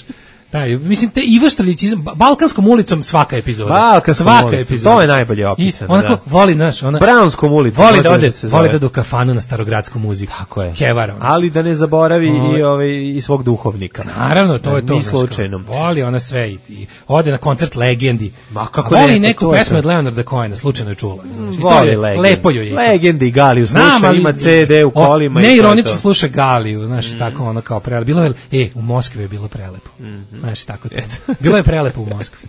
taj, mislim, te Iva Štrljić, ba- Balkanskom ulicom svaka epizoda. Balkanskom svaka ulicom, epizoda. to je najbolje opisano, I onako, da. voli, znaš, ona, Brownskom ulicom, voli može da ode, da se zove. voli da ode u kafanu na starogradsku muziku. Tako je. Kevara. ona. Ali da ne zaboravi Ovo- i, ovaj, i svog duhovnika. Naravno, to je to. Ni znaš, kao, slučajno. Voli ona sve i, i ode na koncert Legendi. Ma, kako A voli ne, neku to je pesmu to. od Leonarda Cohena, slučajno je čula. Znaš, i to Voli je, Legend. lepo joj je. Legendi i Galiju Znam, sluša, ali- ima ce de u o, kolima. i to je neironično to. sluša Galiju, znaš, tako ono kao prelepo. Bilo je, e, u Moskvi je bilo prelepo. Znaš, tako to. Bilo je prelepo u Moskvi.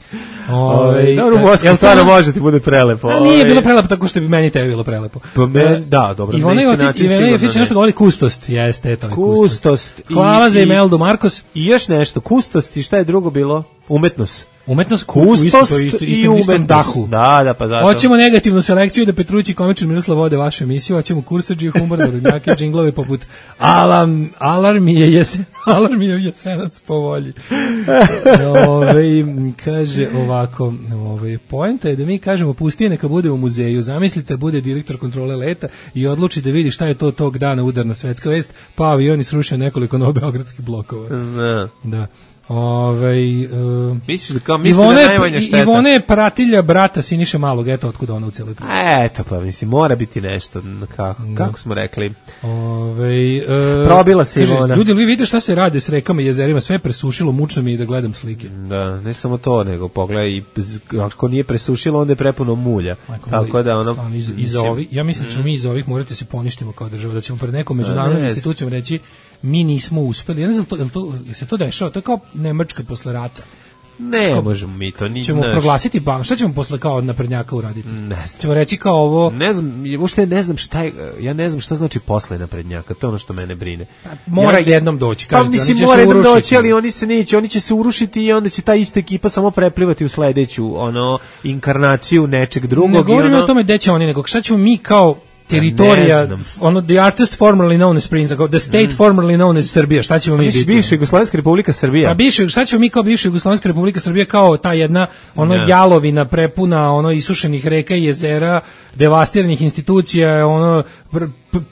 Ovaj, dobro, u e, Moskvi jel to stvarno ono- može ti bude prelepo. A nije ovaj. bilo prelepo tako što bi meni tebi bilo prelepo. Pa me- E, da, dobro, Ivona na isti Jeftić- način Ivana sigurno Jeftić ne. nešto govori kustost. Jeste, to je kustost. Kustost. i- Hvala za i- Imeldu Markos. I još nešto, kustost i šta je drugo bilo? Umetnost. Umetnost kustos isto, to isto, i istom, istom dahu. Da, da, pa zato. Hoćemo negativnu selekciju da Petrući komičar Miroslav vode vašu emisiju, hoćemo kursadžije, humor, narodnjake, džinglove poput Alarm, alarm je jesen, alarm je jesenac po volji. Ove, kaže ovako, ove, poenta je da mi kažemo pustije neka bude u muzeju, zamislite bude direktor kontrole leta i odluči da vidi šta je to tog dana udarna svetska vest, pa avioni srušio nekoliko novobeogradskih blokova. Ne. Da. Ovaj uh, misliš da kao misliš da najmanja šteta. Ivona je pratilja brata Siniše Malog, eto otkud ona u celoj priči. Eto pa mislim mora biti nešto kako da. Kako smo rekli. Ovaj uh, probila se Ivona. Ljudi, vi vidite šta se radi s rekama i jezerima, sve presušilo, mučno mi je da gledam slike. Da, ne samo to, nego pogledaj, ako nije presušilo, onda je prepuno mulja. Majko, tako da ono stvarno, iz, iz ovih, ja mislim da ćemo mi iz ovih morati se poništimo kao država, da ćemo pred nekom međunarodnom institucijom reći mi nismo uspeli. Ja ne znam, to, je to, je se to dešava? To je kao Nemačka posle rata. Ne, Ško, možemo mi to. Ni, ćemo naš... proglasiti bank. Šta ćemo posle kao naprednjaka uraditi? Ne znam. Ćemo reći kao ovo... Ne znam, uopšte ne znam šta je, ja ne znam šta znači posle naprednjaka. To je ono što mene brine. Pa, mora ja, jednom doći. Kažete, pa mislim, mora jednom doći, ali oni se neće, oni će se urušiti i onda će ta ista ekipa samo preplivati u sledeću ono, inkarnaciju nečeg drugog. Ne govorimo ono... o tome gde će oni, nego šta ćemo mi kao teritorija, ono, the artist formerly known as Prince, the state mm. formerly known as Srbija, šta ćemo mi biti? Bivša Jugoslovenska republika Srbija. Pa bivša, šta ćemo mi kao bivša Jugoslovenska republika Srbija, kao ta jedna, ono, yeah. jalovina prepuna, ono, isušenih reka i jezera, devastiranih institucija, ono,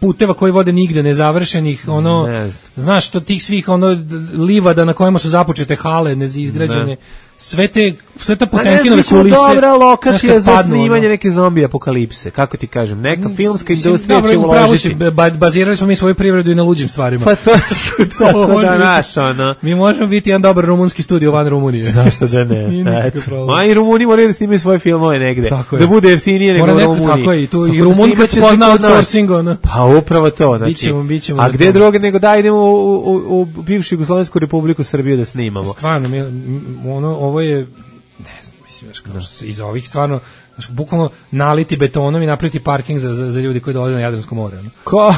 puteva koji vode nigde, nezavršenih, ono, ne znaš, to tih svih, ono, livada na kojima su započete hale, neizgrađene, ne. sve te, sve ta Potemkinove kulise. Dobra lokacija za snimanje ono. Neke zombi apokalipse, kako ti kažem, neka filmska industrija će uložiti. Bazirali smo mi svoju privredu i na luđim stvarima. Pa to to da naš, ono. Mi možemo biti jedan dobar rumunski studio van Rumunije. Zašto da ne? Ma i Rumuni moraju da snimaju svoje filmove negde. Da bude jeftinije nego u Rumuniji. Tako je, tu i Rumunka će pozna outsourcing, ono. Pa upravo to, znači. Bićemo, bićemo. A gde druge nego da idemo u, u, u bivšu Jugoslovensku republiku Srbiju da snimamo. Stvarno, mi, ono, ovo je, ne znam, mislim, znaš, iza ovih stvarno, znaš, bukvalno naliti betonom i napraviti parking za, za, za ljudi koji dolaze na Jadransko more. No? Ko?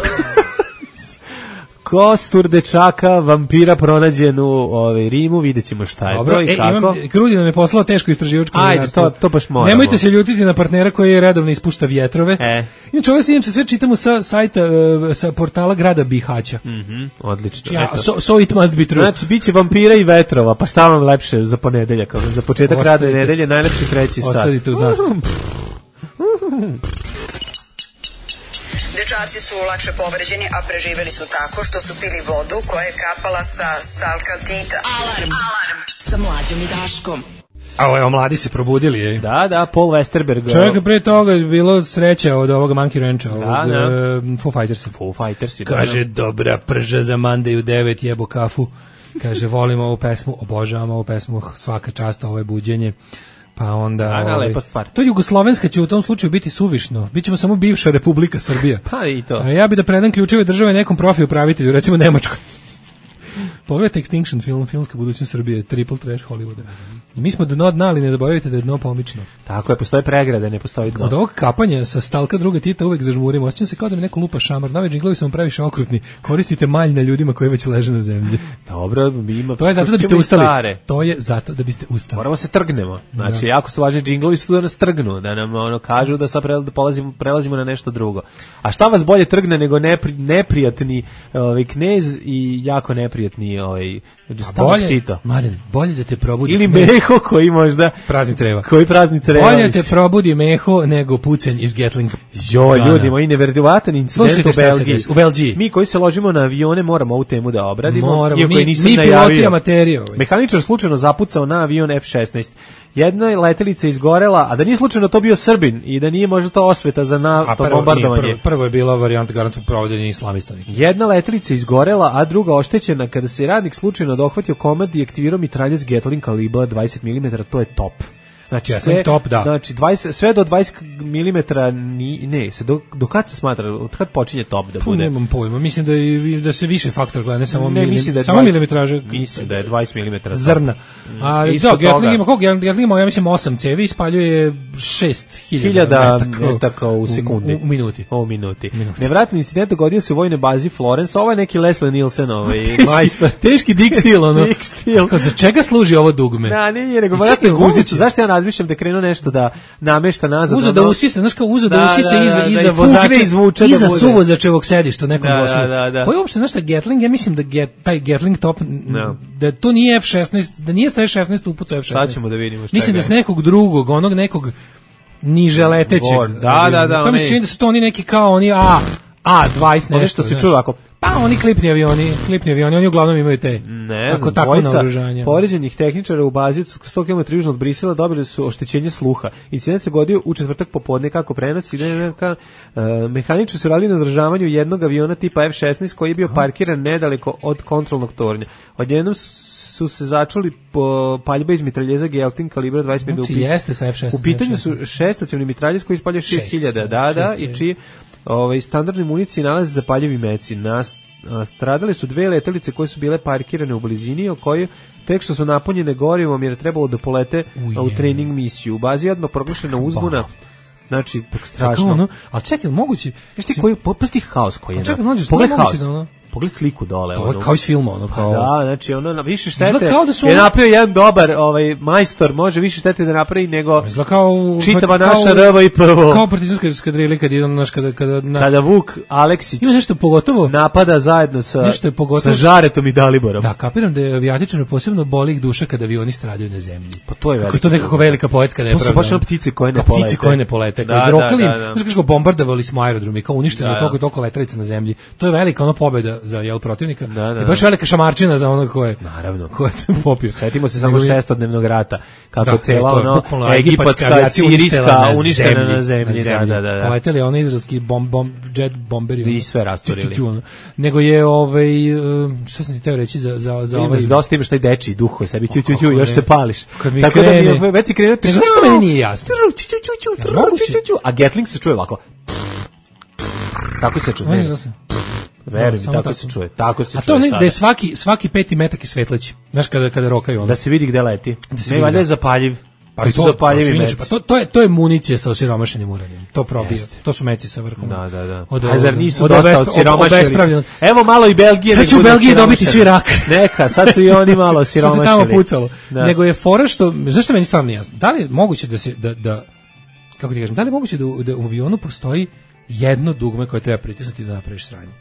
Kostur dečaka, vampira pronađen u ovaj, Rimu, vidjet ćemo šta je Dobro, to i e, kako. Imam, Krudi nam je poslao teško istraživačko novinarstvo. Ajde, to, to baš moramo. Nemojte se ljutiti na partnera koji je redovno ispušta vjetrove. E. Inače, ovo se inače sve čitamo sa sajta, sa portala grada Bihaća. Mhm, odlično. Ja, so, so it must be true. Znači, bit će vampira i vetrova, pa šta vam lepše za ponedeljak, za početak Ostavite. Rada nedelje, najlepši treći sat. Ostavite u znak. Dečaci su lakše povređeni, a preživeli su tako što su pili vodu koja je kapala sa stalkaltita. Alarm, alarm, sa Mlađom i Daškom. A evo, mladi se probudili, je. Da, da, Paul Westerberg. Čovjek pre toga je bilo sreća od ovoga Monkey Rancha, ovog da, da. Uh, Foo Fightersa. Foo Fightersi, da. Kaže, dobra prža za Mandaju devet, jebo kafu. Kaže, volim ovu pesmu, obožavam ovu pesmu, svaka čast, ovo je buđenje. Pa onda, Ana, ovaj, lepa stvar. To jugoslovenska će u tom slučaju biti suvišno. Bićemo samo bivša Republika Srbija. Pa i to. A ja bi da predam ključeve države nekom profi upravitelju, recimo Nemačkoj. Pogledajte Extinction film, filmska budućnost Srbije, triple trash Hollywooda. Mi smo dno dna, ali ne zaboravite da je dno pomično. Tako je, postoje pregrade, ne postoji dno. Od ovog kapanja sa stalka druga Tita uvek zažmurim, osjećam se kao da mi neko lupa šamar. Novi džinglovi su vam previše okrutni. Koristite malj na ljudima koji već leže na zemlji. Dobro, ima. To je zato da biste ustali. Stare. To je zato da biste ustali. Moramo se trgnemo. Znači, da. jako su važni džinglovi su da nas trgnu, da nam ono kažu da sad prelazimo, prelazimo na nešto drugo. A šta vas bolje trgne nego nepri, neprijatni ovaj knez i jako neprijatni ovaj bolje, Tito. Mladen, bolje da te probudi ili Meho koji možda prazni treba. Koji prazni treba. Bolje te probudi Meho nego pucanj iz Gatling. Jo, ljudi, moji neverovatan incident u Belgiji. U Belgiji. Mi koji se ložimo na avione moramo ovu temu da obradimo. Moramo, iako mi, nisam mi piloti amaterije. Ovaj. Mehaničar slučajno zapucao na avion F šesnaest. Jedna letelica izgorela, a da nije slučajno to bio Srbin i da nije možda to osveta za na, to prvo, bombardovanje. Prvo, prvo je bila varijanta garantnog provođenja islamista. Jedna letelica izgorela, a druga oštećena kada se radnik slučajno dohvatio komad i aktivirao mitraljac Gatling kalibra dvadeset milimetara, to je top. Znači, Gatling sve, top, da. Znači, dvadeset, sve do dvadeset milimetara, ni, ne, se do, do kad se smatra, od kad počinje top da Puh, bude? nemam pojma, mislim da, je, da se više faktor gleda, ne samo, ne, milim, mislim da je samo dvadeset, milimetraže. Mislim da je dvadeset milimetara. Zrna. A, da, Gatling ima, koliko? Gatling ima, ja mislim, osam cevi, ispaljuje šest hiljada metaka, metaka u sekundi. U, u, u minuti. O, u minuti. minuti. Nevratni incident dogodio se u vojnoj bazi Florence, ovo je neki Leslie Nielsen, ovaj, majstor. Teški Dick Steele, ono. Dick Steele. Kao, za čega služi ovo dugme? Da, nije, nego vratno guzicu. Zašto ja razmišljam da krenu nešto da namešta nazad? Uzo da usisa, znaš kao uzo da, da usisa da, iza, da, iza da vozača, izvuče iza da suvozačevog sedišta u nekom da, vosu. Da, da, da. Koji uopšte, znaš šta, Gatling, ja mislim da get, taj Gatling top, no. da to nije F šesnaest, da nije sa F šesnaest upucao F šesnaest. Sad ćemo da vidimo šta mislim da s nekog drugog, onog nekog niže letećeg. Da, da, da. To mi se čini da su to oni neki kao oni A, A dvadeset nešto. Nešto se čuje ovako. Pa oni klipni avioni, klipni avioni, oni uglavnom imaju te. Ne tako, znam, tako dvojica naoružanja. Poređenih tehničara u bazi sto kilometara južno od Brisela dobili su oštećenje sluha. Incident se godio u četvrtak popodne kako prenosi. Uh, mehaničari su radili na održavanju jednog aviona tipa F šesnaest koji je bio parkiran nedaleko od kontrolnog tornja. Odjednom su se začuli po paljbe iz mitraljeza Gatling kalibra dvadeset pet. Znači, jeste sa F šesnaest. U pitanju su šestacevni mitraljez koji ispalja šest hiljada, da, da, i čiji ovaj, standardni municije nalaze zapaljivi meci. Nas, stradale su dve letelice koje su bile parkirane u blizini, o kojoj tek što su napunjene gorivom jer je trebalo da polete Uje. u trening misiju. U bazi je odmah proglašena uzbuna. Znači, strašno. Ono, ali čekaj, moguće... Znaš ti koji, posti haos koji je. Čekaj, moguće, pogled haos. Da ono... Pogled sliku dole. To je kao iz filma, ono. Kao... Da, znači, ono, na više štete da su je napravio jedan dobar ovaj, majstor, može više štete da napravi nego kao, čitava kao, naša R V I P O. Kao partizanska eskadrila kad je naš kada kada na... kada Vuk Aleksić ima nešto pogotovo napada zajedno sa nešto je pogotovo sa Žaretom i Daliborom. Da, kapiram da je avijatičarima posebno boli ih duša kada avioni stradaju na zemlji. Pa to je veliko. Kako to nekako velika poetska nepravda. To su baš one ptice koje ne polete. Ptice koje ne polete. Da, izrokali, da, da, da. znači kako bombardovali smo aerodrom i kao uništeno da, toliko toliko letelica na zemlji. To je velika ona pobeda za jel protivnika. Da, da, I baš velika šamarčina za onog ko je. Naravno. Ko je popio. Setimo se samo šestodnevnog rata kako da, cela ono egipatska, sirijska uništena na zemlji. Da, da, da. Poleteli oni izraelski bom, bom, jet bomberi. I sve rasturili. Nego je ovaj šta sam ti teo reći za za za ovaj. Dosta imaš taj dečiji duh koji sebi ću ću ću još se pališ. Tako da mi već si krenuo. Zašto meni nije jasno? A Gatling se čuje ovako. Tako se čuje. Verujem, tako, tako se čuje. Tako se a čuje. A to ne, sada. Da je svaki svaki peti metak je svetleći. Znaš kada kada rokaju ono. Da se vidi gde leti. Da ne valjda je zapaljiv. Pa to, zapaljivi meci. Pa to to je to je municija sa osiromašenim uranijom. To probija. Jeste. To su meci sa vrhom. Da, da, da. Od, a zar nisu od dosta osiromašeni? Evo malo i Belgije. Sad će u Belgiji dobiti svi rak. Neka, sad su i oni malo osiromašeni. Što se tamo pucalo. Da. Nego je fora što, zašto meni stvarno nije jasno. Da li je moguće da se da da kako ti kažem, da li je moguće da u, da u avionu postoji jedno dugme koje treba pritisnuti da napraviš sranje?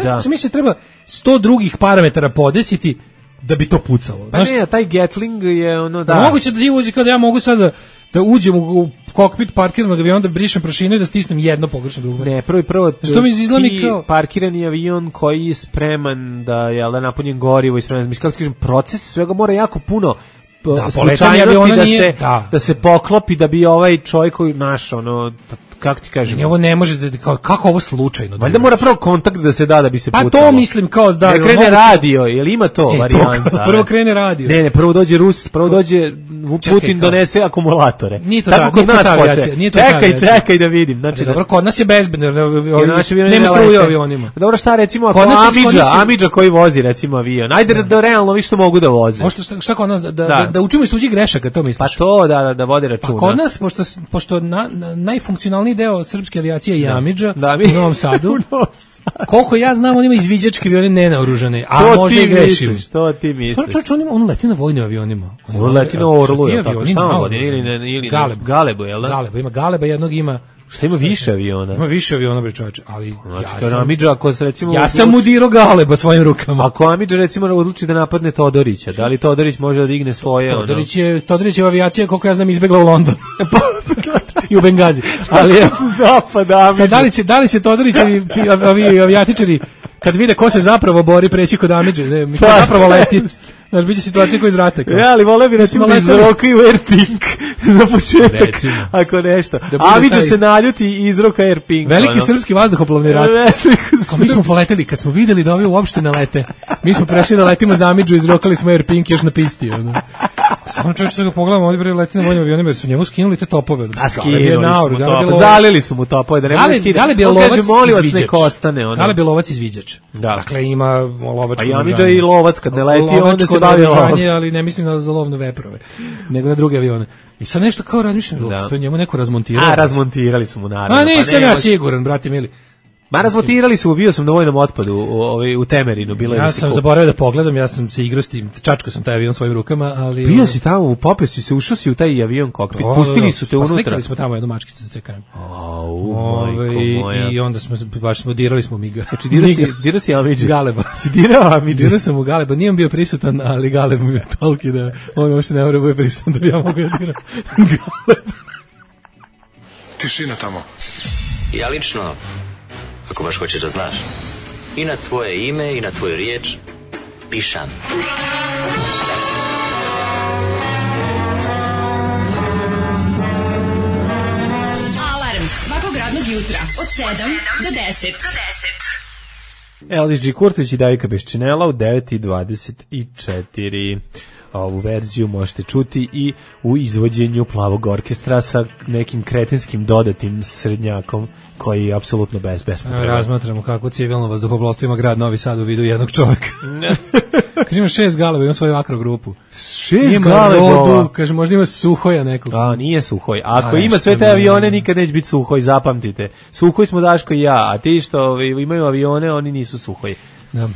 Da. Mislim da treba sto drugih parametara podesiti da bi to pucalo. Pa znaš, ne, taj Gatling je ono da. Moguće da ti uđe kao da ja mogu sad da, da uđem u, u kokpit parkiranog aviona, da brišem prašinu i da stisnem jedno pogrešno dugme. Ne, prvo i prvo što mi izgleda kao parkirani avion koji je spreman da je da napunjen gorivo i spreman, mislim kako kažem, proces svega mora jako puno da, slučajnosti da nije, se da. da se poklopi da bi ovaj čovjek koji naš ono kako ti kažem. Ne, ovo ne može da kako, kako ovo slučajno. Valjda mora prvo kontakt da se da da bi se pa pucalo. Pa to mislim kao da ne krene moguće... radio, jel ima to e, varijanta? To, prvo krene radio. Ne, ne, prvo dođe Rus, prvo dođe Putin čekaj, donese akumulatore. Nije to tako ta, kod nije nas ta počne. Nije to čekaj, čekaj da vidim. Znači, dobro, kod nas je bezbedno, nema struje avionima. Dobro, šta recimo ako Amidža, Amidža koji vozi recimo avion. Ajde da, da realno vi što mogu da voze. Možda šta, šta kod nas da, da, da. da učimo iz tuđih grešaka, to misliš? Pa to da da, da vode računa. Pa kod nas pošto pošto na, na, najfunkcionalniji deo srpske avijacije je Amidža da, mi, u Novom Sadu. Koliko ja znam, on ima izviđačke avione nenaoružane, a to možda i grešim. Što ti misliš? Čovječ, on, on leti na vojnim avionima. On leti na Orlu, tako šta on vodi? Ili, ili Galeb. Galebu, jel da? Galeba, ima Galeba, jednog ima... Šta ima više aviona? Ima više aviona, bre čovječe, ali znači, ja sam... Amidža, ako se recimo... Ja sam udirao Galeba svojim rukama. Ako Amidža recimo odluči da napadne Todorića, da li Todorić može da digne svoje... Todorić je, Todorićeva avijacija, koliko ja znam, izbegla u London. I u Bengazi. Ali da, pa da, sad, da li će, da li će Todorićevi avi, avijatičari, kad vide ko se zapravo bori, preći kod Amidže, ne, mi ko zapravo leti. Znaš, biće situacija koja iz rata. Ja, ali vole bi recimo da izrokaju Air Pink za početak, recimo. Ako nešto. Da Amidža taj... se naljuti i izroka Air Pink. Veliki ono. Srpski vazduhoplovni rat. Ko mi smo poleteli, kad smo videli da ovi uopšte ne lete, mi smo prešli da letimo za Amidžu i izrokali smo Air Pink još na pisti. Ono. Samo čovječ se ga pogledamo, ovdje bre leti na vojnim avionima jer su njemu skinuli te topove. A skinuli su mu topove, zalili su mu topove, da ne može skidati. Galeb je lovac izviđač. Ono. Galeb je lovac izviđač. Da. Dakle, ima lovačko oružanje. A Amidža i lovac kad ne leti, onda se bavi lovom. Ali ne mislim na za lovne veprove, nego na druge avione. I sad nešto kao razmišljam, da. To njemu neko razmontirao. A, razmontirali su mu naravno. A nisam pa ja siguran, brate mili. Ma razmontirali su, bio sam na vojnom otpadu u, u, u Temerinu. Bilo ja sam zaboravio da pogledam, ja sam se igrao s tim, čačko sam taj avion svojim rukama, ali... Bio si tamo, popeo si se, ušao si u taj avion kokpit, o, pustili su te unutra. Pa slikali smo tamo jednu mačkicu za C K M. Au, majko moja. I onda smo, baš smo, dirali smo Miga. Znači, dirao si, dira si Amidži. Galeba. Si dirao Amidži. Dirao sam u Galeba, nije on bio prisutan, ali Galeb mi je toliki da on uopšte ne mora bude prisutan da bi ja mogu da diram Galeba. Tišina tamo. Ja lično, ako baš hoćeš da znaš, i na tvoje ime i na tvoju riječ pišam. Alarm svakog radnog jutra od sedam do deset. Elvis G. Kurtović i Davika Beščinela u devet i dvadeset četiri. Ovu verziju možete čuti i u izvođenju Plavog orkestra sa nekim kretinskim dodatim srednjakom koji je apsolutno bez bespotreban. Razmatramo kako civilno vazduhoplovstvo ima grad Novi Sad u vidu jednog čovjeka. Kaže ima šest galeba, ima svoju akro grupu. Šest galeba? Kaže možda ima Suhoja nekog. A, nije Suhoj. Ako a, ima sve te avione, nikad neće biti Suhoj, zapamtite. Suhoj smo Daško i ja, a ti što imaju avione, oni nisu Suhoj. Da.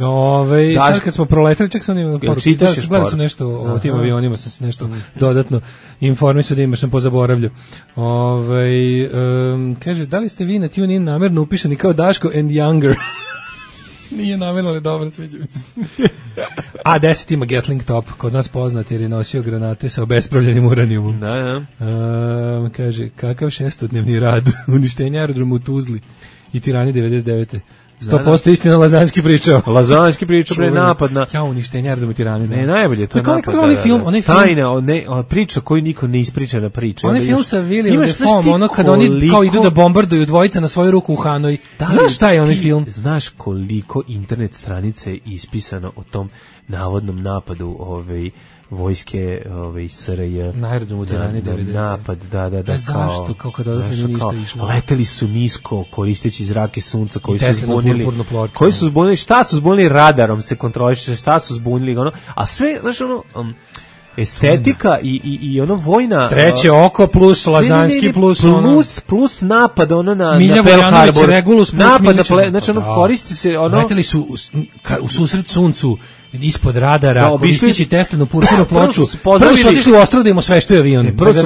Ove, sad kad smo proletali, čak sam imao poruku, gledao sam nešto o tim avionima, sam se nešto dodatno informisao da imaš, sam pozaboravljao. Ove, um, kaže, da li ste vi na TuneIn namerno upišani kao Daško and Younger? Nije namerno, ali dobro, sviđa mi se. A deset ima Gatling top, kod nas poznat jer je nosio granate sa obespravljenim uranijumom. Da, da. Um, kaže, kakav šestodnevni rad, uništenje aerodroma u Tuzli i Tirani devedeset devete sto posto istina Lazanski pričao. Lazanski pričao pre napad na... Ja uništenje aerodroma Tirani. Ne, najbolje, to je napad. Kako onaj film, onaj film... Tajna, ne, priča koju niko ne ispričana priča. Onaj film sa William Defoe, ono kada oni kao idu da bombarduju dvojica na svoju ruku u Hanoj. Znaš šta je onaj film? Znaš koliko internet stranice je ispisano o tom navodnom napadu ovaj vojske ove S R J na aerodromu Tirani devedeset napad, da, da, da, kao, zašto, kao kada odatle ništa išlo. Leteli su nisko, koristeći zrake sunca koji su zbunili, koji su zbunili, šta su zbunili radarom se kontroliše, šta su zbunili, ono, a sve, znaš, ono, um, estetika i, i, i ono vojna... Treće oko plus Lazanski ne, ne, ne, plus, plus ono... Plus, plus napad ono na, Milja na Pearl Harbor. Regulus plus napad na ple, znači ono koristi se... ono leteli su u, u susret suncu, ispod radara, da, koristići Teslinu purpurnu ploču. Prvo su otišli u ostrvo da im osveštuje avion. Ne, prvo su,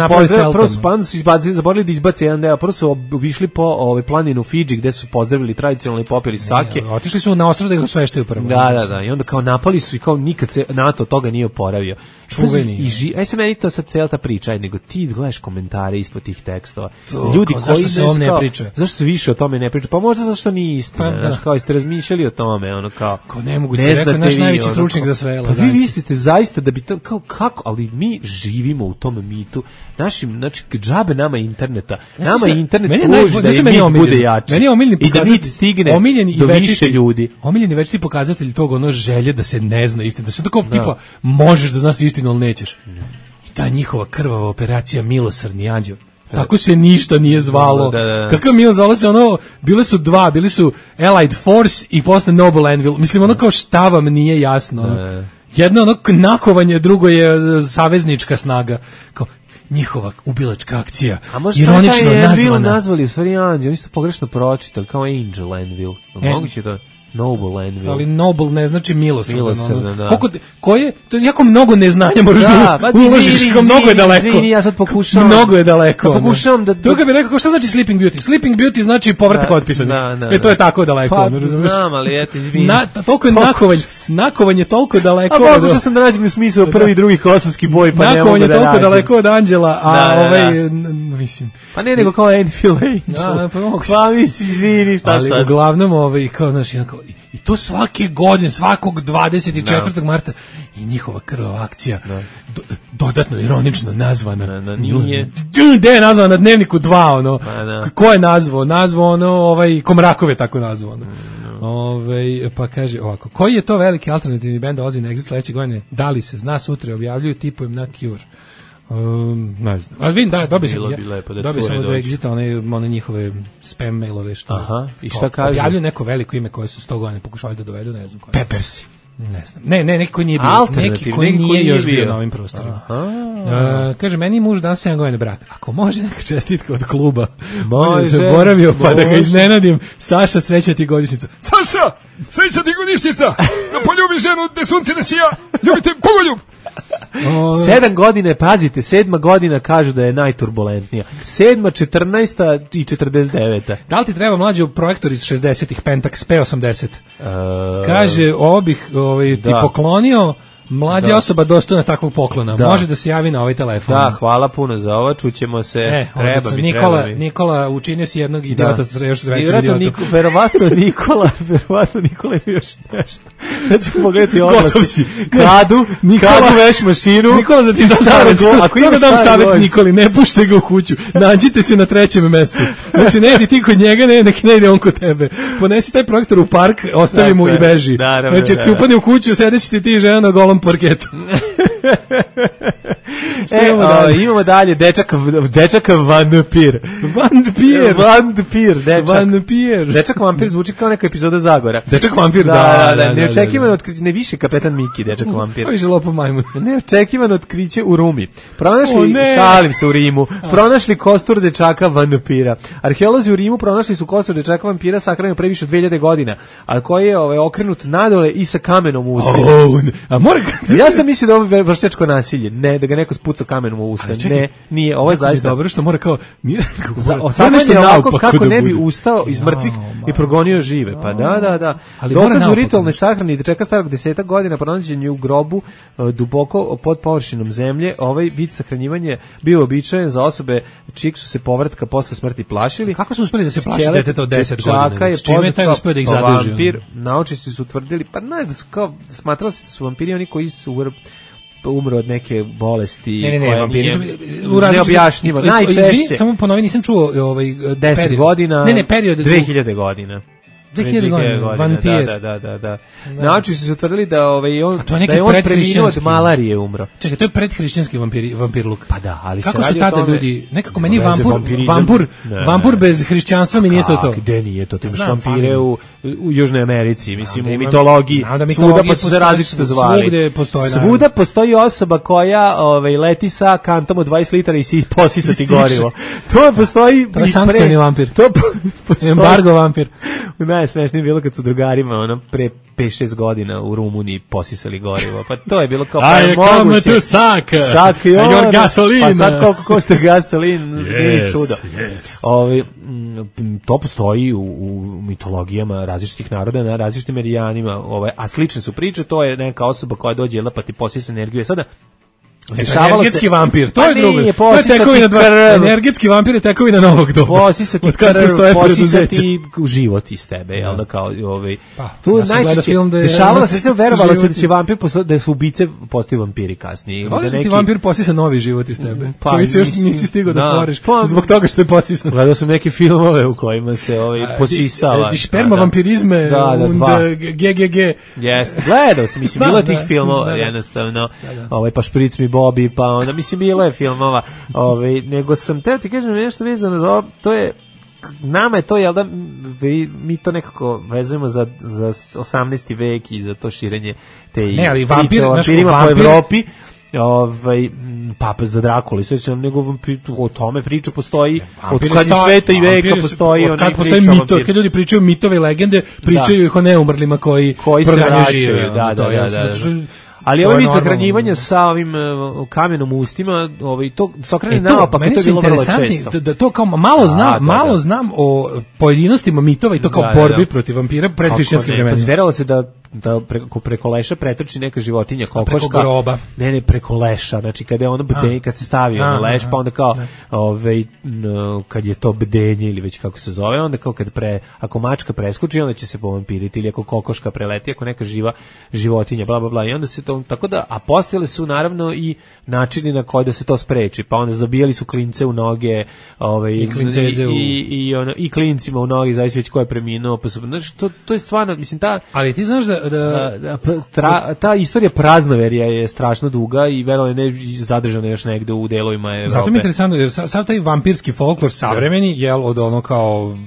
prvo su pan su izbacili, zaborili da izbace jedan deo, prvo su obišli po ovaj planinu Fidži gde su pozdravili tradicionalno i popili sake. Ne, otišli su na ostrvo da ih osveštuju prvo. Da, da, da. I onda kao napali su i kao nikad se NATO toga nije oporavio. Čuveni. I ži, aj se meni to sad cela ta priča, aj, nego ti gledaš komentare ispod tih tekstova. To, ljudi kao, koji zašto se on ne priča? Zašto se više o tome ne priča? Pa možda zato što nije istina. Pa, znaš, kao jeste razmišljali o tome, ono kao. Kao nemoguće, rekao naš najveći stručnjak za sve. Pa vi mislite zaista da bi to, kao kako, ali mi živimo u tom mitu. Našim, znači, džabe nama interneta. Nama je internet služi da i mit bude jači. Meni je omiljeni i da mit stigne do više ljudi. Omiljeni večiti pokazatelj tog ono želje da se ne zna istina. Da se tako tipa možeš da znaš istinu, ali nećeš. I ta njihova krvava operacija Milosrdni anđeo. Tako se ništa nije zvalo. Da, da, da. Kakav Milo, zvalo se ono, bile su dva, bili su Allied Force i posle Noble Anvil. Mislim, ono kao šta vam nije jasno. Ono. Da, da. Jedno ono nakovanje, drugo je saveznička snaga. Kao njihova ubilačka akcija. A možda ironično je nazvana. Nazvali u stvari Anđel, oni su pogrešno pročitali kao Angel Anvil. Moguće to... Noble Anvil. Ali Noble ne znači milosrdan. Milosrdan, da. Koliko, ko je, to je jako mnogo neznanja moraš da, da uložiš, kao mnogo je daleko. Izvini, ja sad pokušavam. Mnogo je daleko. Da pokušavam da... To kad bi rekao, šta znači Sleeping Beauty? Sleeping Beauty znači povratak otpisanih. Da, da, e, to je tako daleko. Pa, ono, razumiješ? znam, ali eto, izvini. Na, toliko je nakovanje, nakovanje toliko daleko. A pokušao sam da nađem u smislu prvi i drugi kosovski boj, pa ne mogu da nađem. Nakovanje toliko daleko od Anđela, a ovaj, mislim... Pa ne, nego kao Anvil Angel. Pa mislim, izvini, šta sad? Ali uglavnom, ovaj, kao, znaš, jednako... I to svake godine, svakog dvadeset četvrtog No. marta i njihova krvava akcija no. do, dodatno ironično nazvana. No, no, nije. Gde je nazvana na Dnevniku dva, ono. No. Ko je nazvao? Nazvao ono, ovaj, Komrakov je tako nazvao, ono. No. Ove, pa kaže ovako, koji je to veliki alternativni bend dolazi na Exit sledeće godine? Da li se zna, sutra objavljuju, tipujem na Cure. Um, ne znam. Ali vidim, da, dobio sam, ja, dobio sam od Exita one, one njihove spam mailove što Aha, i šta kaže? Objavljuju neko veliko ime koje su sto godina pokušali da dovedu, ne znam koje. Peppersi. Ne znam. Ne, ne, neki koji nije bio. Neki koji nije, nije još bio na ovim prostorima. Uh, kaže, meni muž dan sedam godina braka. Ako može neka čestitka od kluba, može, se boravio pa da ga iznenadim. Saša, sreća ti godišnjica. Saša, sreća ti godišnjica. Da poljubi ženu, da sunce ne sija. Ljubite pogoljub. Sedam godine, pazite, sedma godina kažu da je najturbulentnija. Sedma, četrnaesta i četrdeset deveta. Da li ti treba mlađi projektor iz šezdesetih, Pentax P osamdeset? Uh, kaže, ovo bih ovaj, ti poklonio. Mlađa da. osoba dostojna takvog poklona. Da. Može da se javi na ovaj telefon. Da, hvala puno za ovo. Čućemo se. E, treba mi, Nikola, treba mi. Nikola, učinio si jednog idiota sa još većim idiotom. Niko, verovatno Nikola, verovatno Nikola je još nešto. Sad ću pogledati oglas. Kadu, Nikola, kadu veš mašinu. Nikola, da ti dam savjet. Ako ima dam savjet Nikoli, ne pušte ga u kuću. Nađite se na trećem mestu. Znači, ne idi ti kod njega, ne, nek ne ide on kod tebe. Ponesi taj projektor u park, ostavi mu i beži. Znači, ako upadne u kuću, sedeći ti ti žena na golom parketu. e, imamo, dalje? O, imamo dalje dečak, dečak vampir. Vampir. Vampir, dečak. Vampir. Dečak vampir zvuči kao neka epizoda Zagora. Dečak vampir, da, da, da, da. Neočekivano otkriće, ne više kapetan Miki, dečak vampir. Ovo je lopo majmun. Neočekivano otkriće u Rumi. Pronašli, ne. šalim se u Rimu, pronašli kostur dečaka vampira. Arheolozi u Rimu pronašli su kostur dečaka vampira sahranjeno pre više od dve hiljade godina, a koji je ovaj, okrenut nadole i sa kamenom u ustima. Oh, a mora... Ja sam mislio da ovo je vršnjačko nasilje, ne, da ga neko spuca kamenom u usta. Ne, nije, ovo je zaista dobro što mora kao nije osamnaesti ovako kako ne bi ustao iz mrtvih i progonio žive. Pa da, da, da. Dokaz u ritualnoj sahrani dečaka starog desetak godina pronađen je u grobu duboko pod površinom zemlje. Ovaj vid sahranjivanja bio uobičajen za osobe čijeg su se povratka posle smrti plašili. Kako su uspeli da se plaši deteta od deset godina? S čime je taj uspeo da ih zaduži? Vampir, naučnici su tvrdili, pa ne, da su kao smatrali se da su vampiri oni koji su umro od neke bolesti. Ne, ne, ne, vampiri su neobjašnjivo. Najčešće. Samo ponovi, nisam čuo ovaj deset godina, ne, ne, period dve hiljade godina. dve hiljade godina, vampir. Da, da, da, da. Nauči su se utvrdili da ovaj on da je on preminuo od malarije umro. Čekaj, to je predhrišćanski vampir vampir luk. Pa da, ali kako su tada ljudi, nekako meni vampur, vampur, vampur bez hrišćanstva mi nije to to. Gde nije to? Ti imaš vampire u u Južnoj Americi, mislim u mitologiji. Svuda pa su se različito zvali. Svugde postoji. Svuda postoji osoba koja ovaj leti sa kantom od dvadeset litara i si posisati gorivo. To postoji i sankcioni vampir. To embargo vampir. Najsmešnije bilo kad su drugarima ono pre pet šest godina u Rumuniji posisali gorivo. Pa to je bilo kao pa je moguće. Tu sak. Sak i on. Gasolina. Pa sad koliko košta gasolin, nije čudo. Yes. Ovi, to postoji u, u mitologijama različitih naroda na različitim merijanima. Ovaj, a slične su priče, to je neka osoba koja dođe jela pa ti posisa energiju. Sada energetski se, vampir, to je drugo. To je tekovina dva. Energetski vampir je tekovina novog doba. Posisati krv, posisati život iz tebe, jel da kao ovaj. Pa, tu ja najčešće da dešavalo se, verovalo se da će vampir da su ubice postaju vampiri kasnije. Da neki vampir posisa novi život iz tebe, pa, koji se još nisi stigao da stvoriš zbog toga što je posisan. Gledao sam neke filmove u kojima se ovaj posisava. Di sperma vampirizme und ge ge ge. Jeste, gledao sam, mislim, bilo tih filmova jednostavno. Ovaj pa špric mi Bobby, pa onda mislim bilo je filmova, ovaj nego sam teo ti kažem nešto vezano za ovo, to je nama je to jel da mi to nekako vezujemo za za osamnaesti vek i za to širenje te ne, ali vampir, vampirima vampir, po Evropi. Ovaj papa za Drakulu, sve nego o tome priča postoji od kad je sveta i veka postoji, od kad postoji mito, kad ljudi pričaju mitove i legende, pričaju ih o neumrlima koji koji se vraćaju, da, da, da. Ali ovo vid sahranjivanja sa ovim uh, kamenom u ustima, ovaj to sokrene naopak, to je bilo vrlo često. Da to kao malo znam, da, malo znam o pojedinostima mitova i to kao da, borbi da, da. protiv vampira pred hrišćanskim vremenima. Zveralo se da da preko, preko leša pretrči neka životinja, kokoška. Preko groba. Ne, ne, preko leša, znači kada je ono bdenje, kad se stavi ono leš, pa onda kao, ovaj, no, kad je to bdenje ili već kako se zove, onda kao kad pre, ako mačka preskoči, onda će se povampiriti, ili ako kokoška preleti, ako neka živa životinja, bla, bla, bla, i onda se to, tako da, a postojali su naravno i načini na koji da se to spreči, pa onda zabijali su klince u noge, ovaj, i, i, u... i, i, ono, i klincima u noge, zavisno već ko je preminuo, pa su, znači, to, to je stvarno, mislim, ta... Ali ti znaš da... da... da tra, ta istorija praznoverja je strašno duga i verovatno ne zadržana još negde u delovima Evrope. Zato mi je interesantno, jer sad taj vampirski folklor savremeni, jel, od ono kao,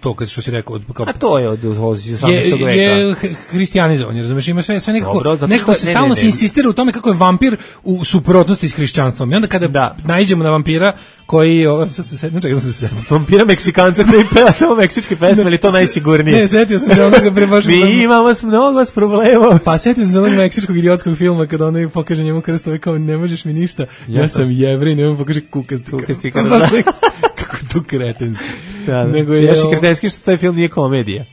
to kad što si rekao, od, kao, a to je od osamnaestog veka. Je hristijanizovan, jer razumeš, ima sve, sve nekako, dobro, nekako se stalno se insistira u tome kako je vampir u suprotnosti s hrišćanstvom. I onda kada da. naiđemo na vampira koji, o, sad se setno, čekaj da se setno. Vampira Meksikanca koji peva samo meksičke pesme, ili to najsigurnije? Ne, setio sam se onoga pre baš... Mi imamo s mnogo s problema. Pa setio sam se onog meksičkog idiotskog filma kada ono pokaže njemu krst, ovaj kao, ne možeš mi ništa, ja, ja sam Jevrej, ne pokaže kukasti krst. Kako to kretenski. Da, nego je još i kretenski što taj film nije komedija.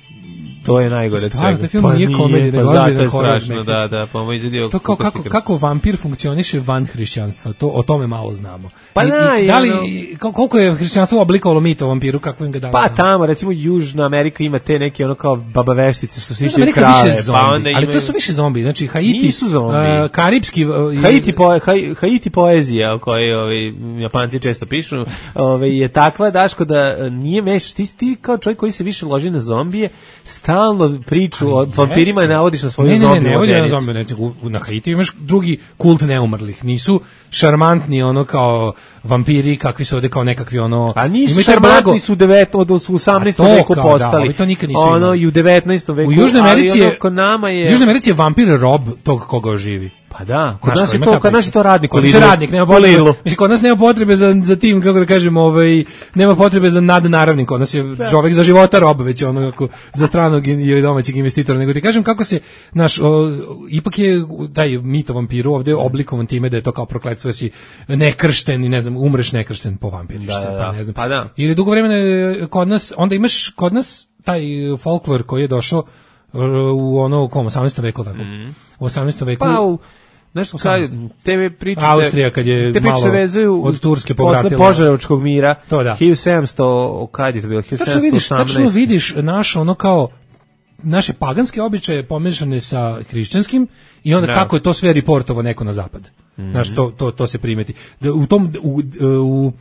To je najgore od svega. Taj film pa nije komedija, nego ozbiljno strašno, da, da, pa mu izvedio. To kao kako kako vampir funkcioniše van hrišćanstva, to o tome malo znamo. Pa I, da, i, da li ono, koliko je hrišćanstvo oblikovalo mit o vampiru, kako im ga dalo? Pa tamo, recimo Južna Amerika ima te neke ono kao babaveštice što se siše krave, pa onda ima. Ali to su više zombi, znači Haiti, nisu zombi. Uh, karipski uh, Haiti po, Haiti poezija o kojoj ovi Japanci često pišu, ovaj je takva Daško da nije meš ti, ti kao čovjek koji se više loži na zombije, stalno priču o vampirima navodiš na svoju zombi. Ne, ne, ne, ne, na zombi, ne, na Haiti imaš drugi kult neumrlih. Nisu šarmantni ono kao vampiri kakvi su ovde kao nekakvi ono. A nisu šarmantni su devet od osamnaestom veku postali. Da, to nikad nisu ono imali. I u devetnaestom veku. U Južnoj Americi je, kod nama je. U Južnoj Americi je vampir rob tog koga oživi. Pa da, kod nas je to, kod nas je to radnik, kod nas je radnik, nema potrebe. Mislim kod nas nema potrebe za za tim kako da kažemo, ovaj nema potrebe za nadnaravnik, kod nas je čovjek za života rob već ono kako za stranog ili domaćeg investitora, nego ti kažem kako se naš o, ipak je taj mit o vampiru ovde oblikovan time da je to kao prokletstvo, si nekršten i ne znam, umreš nekršten po vampiriš da, se, da, pa ne znam. Pa da. Ili dugo vremena kod nas, onda imaš kod nas taj folklor koji je došao u ono kom osamnaestom veku tako. Mm. U osamnaestom veku. Pa u Znaš, kad te priče Austrija kad je te malo se vezuju od Turske povratila posle Požarevačkog mira, to da. hiljadu sedamsto, kad je to bilo, hiljadu sedamsto osamnaest. Tačno vidiš naš ono kao naše paganske običaje pomešane sa hrišćanskim i onda da. Kako je to sve reportovo neko na zapad. Mm-hmm. Znaš, to, to, to se primeti. Da u tom u, u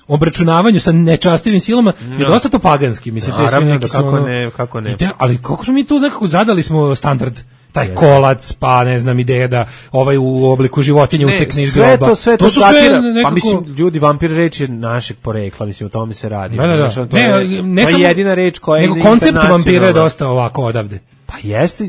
obračunavanju sa nečastivim silama no. Je dosta to paganski, mislim, te sve neki da, kako ono, ne, kako ne. Te, ali kako smo mi tu nekako zadali smo standard taj kolac, pa ne znam, ideja da ovaj u obliku životinje ne, utekne iz groba. To, sve to, to su sve nekako... Pa mislim, ljudi, vampir reč je našeg porekla, mislim, o tome se radi. Da, da, da. To ne, je, ne to je jedina reč koja je nego koncept vampira je dosta ovako odavde. Pa jeste,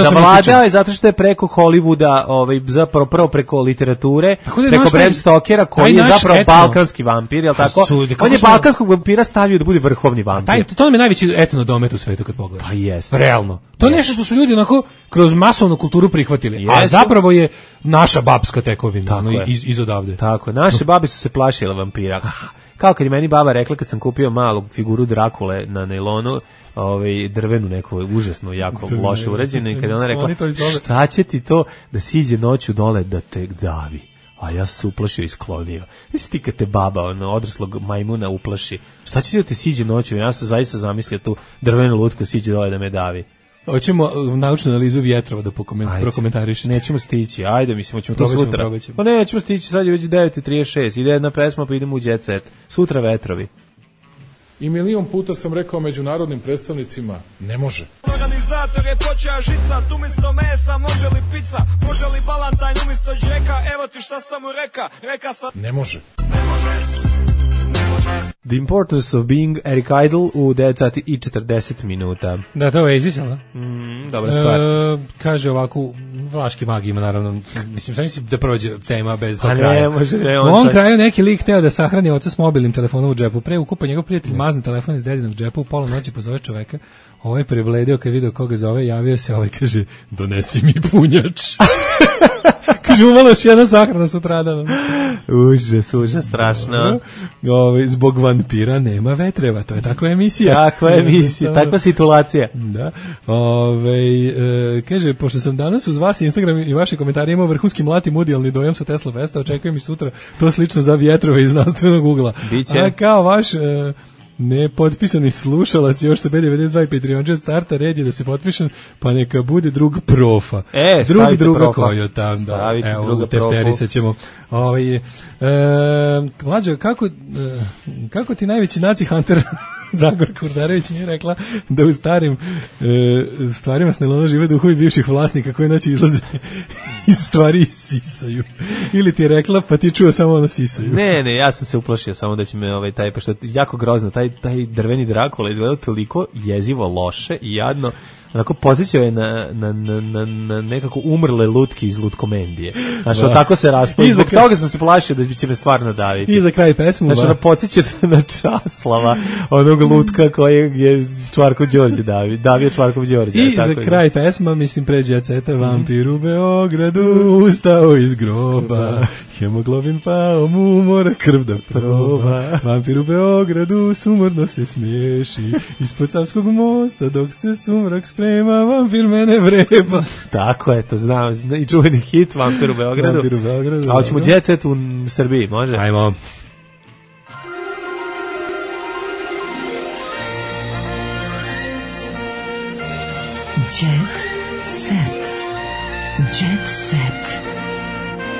zavladao je zato što je preko Hollywooda, ovaj, zapravo prvo preko literature, preko Bram Stokera, koji je zapravo etno, balkanski vampir, jel tako? Su, on je smo... balkanskog vampira stavio da bude vrhovni vampir. Taj, to nam je najveći etno domet u svetu kad pogledaš. Pa jeste. Realno. To je nešto što su ljudi onako kroz masovnu kulturu prihvatili, jesu. A zapravo je naša babska tekovina, ono, iz, iz odavde. Tako, naše babe su se plašile vampira. Kao kad je meni baba rekla kad sam kupio malu figuru Drakule na nailonu, ovaj drvenu neku užasno jako loše urađenu i kad ona rekla šta će ti to da siđe noću dole da te davi, a ja sam se uplašio i sklonio. Jesi ti kad te baba ono odraslog majmuna uplaši, šta će ti da te siđe noću? Ja sam zaista zamislio tu drvenu lutku siđe dole da me davi. Hoćemo naučnu analizu vjetrova da prokomentarišete. Nećemo stići, ajde, mislim, hoćemo to sutra. Probaćemo. Pa nećemo stići, sad je već devet i trideset šest, ide jedna pesma pa idemo u jet set. Sutra vetrovi. I milion puta sam rekao međunarodnim predstavnicima, ne može. Organizator je počeo žicat, umjesto mesa može li pizza, može li balantajn umjesto džeka, evo ti šta sam mu reka, reka sam... Ne može. The Importance of Being Eric Idle u devet sati i četrdeset minuta. Da, to je Oasis, ali? Mm, dobra stvar. E, kaže ovako, Vlaški mag ima, naravno, mislim, sam mislim da prođe tema bez tog pa kraja. Ne, može, ne, on u ovom kraju neki lik teo da sahrani oca s mobilnim telefonom u džepu. Pre ukupa njegov prijatelj mazne telefon iz dedinog džepa, u pola noći pozove čoveka. Ovaj je prebledio kad vidio koga zove, javio se, ovaj kaže, donesi mi punjač. žumala još jedna sahrana sutradan. Užas, užas, strašno. Ove, zbog vampira nema vetreva, to je takva emisija. Takva emisija, takva situacija. Da. Ove, e, kaže, pošto sam danas uz vas Instagram i vaše komentare imao vrhunski mlati mudijalni dojam sa Tesla Festa, očekujem i sutra to slično za vjetrove iz znanstvenog ugla. Biće. A kao vaš... E, nepotpisani slušalac još sa B devedeset dva i Patreon Jet starta, red je da se potpišem, pa neka bude drug profa. E, drug druga profa. koju tam, da. Stavite evo, druga tefterisat ćemo. Ovaj, e, mlađo, kako, e, kako ti najveći naci hunter Zagor Kurdarević nije rekla da u starim e, stvarima s Nelona žive duhovi bivših vlasnika koji noći izlaze iz stvari i sisaju. Ili ti je rekla, pa ti čuo samo ono sisaju. Ne, ne, ja sam se uplašio samo da će me ovaj taj, pošto je jako grozno, taj, taj drveni Drakula izgleda toliko jezivo loše i jadno, onako podsjećao je na, na, na, na, na nekako umrle lutke iz Lutkomendije. Znači, da. Tako se raspao. Zbog kraj... toga sam se plašio da će me stvarno daviti. I za kraj pesmu. Znači, ono podsjeća na Časlava, onog lutka kojeg je Čvarkov Đorđe davio, davio Čvarkov Đorđe. I tako za je. kraj pesma, mislim, pređe ceta, vampir u Beogradu ustao iz groba, hemoglobin pao mu, mora krv da proba, vampir u Beogradu sumorno se smiješi, ispod Savskog mosta dok se sumrak sprema, vampir mene vreba. Tako je, to znam, i čuveni hit Vampir u Beogradu. Vampir u Beogradu. A hoćemo Jet Set u Srbiji, može? Ajmo. Jet Set. Jet Set.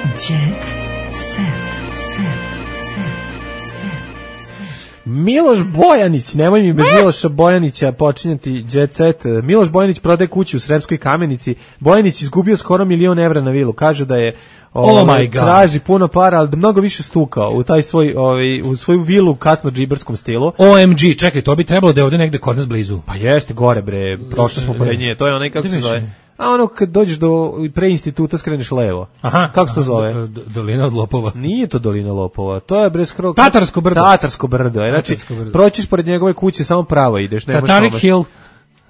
Jet Set. Miloš Bojanić, nemoj mi bez Miloša Bojanića počinjati Jet Set. Miloš Bojanić prodaje kuću u Sremskoj Kamenici. Bojanić izgubio skoro milion evra na vilu. Kaže da je oh my God. traži puno para, ali da mnogo više stukao u taj svoj, ovaj, u svoju vilu u kasno džiberskom stilu. O M G, čekaj, to bi trebalo da je ovde negde kod nas blizu. Pa jeste, gore bre, prošli smo pored nje. To je onaj, kako se zove? A ono kad dođeš do pre instituta skreneš levo. Aha. Kako se to zove? Do, do, dolina od lopova. Nije to dolina lopova. To je bre skoro Tatarsko brdo. Tatarsko brdo. Znači proćiš pored njegove kuće samo pravo ideš, nemaš Tatarik Hill.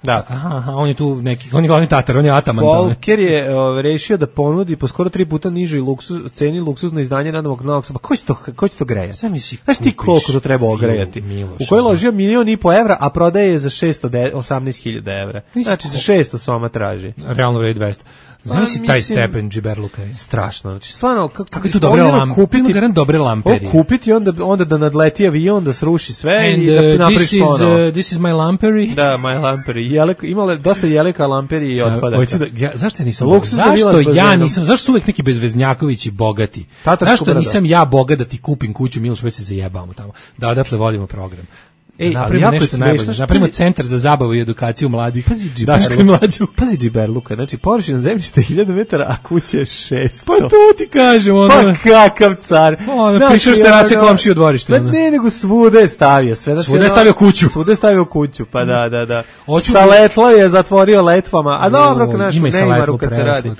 Da. Aha, aha, on je tu neki, on je glavni Tatar, on je ataman. Volker je o, rešio da ponudi po skoro tri puta nižoj luksuz, ceni luksuzno izdanje Nadamog Novog Sada. Ko će to, ko će to grejati? Sam misli, znaš ti koliko to treba ogrejati? U kojoj ložio milion i po evra, a prodaje je za šesto osamnaest hiljada evra. Znači za šesto soma traži. Realno vredi dvesta. Znaš si taj stepen džiberluka je? Strašno. Znači, stvarno, kako, kako je tu dobre lampe? Kupiti, ima dobre lamperi. Kupiti onda, onda da nadleti avion, da sruši sve and, i da napriš ponovo. Uh, this is my lampery. Da, my lampery. Jelek, imale dosta jeleka lamperi i otpadaka. Da, ja, zašto ja nisam Luksus zašto ja nisam, zašto su uvek neki bezveznjakovići bogati? Tatarsko zašto brada. Nisam ja bogat da ti kupim kuću, Miloš, već se zajebamo tamo. Da odatle vodimo program. Ej, napravimo nešto najbolje. Napravimo centar za zabavu i edukaciju mladih. Pazi džiberluka. Pazi džiberluka. Znači, površina zemljišta je hiljadu metara, a kuća je šesto. Pa to ti kažem. Ono. Pa kakav car. Ono, znači, pišeš terase komšiju dvorište. Pa ne, nego svude je stavio. Sve, znači, svude je stavio kuću. Svude je stavio kuću, pa da, da, da. Oću sa letlo je zatvorio letvama. A dobro, naš Neymaru kad se radi.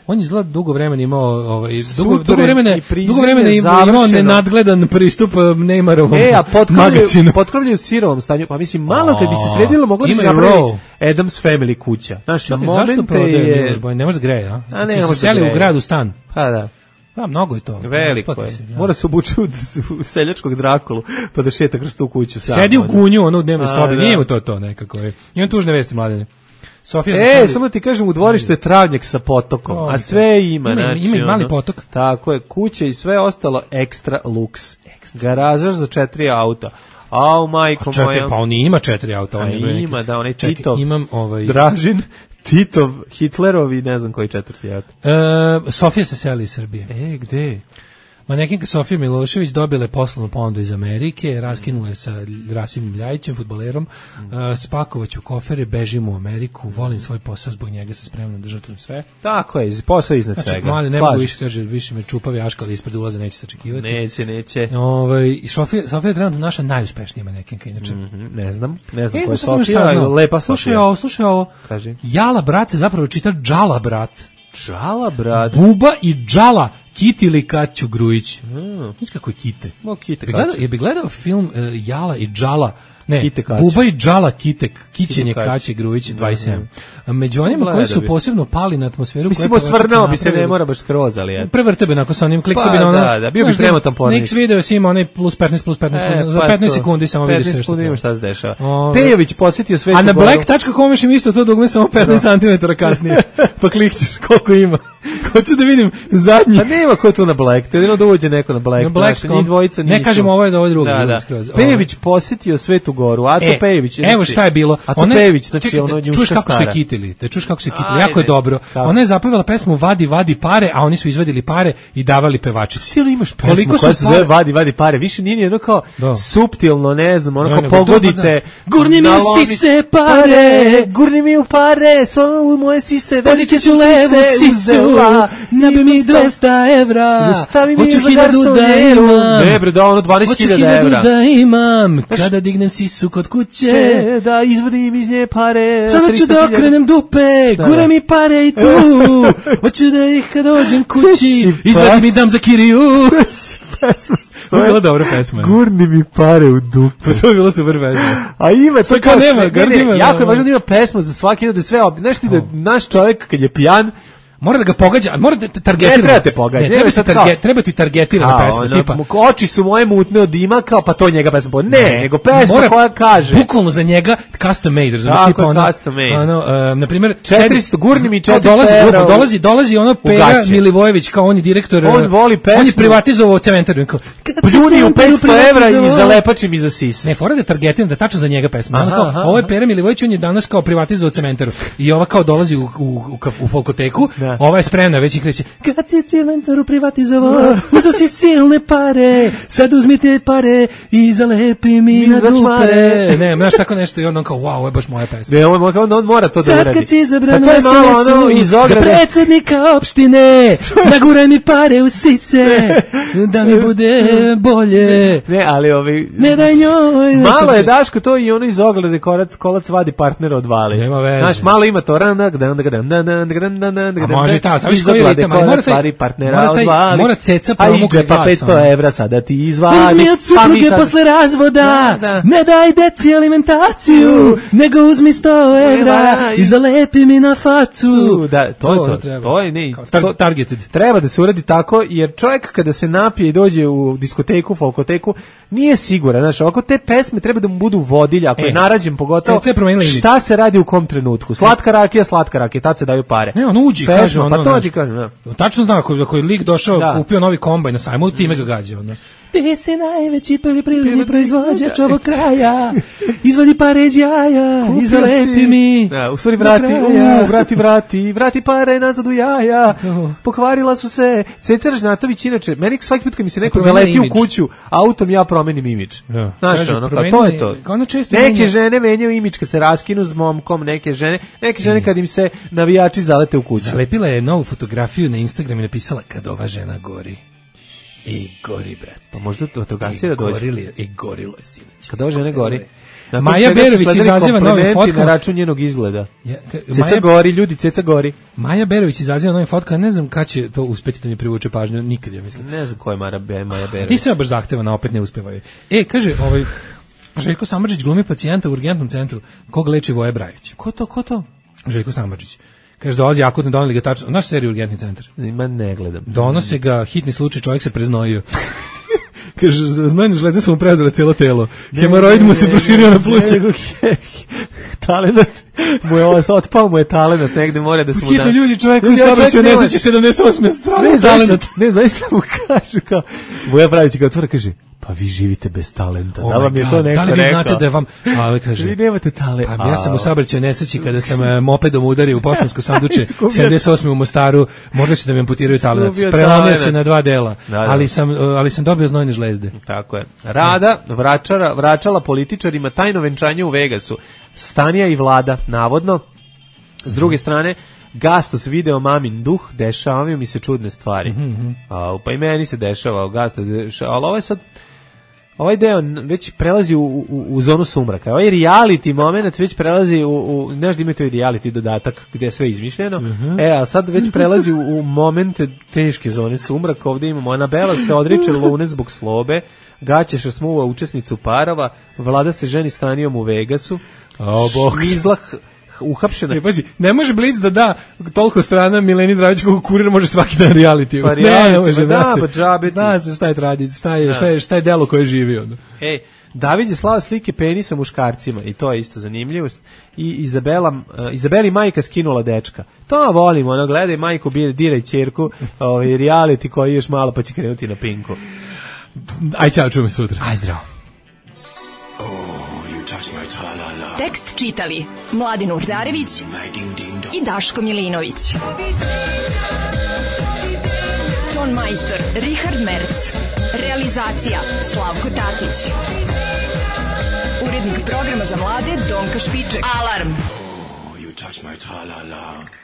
On je izgleda dugo vremena imao ovaj dugo dugo vremena dugo vremena imao nenadgledan pristup Neymarovom e, a magazinu. Potkrovlju u sirovom stanju. Pa mislim malo kad bi se sredilo moglo bi se napraviti Adams Family kuća. Znaš, na momente je ne može da greje, a? A ne, se seli u grad u stan. Pa da. Pa mnogo je to. Veliko je. Ja. Mora se obući u seljačkog Drakulu pa da šeta kroz tu kuću sam. Sedi u kunju, ono u dnevnoj sobi. Nije mu to to nekako je. I on tužne vesti mladene. Sofija e, stavili... samo ti kažem, u dvorištu je travnjak sa potokom, o, a sve ima. Ima, znači, ima i mali potok. Tako je, kuće i sve ostalo ekstra luks. Garaža za četiri auta. Au, majko čekaj, moja. Pa on ima četiri auta. On ima, ima, da, onaj čekaj, Titov, imam ovaj... Dražin, Titov, Hitlerov i ne znam koji četvrti auto. E, Sofija se seli iz Srbije. E, gde? Manekinka Sofija Milošević dobila je poslovnu ponudu iz Amerike, raskinula je sa Rasimom Ljajićem, fudbalerom, mm. uh, spakovaću kofere, bežimo u Ameriku, volim svoj posao, zbog njega se spremno držati sve. Tako je, posao iznad znači, svega. Mali, ne mogu više, kaže, više me čupavi aškali ispred ulaza, neće se očekivati. Neće, neće. Ovaj, Sofija, Sofija je trenutno naša najuspešnija manekinka, inače. Mm -hmm, ne znam, ne znam e, ko je Sofija, lepa Sofija. Slušaj ovo, slušaj ovo. Kaži. Jala brat se zapravo čita Džala brat. Džala brat? Buba i Džala. Kiti ili Kaću Grujić. Mm. Znaš kako je Kite? No, Kite Kaću. Je bi gledao film uh, Jala i Džala Ne, Kite Kać. Buba i Džala Kitek, Kićenje Kać. Kaće Grujić dvadeset sedam. A među onima koji su posebno pali na atmosferu... Mislim, osvrnao bi se, ne mora baš skroz, ali je. Prevrte bi onako sa onim klikta Pa, bi na ono... da, da, bio bi premotan pornić. Niks video si ima onaj plus petnaest, plus petnaest, E, za pa petnaest to. sekundi samo vidi sve petnaest što sekundi ima treba. šta se dešava. Ove. Pejović posjetio Svetu A na Goru. black tačka com im isto to dugme samo petnaest santimetara kasnije. Pa klikćeš koliko ima. Hoću da vidim zadnji. A nema ko je tu na black, to je jedino da uđe neko na black. Na black znaš, njih dvojica nisu. Ne kažemo ovo je za ovo drugo. Da, da. Skroz. Pejović posjetio Svetu Goru, Aco E, Pejović. Evo znači, šta je bilo. Aco Ona- Pejović, znači čekaj, ono da njuška čuješ kako su je stara. kitili, da čuješ kako su je kitili, Ajde. jako je dobro. Kako? Ona je zapevala pesmu Vadi, vadi pare, a oni su izvadili pare i davali pevačici. Stilo imaš pesmu Koliko su koja se pare- zove Vadi, vadi pare. Više nije ni jedno kao Da. suptilno, ne znam, ono Ne, kao nego pogodite. dobar dan. Gurni mi u nalomi- sise pare. Gurni mi u pare, so u moje sise, velike Podići su ću levu sise sisu, uzela. nabi mi dvesta evra, Stavi mi hoću za hiljadu da garsonjeru. imam, Ne bre, da ono dvanaest hoću hiljada hiljadu evra. da imam, kada dignem sisu kod kuće, Će da izvadim iz nje pare. sada ću tristo da hiljada. okrenem dupe, Da, gure da. mi pare i tu, hoću da ih kad dođem kući, Si izvadim pas- i dam za kiriju. Pesma se To je zove bila dobra pesma. Gurni mi pare u dupe. Pa to je bilo super pesma. A ima to Šta kao kao nema, sve, ne, Gurni ne, ima, jako je da, važno da ima pesma za svaki, da je sve, ob- znaš ti da naš čovjek kad je pijan, Mora da ga pogađa, mora da te targetira. Ne treba te pogađati, Ne, treba, nema ti sad targe, kao- treba ti targetirana kao, pesma, ono, tipa. mu- oči su moje mutne od dima, kao pa to je njega pesma. Ne, ne nego pesma mora- koja kaže. Bukvalno za njega custom made, razumiješ, Tako tipa je, ono, custom made. ono, um, na primjer, četiristo, gurni mi četiristo dolazi, evra grupa, u- dolazi, dolazi ono u Pera gaće. Milivojević, kao on je direktor, On uh, voli pesmu. on je privatizovao cementar, on kao, kad se Pljuni u cementar petsto evra i privatizovao- zalepačim iza sise. Ne, fora da targetiram da tačno za njega pesma. Ono Aha, kao, aha, ovo je aha. Pera Milivojević, on je danas kao privatizovao cementaru. I ova kao dolazi u, u, u, kaf- u folkoteku, Da. ova je spremna, već i kreće, kad si cementaru privatizovao, uzeo si silne pare, sad uzmite pare i zalepi mi na za dupe. čmare. Ne, znaš tako nešto i on kao, wow, ovo je baš moja pesma. Ne, on, on, on mora to da Sad uradi. kad si izabran Pa to je u malo S N S-u ono iz za ograde. predsjednika opštine, naguraj mi pare u sise, da mi bude bolje. Ne, ali ovi... Ne daj njoj. Malo je Daško to i ono iz oglede kolac, kolac vadi partnera od vali. Nema veze. Znaš, malo ima to. A može i ta, znaš koji je ritam, ali mora taj- vadi partnera mora od taj- vali. mora ceca A iz promukli džepa glas, petsto ono. evra sada ti izvadi. Uzmi od Pa mi supruge sad- posle razvoda, Da, da. ne daj deci alimentaciju, nego uzmi sto evra Evra i- i zalepi mi na facu. Da, to je to. treba. To je ne, Kao tar- to- targeted. Treba da se uradi tako, jer čovjek kada se napije i dođe u diskoteku, folkoteku, nije siguran. Znaš, ovako te pesme treba da mu budu vodilja, ako E, je narađen pogotovo, C C je promenila imidž. šta se radi u kom trenutku. Slatka rakija, slatka rakija, tad se daju pare. Ne, on uđi, Pesma, kaže ono. pa to uđi, kaže, da. Tačno da, ako, ako je lik došao, Da. kupio novi kombaj na sajmu, time ga gađa, ono. Ti si najveći poljoprivredni proizvođač ovog kraja. Izvadi pare iz jaja, Kupio izalepi si- mi. Da, u stvari do vrati, kraja. u, vrati, vrati, vrati pare nazad u jaja. Pokvarila su se. Ceca Ražnatović, inače, meni svaki put kad mi se neko Promenila zaleti u imidž. kuću, autom ja promenim imidž. Da. Znaš, Kaže, ono, kao, promeni- to je to. kao ono često Neke menja- žene menjaju imidž kad se raskinu s momkom, neke žene, neke žene kad im se navijači zalete u kuću. Zalepila je novu fotografiju na Instagram i napisala kad ova žena gori. I gori, brat. Pa možda to fotogracija da dođe. Gorili je, i gorilo je sinoć. Kad ova žene gori. Nakon Maja čega su Berović sledili izaziva novim komplimenti fotkama. na račun njenog izgleda. Ja, ka- Ceca Maja- gori, ljudi, ceca gori. Maja Berović izaziva novim fotkama, ne znam kad će to uspeti da mi privuče pažnju, nikad, ja mislim. Ne znam ko je Mara Be, Maja Ti Berović. se baš zahtevana, opet ne uspevaju. E, kaže, ovaj, Željko Samardžić glumi pacijenta u urgentnom centru, kog leči Voje Brajić. Ko to, ko to? Željko Samardžić. Kaže, dolazi akutno, doneli ga tačno, naš seriju Urgentni centar. Ima ne gledam. Donose ga, hitni slučaj, čovjek se preznojio. Kaže, znojne žlezde su mu preuzele cijelo telo. Hemoroid mu se proširio na pluća. Talenat mu je otpao, mu je talenat, negde mora da se mu da. Hitno ljudi, čovjek Ljudi, koji saobraćaju čovjek nema- nesreće sedamdeset osme strane Ne, zaista, talenat. ne, zaista mu kažu kao, Voja Brajić ga otvara, kaže, pa vi živite bez talenta, da Oh vam my je God, to neko da li vi rekao? znate da je vam, a ovaj kaže, Vi nemate talent. pa ja sam u saobraćaju nesreći kada sam e, mopedom udario u poštansko sanduče Izgubio- sedamdeset osme u Mostaru, morali su da mi amputiraju talenat. Izgubio Prelomio talenat. se na dva dela, Da, da. ali sam, e, ali sam dobio znojne žlezde. Tako je. Rada vračara, vraćala političarima tajno venčanje u Vegasu. Stanija i Vlada, navodno. S druge strane, Gastos video mamin duh, dešavaju mi se čudne stvari. Mhm, A, pa i meni se dešava, Gastos, deša- ali ovo je sad, ovaj deo već prelazi u, u, u zonu sumraka. Ovaj reality moment već prelazi u, u znaš da ima to i reality dodatak gde je sve izmišljeno. Uh-huh. E, a sad već prelazi u, u momente teške zone sumraka. Ovde imamo Anabela se odriče Lune zbog slobe, Gaćeša smuva učesnicu parova, Vlada se ženi s Tanijom u Vegasu, o, bog. Šmizlah uhapšena. Ne, pazi, ne može Blic da da toliko strana Mileni Dravić kako kurir može svaki dan reality. Pa ne, ne može, da, pa džabe. Zna se šta je tradicija, šta je, šta je, šta je delo koje živi onda. Ej, David je slao slike penisa muškarcima i to je isto zanimljivost. I Izabela, uh, Izabeli majka skinula dečka. To volimo, ono, gledaj majku, diraj ćerku, ovaj, reality koji još malo pa će krenuti na Pinku. Aj, čao, čujemo sutra. Aj, zdravo. Tekst čitali Mladin Urdarević i Daško Milinović. Ton majstor Richard Merc. Realizacija Slavko Tatić. Urednik programa za mlade Donka Špiček. Alarm! Oh, you touch my tra-la-la.